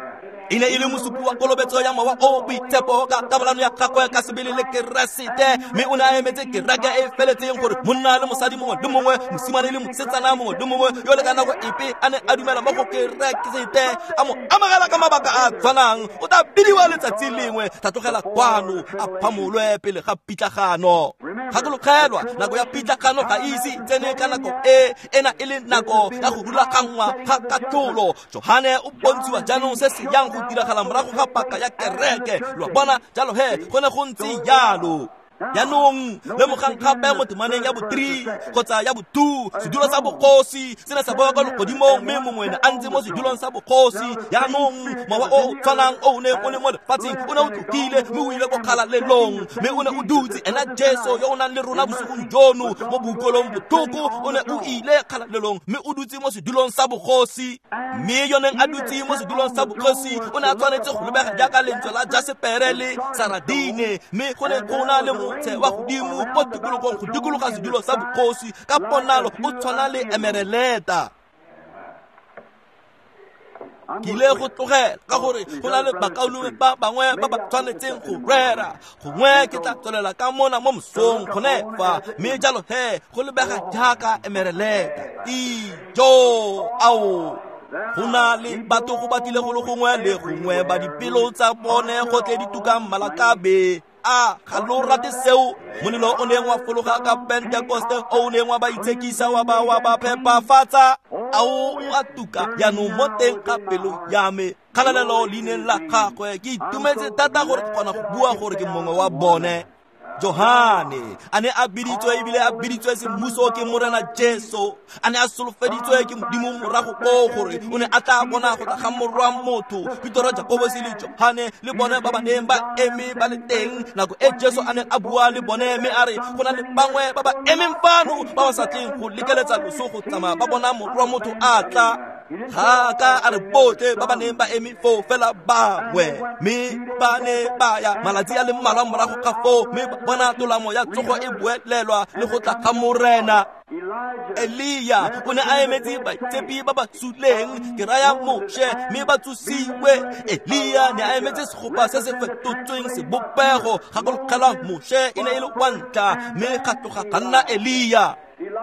Speaker 1: E ne e le mosupi wa kolobetso ya Mowa o o Boitshepo ka kabalano ya gagwe ka sebele le Keresete, mme o ne a emetse kereke e e feletseng gore monna le mosadi mongwe le mongwe, mosimane le mosetsana mongwe le mongwe yo le ka nako epe a ne a dumela mo go Keresete, a mo amogela ka mabaka a a tshwanang, o tla bidiwa letsatsi lengwe, tlhatlogela kwano, a phamolwe pele ga pitlagano. Gakologelwa, nako ya pitlagano ga e ise e tsene ka nako e, ena e le nako ya go rulaganngwa ga katlholo. Johane o bontshiwa jaanong se se yang go diragala morago ga paka ya kereke. Lo bona jalo he, go ne go ntse jalo. Jaanong lemogang gape mo temaneng ya bo three kgotsa ya bo two, sedulo sa bogosi se ne sa boa kwa legodimong, mme mongwe ne a ntse mo sedulong sa bogosi. Jaanong mowa o o tshwanang o o neng o le mo lefatsheng o ne o tlogile, mme o ile ko kgalalelong, mme o ne o dutse. Ena Jesu yo o nang le rona bosigong jono mo boikuelong botlhoko o ne o ile kgalalelong, mme o dutse mo sedulong sa bogosi. Mme yo neng a dutse mo sedulong sa bogosi o ne a tshwanetse go lebega jaaka lentswe la jasepere le saradine, mme go ne go na le wa godimo mo tikologong go dikologa sedulo sa bogosi ka ponalo o tshwana le emereleta. Ke ile go tlogela ka gore go na le bakaulengwe ba bangwe ba ba tshwanetseng go rera. Gongwe ke tla tswelela ka mona mo mosong gone fa, mme jalo he go lebega jaaka emereleta. Ijo ao go na le batho go batlile go le gongwe le gongwe ba dipelo tsa bone go tle di tukang malakabe. A ga lo rate seo? Molelo o neng wa fologa ka Pentekoste, o neng wa ba itshekisa wa ba wa ba phepafatsa, ao o a tuka jaanong mo teng ga pelo ya me. Kgalalelo leineng la gagwe. Ke itumetse thata gore ke kgona go bua gore ke mongwe wa bone. Johane a ne a biditswe ebile a biditswe semmuso ke Morena Jesu, a ne a solofeditswe ke Modimo morago koo gore o ne a tla bona go tla ga Morwa motho. Petero, Jakobose le Johane le bone ba ba neng ba eme ba le teng nako e Jesu a neng a bua le bone, mme a re go na le bangwe ba ba emeng fano ba ba sa tleng go lekeletsa loso go tsamaya ba bona Morwa motho a tla. Ga ka a re botlhe ba ba neng ba eme foo fela bangwe, mme ba ne ba ya malatsi a le mmalwa morago ga foo, mme ba bona tolamo ya tsogo e boelelwa le go tla ga Morena. Elia o ne a emetse baitshepi ba ba suleng, ke raya Moshe, mme ba tsosiwe. Elia ne a emetse segopa se se fetotsweng sebopego. Gakologelwa, Moshe e ne e le wa ntlha, mme ga tloga ga nna Elia.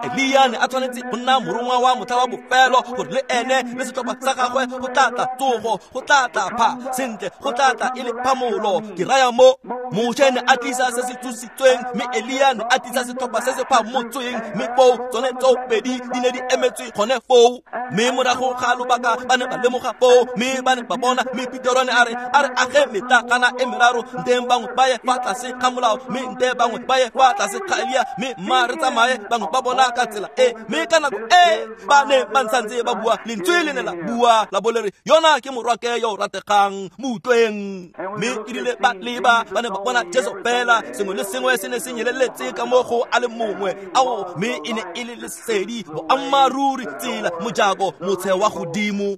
Speaker 1: Elia ne a tshwanetse go nna morongwa wa motlha wa bofelo, gore le ene le setlhopha sa gagwe go tla tla tsogo, go tla tla pha sentle, go tla tla e le phamolo. Ke raya mo Moshe ne a tlisa se se tsositsweng, mme Elia ne a tlisa setlhopha se se phamotsweng, mme foo tsone tsoopedi di ne di emetswe gone foo. Mme morago ga lobaka ba ne ba lemoga foo, mme ba ne ba bona, mme Petero ne a re a re age metlakana e meraro, nteng bangwe ba ye fa tlase ga molao, mme nte bangwe ba ye fa tlase ga Elia, mme mma re tsamaye bangwe ba bona ka tsela e. Mme ka nako e ba ne ba ntse ba bua, lentswe le ne la bua la bo le re, yona ke morwake yo o rategang, mo utlweng. Mme erile ba leba, ba ne ba bona Jesu fela, sengwe le sengwe se ne se nyeleletse ka mo go a le mongwe. Ao, mme e ne e le lesedi, boammaaruri, tsela, mojako, motshe wa godimo.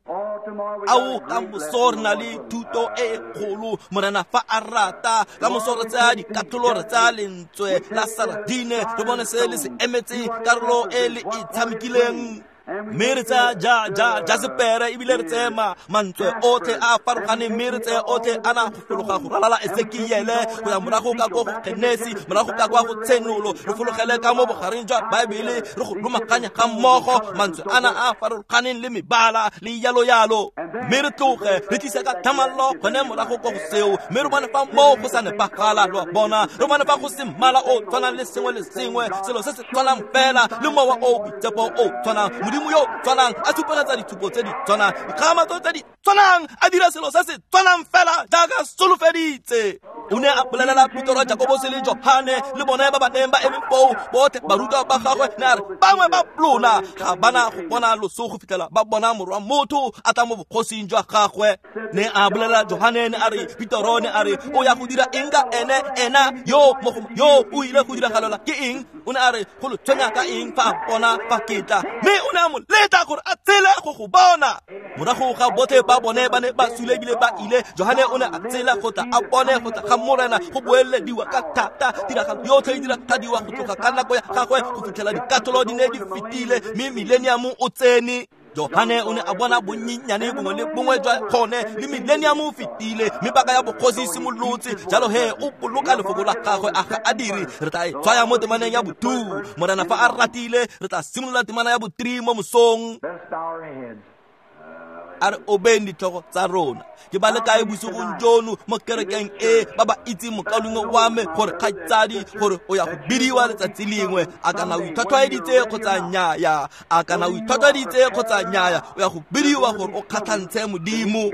Speaker 1: Ao, ka moso re na le thuto e e kgolo, Morena fa a rata. Ka moso re tsaya dikatlholo, re tsaya lentswe la saradine, re bone se le se emetseng, karolo e le e tshamekileng. Mme re tsaya ja ja jasepere ebile re tseye mantswe otlhe a a farologaneng, mme re tseye otlhe a na go fologa go ralala Esekiele go ya morago ka ko go Genesi, morago ka kwa go Tshenolo, re fologele ka mo bogareng jwa Baebele, re go lomaganya ga mmogo mantswe ana a a farologaneng le mebala le yalo yalo, mme re tloge re tlise ka tlhamallo gone morago ko go seo, mme re bone fa moo go sa nepagala. Lo a bona, re bone fa go se mmala o tshwanang le sengwe le sengwe, selo se se tshwanang fela le mowa o boitshepo o tshwanang, Modimo yo tshwanang a supegetsa ditshupo tse di tshwanang, dikgamatso tse di tshwanang, a dira selo se se tshwanang fela jaaka solofeditse. O ne a bolelela Petoro, Jakobose le Johane le bone ba ba neng ba eme foo, botlhe barutwa ba gagwe, ne a re bangwe ba lona ga bana go bona loso go fitlhela ba bona Morwa Motho a tla mo bogosing jwa gagwe. Ne a bolelela Johane, ne a re Petoro, ne a re o ya go dira eng ka ene, ena yo mo yo o ile go diragalela ke eng? O ne a re go lo tshwenya ka eng fa a bona fa ke tla? Mme o ne a mo letla gore a tshele go go bona. Morago ga botlhe ba bone ba ne ba sule ebile ba ile, Johane o ne a tsela go tla a bone go tla ga Morena go boelediwa ka thata. Tiragalo yotlhe e diragadiwa go tloga ka nako ya gagwe go fitlhela dikatolo di ne di fetile, mme millennium o tsene. Johane o ne a bona bonyenyane bongwe le bongwe jwa gone, le millennium o fetile, mme paka ya bogosi e simolotse. Jalo he o boloka lefoko la gagwe, a ga a dire. Re tla e tshwaya mo temaneng ya bo-two, Morena fa a ratile re tla simolola temana ya bo-three mo mosong. A re obeng ditlhogo tsa rona. Ke ba le kae bosigong jono mo kerekeng e ba ba itseng mokaulengwe wa me gore kgaitsadi gore o ya go bidiwa letsatsi lengwe, a kana o itlhwatlhwaeditse kgotsa nnyaya, a kana o itlhwatlhwaeditse kgotsa nnyaya, o ya go bidiwa gore o kgatlhantshe Modimo.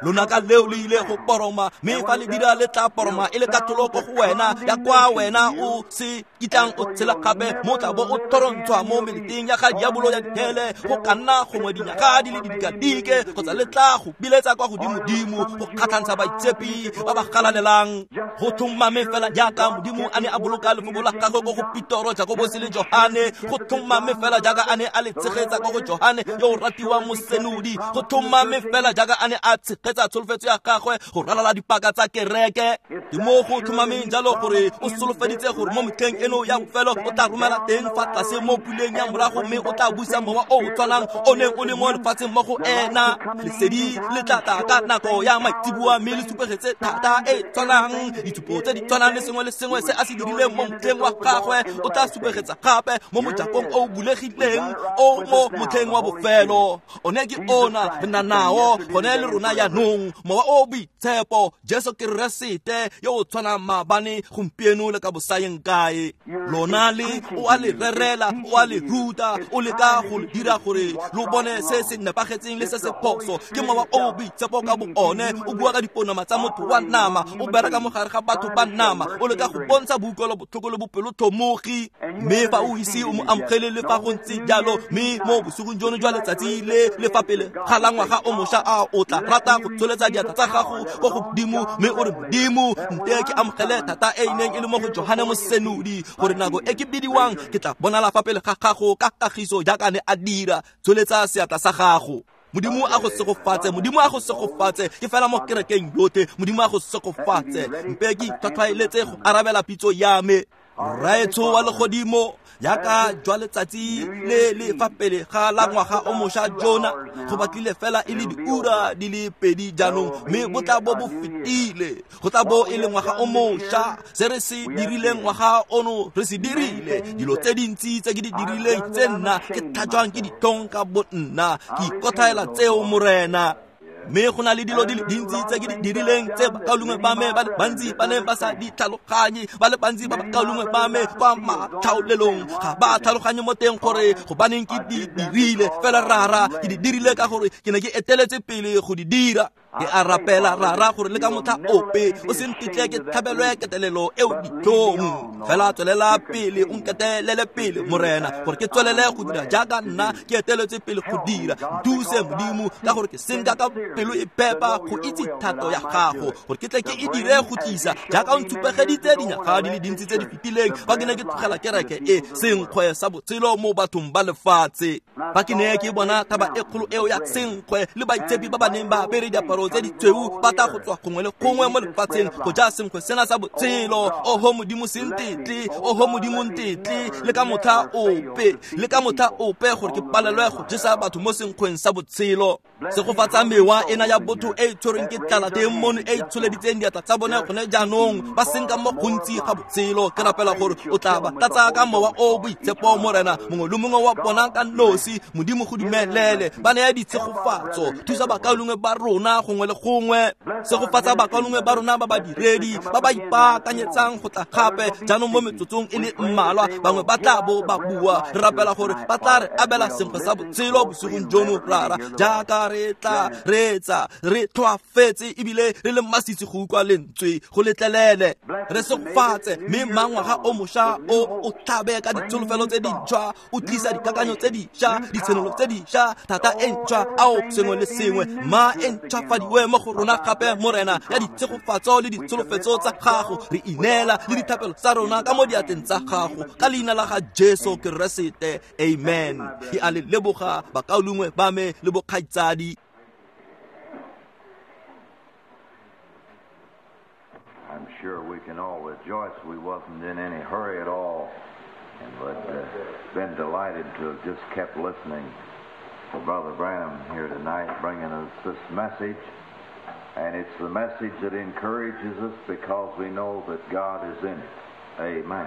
Speaker 1: Lonaka leo le ile go poroma, mme fa le dira le tla poroma e le katlholo ko go wena ya kwa wena o se kitlang o tshela gape, mo tla bo o thorontshwa mo meleteng ya ga diabolo ya dihele go ka nna gongwe dinyaga di le didikadike, kgotsa le tla go biletsa kwa godimodimo go kgatlhantsha baitshepi ba ba galalelang. Go tlhomame fela jaaka Modimo a ne a boloka lefoko la gagwe ko go Petoro, Jakobose le Johane, go tlhomame fela jaaka a ne a le tshegetsa ko go Johane yo o ratiwang mosenodi, go tlhomame fela jaaka a ne a tshegetsa tsholofetso ya gagwe go ralala dipaka tsa kereke. Ke mo go tlhomameng jalo gore o solofeditse gore mo metlheng eno ya bofelo o tla romela teng fa tlase mo puleng ya morago, mme o tla busa mowa o o tshwanang o neng o le mo lefatsheng mo go ena. Lesedi le tla tla ka nako ya maitseboa, mme le supegetse thata e tshwanang, ditshupo tse di tshwanang le sengwe le sengwe se a se dirileng mo motlheng wa gagwe o tla supegetsa gape mo mojakong o o bulegileng o mo motlheng wa bofelo. One ke ona re na nao gone le rona jaanong, mowa o boitshepo, Jesu Keresete yo o tshwanang maabane, gompieno le ka bosayeng kae. Lona le o a le rerela, o a le ruta, o leka go le dira gore lo bone se se nepagetseng le se se phoso. Ke mowa o boitshepo ka bo one, o bua ka diponama tsa motho wa nama, o bereka mo gare ga batho ba nama, o leka go bontsha boutlwelo botlhoko le bopelotlhomogi. Mme fa o ise o mo amogele le fa go ntse jalo, mme mo bosigong jono jwa letsatsi le le fa pele ga la ngwaga o mošwa, a o tla rata go tsholetsa diatla tsa gago ko godimo mme o re, Modimo, nte ke amogele thata e e neng e le mo go Johane mosenodi, gore nako e ke bidiwang ke tla bonala fa pele ga gago ka kagiso jaaka ne a dira. Tsholetsa seatla sa gago. Modimo a go segofatse, Modimo a go segofatse. Ke fela mo kerekeng yotlhe, Modimo a go segofatse. Mpe ke itlhwatlhwaeletse go arabela pitso ya me. Rraetsho wa legodimo, jaaka jwa letsatsi le le fa pele ga la ngwaga o mošwa jona, go batlile fela e le diura di le pedi jaanong, mme bo tla bo bo fetile. Go tla bo e le ngwaga o mošwa. Se re se dirileng ngwaga ono re se dirile. Dilo tse dintsi tse ke di dirileng tse nna ke tlhajwang ke ditlhong ka bo nna, ke ikothaela tseo Morena. Mme go na le dilo di le dintsi tse ke di dirileng tse bakaulengwe ba me ba le bantsi ba neng ba sa di tlhaloganye, ba le bantsi ba bakaulengwe ba me kwa matlhaolelong ga ba tlhaloganye mo teng gore gobaneng ke di dirile. Fela Rara, ke di dirile ka gore ke ne ke eteletse pele go di dira. Ke a rapela Rara gore le ka motlha ope o se ntetle ke tlhabelwe ketelelo eo ditlhong, fela tswelela pele o nketelele pele Morena, gore ke tswelele go dira jaaka nna ke eteletse pele go dira. Nthuse Modimo, ka gore ke senka ka pelo e phepa go itse thato ya gago, gore ke tle ke e dire go tlisa jaaka o ntshupegeditse dinyaga di le dintsi tse di fetileng fa ke ne ke tlogela kereke e senkgwe sa botshelo mo bathong ba lefatshe. Fa ke ne ke bona thaba e kgolo eo ya senkgwe le baitshepi ba ba neng ba apere diaparo diaparo tse ditshweu ba tla go tswa gongwe le gongwe mo lefatsheng go ja senkgwe sena sa botshelo. Oho Modimo se ntetle, oho Modimo ntetle le ka motlha ope, le ka motlha ope gore ke palelwe go jesa batho mo senkgweng sa botshelo. Segofatsa mewa ena ya botho e e tshwerweng ke tlala teng mono e e tsholeditseng diatla tsa bone gone jaanong, ba senka mo gontsi ga botshelo. Ke rapela gore o tla ba tlatsa ka mowa o boitshepo, Morena, mongwe le mongwe wa bona ka nosi. Modimo go dumelele ba naya ditshegofatso. Thusa bakaulengwe ba rona gongwe le gongwe. Segofatsa bakaulengwe ba rona ba badiredi ba ba ipaakanyetsang go tla gape jaanong mo metsotsong e le mmalwa. Bangwe ba tla bo ba bua. Re rapela gore ba tla re abela senkgwe sa botshelo bosigong jono, Rara, jaaka re tla reetsa re tlhoafetse ebile re le masisi go utlwa lentswe. Go letlelele re segofatse, mme mangwaga o mošwa o o tlhabe ka ditsholofelo tse dintšhwa, o tlisa dikakanyo tse dišwa, ditshenolo tse dišwa, thata e ntšhwa, ao sengwe le sengwe ma e ntšhwafadiwe mo go rona gape, Morena, ya ditshegofatso le ditsholofetso tsa gago. Re ineela le dithapelo tsa rona ka mo diatleng tsa gago, ka leina la ga Jesu Keresete, amen. Ke a le leboga bakaulengwe ba me le bokgaitsadi.
Speaker 2: I'm sure we can all rejoice we wasn't in any hurry at all, and but uh, been delighted to have just kept listening to Brother Branham here tonight, bringing us this message. And it's the message that encourages us because we know that God is in it. Amen.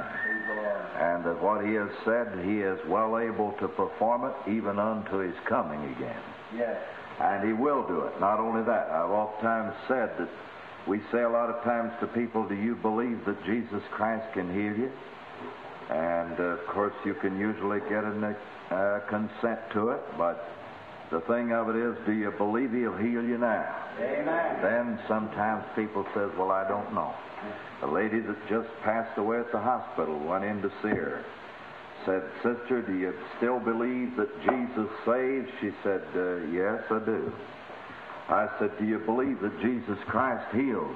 Speaker 2: And that what he has said, he is well able to perform it even unto his coming again.
Speaker 3: Yes.
Speaker 2: And he will do it. Not only that, I've oftentimes said that we say a lot of times to people, do you believe that Jesus Christ can heal you? And, uh, of course, you can usually get a uh, consent to it, but the thing of it is, do you believe he'll heal you now?
Speaker 3: Amen.
Speaker 2: Then sometimes people says, well, I don't know. The lady that just passed away at the hospital went in to see her. Said, sister, do you still believe that Jesus saves? She said, uh, yes, I do. I said, do you believe that Jesus Christ heals?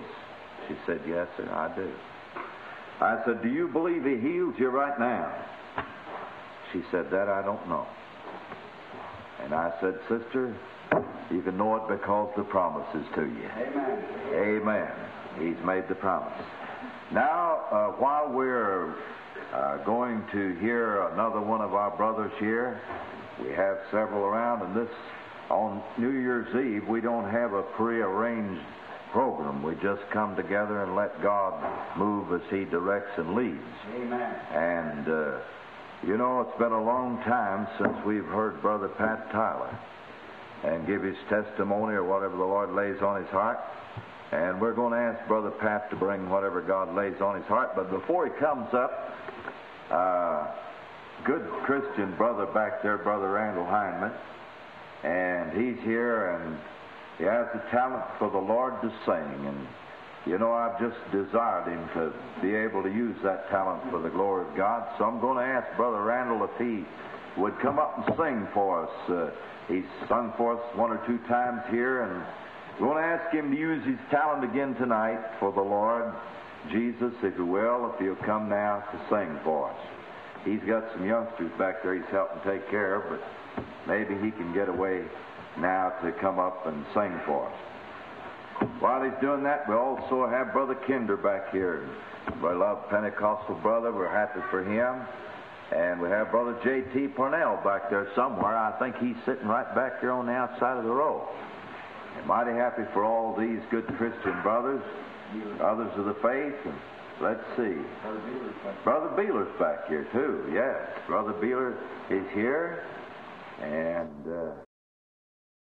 Speaker 2: She said, yes, sir, I do. I said, do you believe he heals you right now? She said, that I don't know. And I said, sister, you can know it because the promise is to you.
Speaker 3: Amen.
Speaker 2: Amen. He's made the promise. Now, uh, while we're uh, going to hear another one of our brothers here, we have several around, and this, on New Year's Eve, we don't have a prearranged program. We just come together and let God move as he directs and leads.
Speaker 3: Amen.
Speaker 2: And, uh, you know, it's been a long time since we've heard Brother Pat Tyler and give his testimony or whatever the Lord lays on his heart. And we're going to ask Brother Pat to bring whatever God lays on his heart. But before he comes up, uh, good Christian brother back there, Brother Randall Heineman, and he's here, and he has the talent for the Lord to sing. And, you know, I've just desired him to be able to use that talent for the glory of God. So I'm going to ask Brother Randall if he would come up and sing for us. Uh, he's sung for us one or two times here, and we're going to ask him to use his talent again tonight for the Lord Jesus, if he will, if he'll come now to sing for us. He's got some youngsters back there he's helping take care of, but maybe he can get away now to come up and sing for us. While he's doing that, we also have Brother Kinder back here. We love Pentecostal brother. We're happy for him. And we have Brother J T Parnell back there somewhere. I think he's sitting right back here on the outside of the row. And mighty happy for all these good Christian brothers, others of the faith. And let's see. Brother Beeler's back here, too. Yes, Brother Beeler is here. And Uh,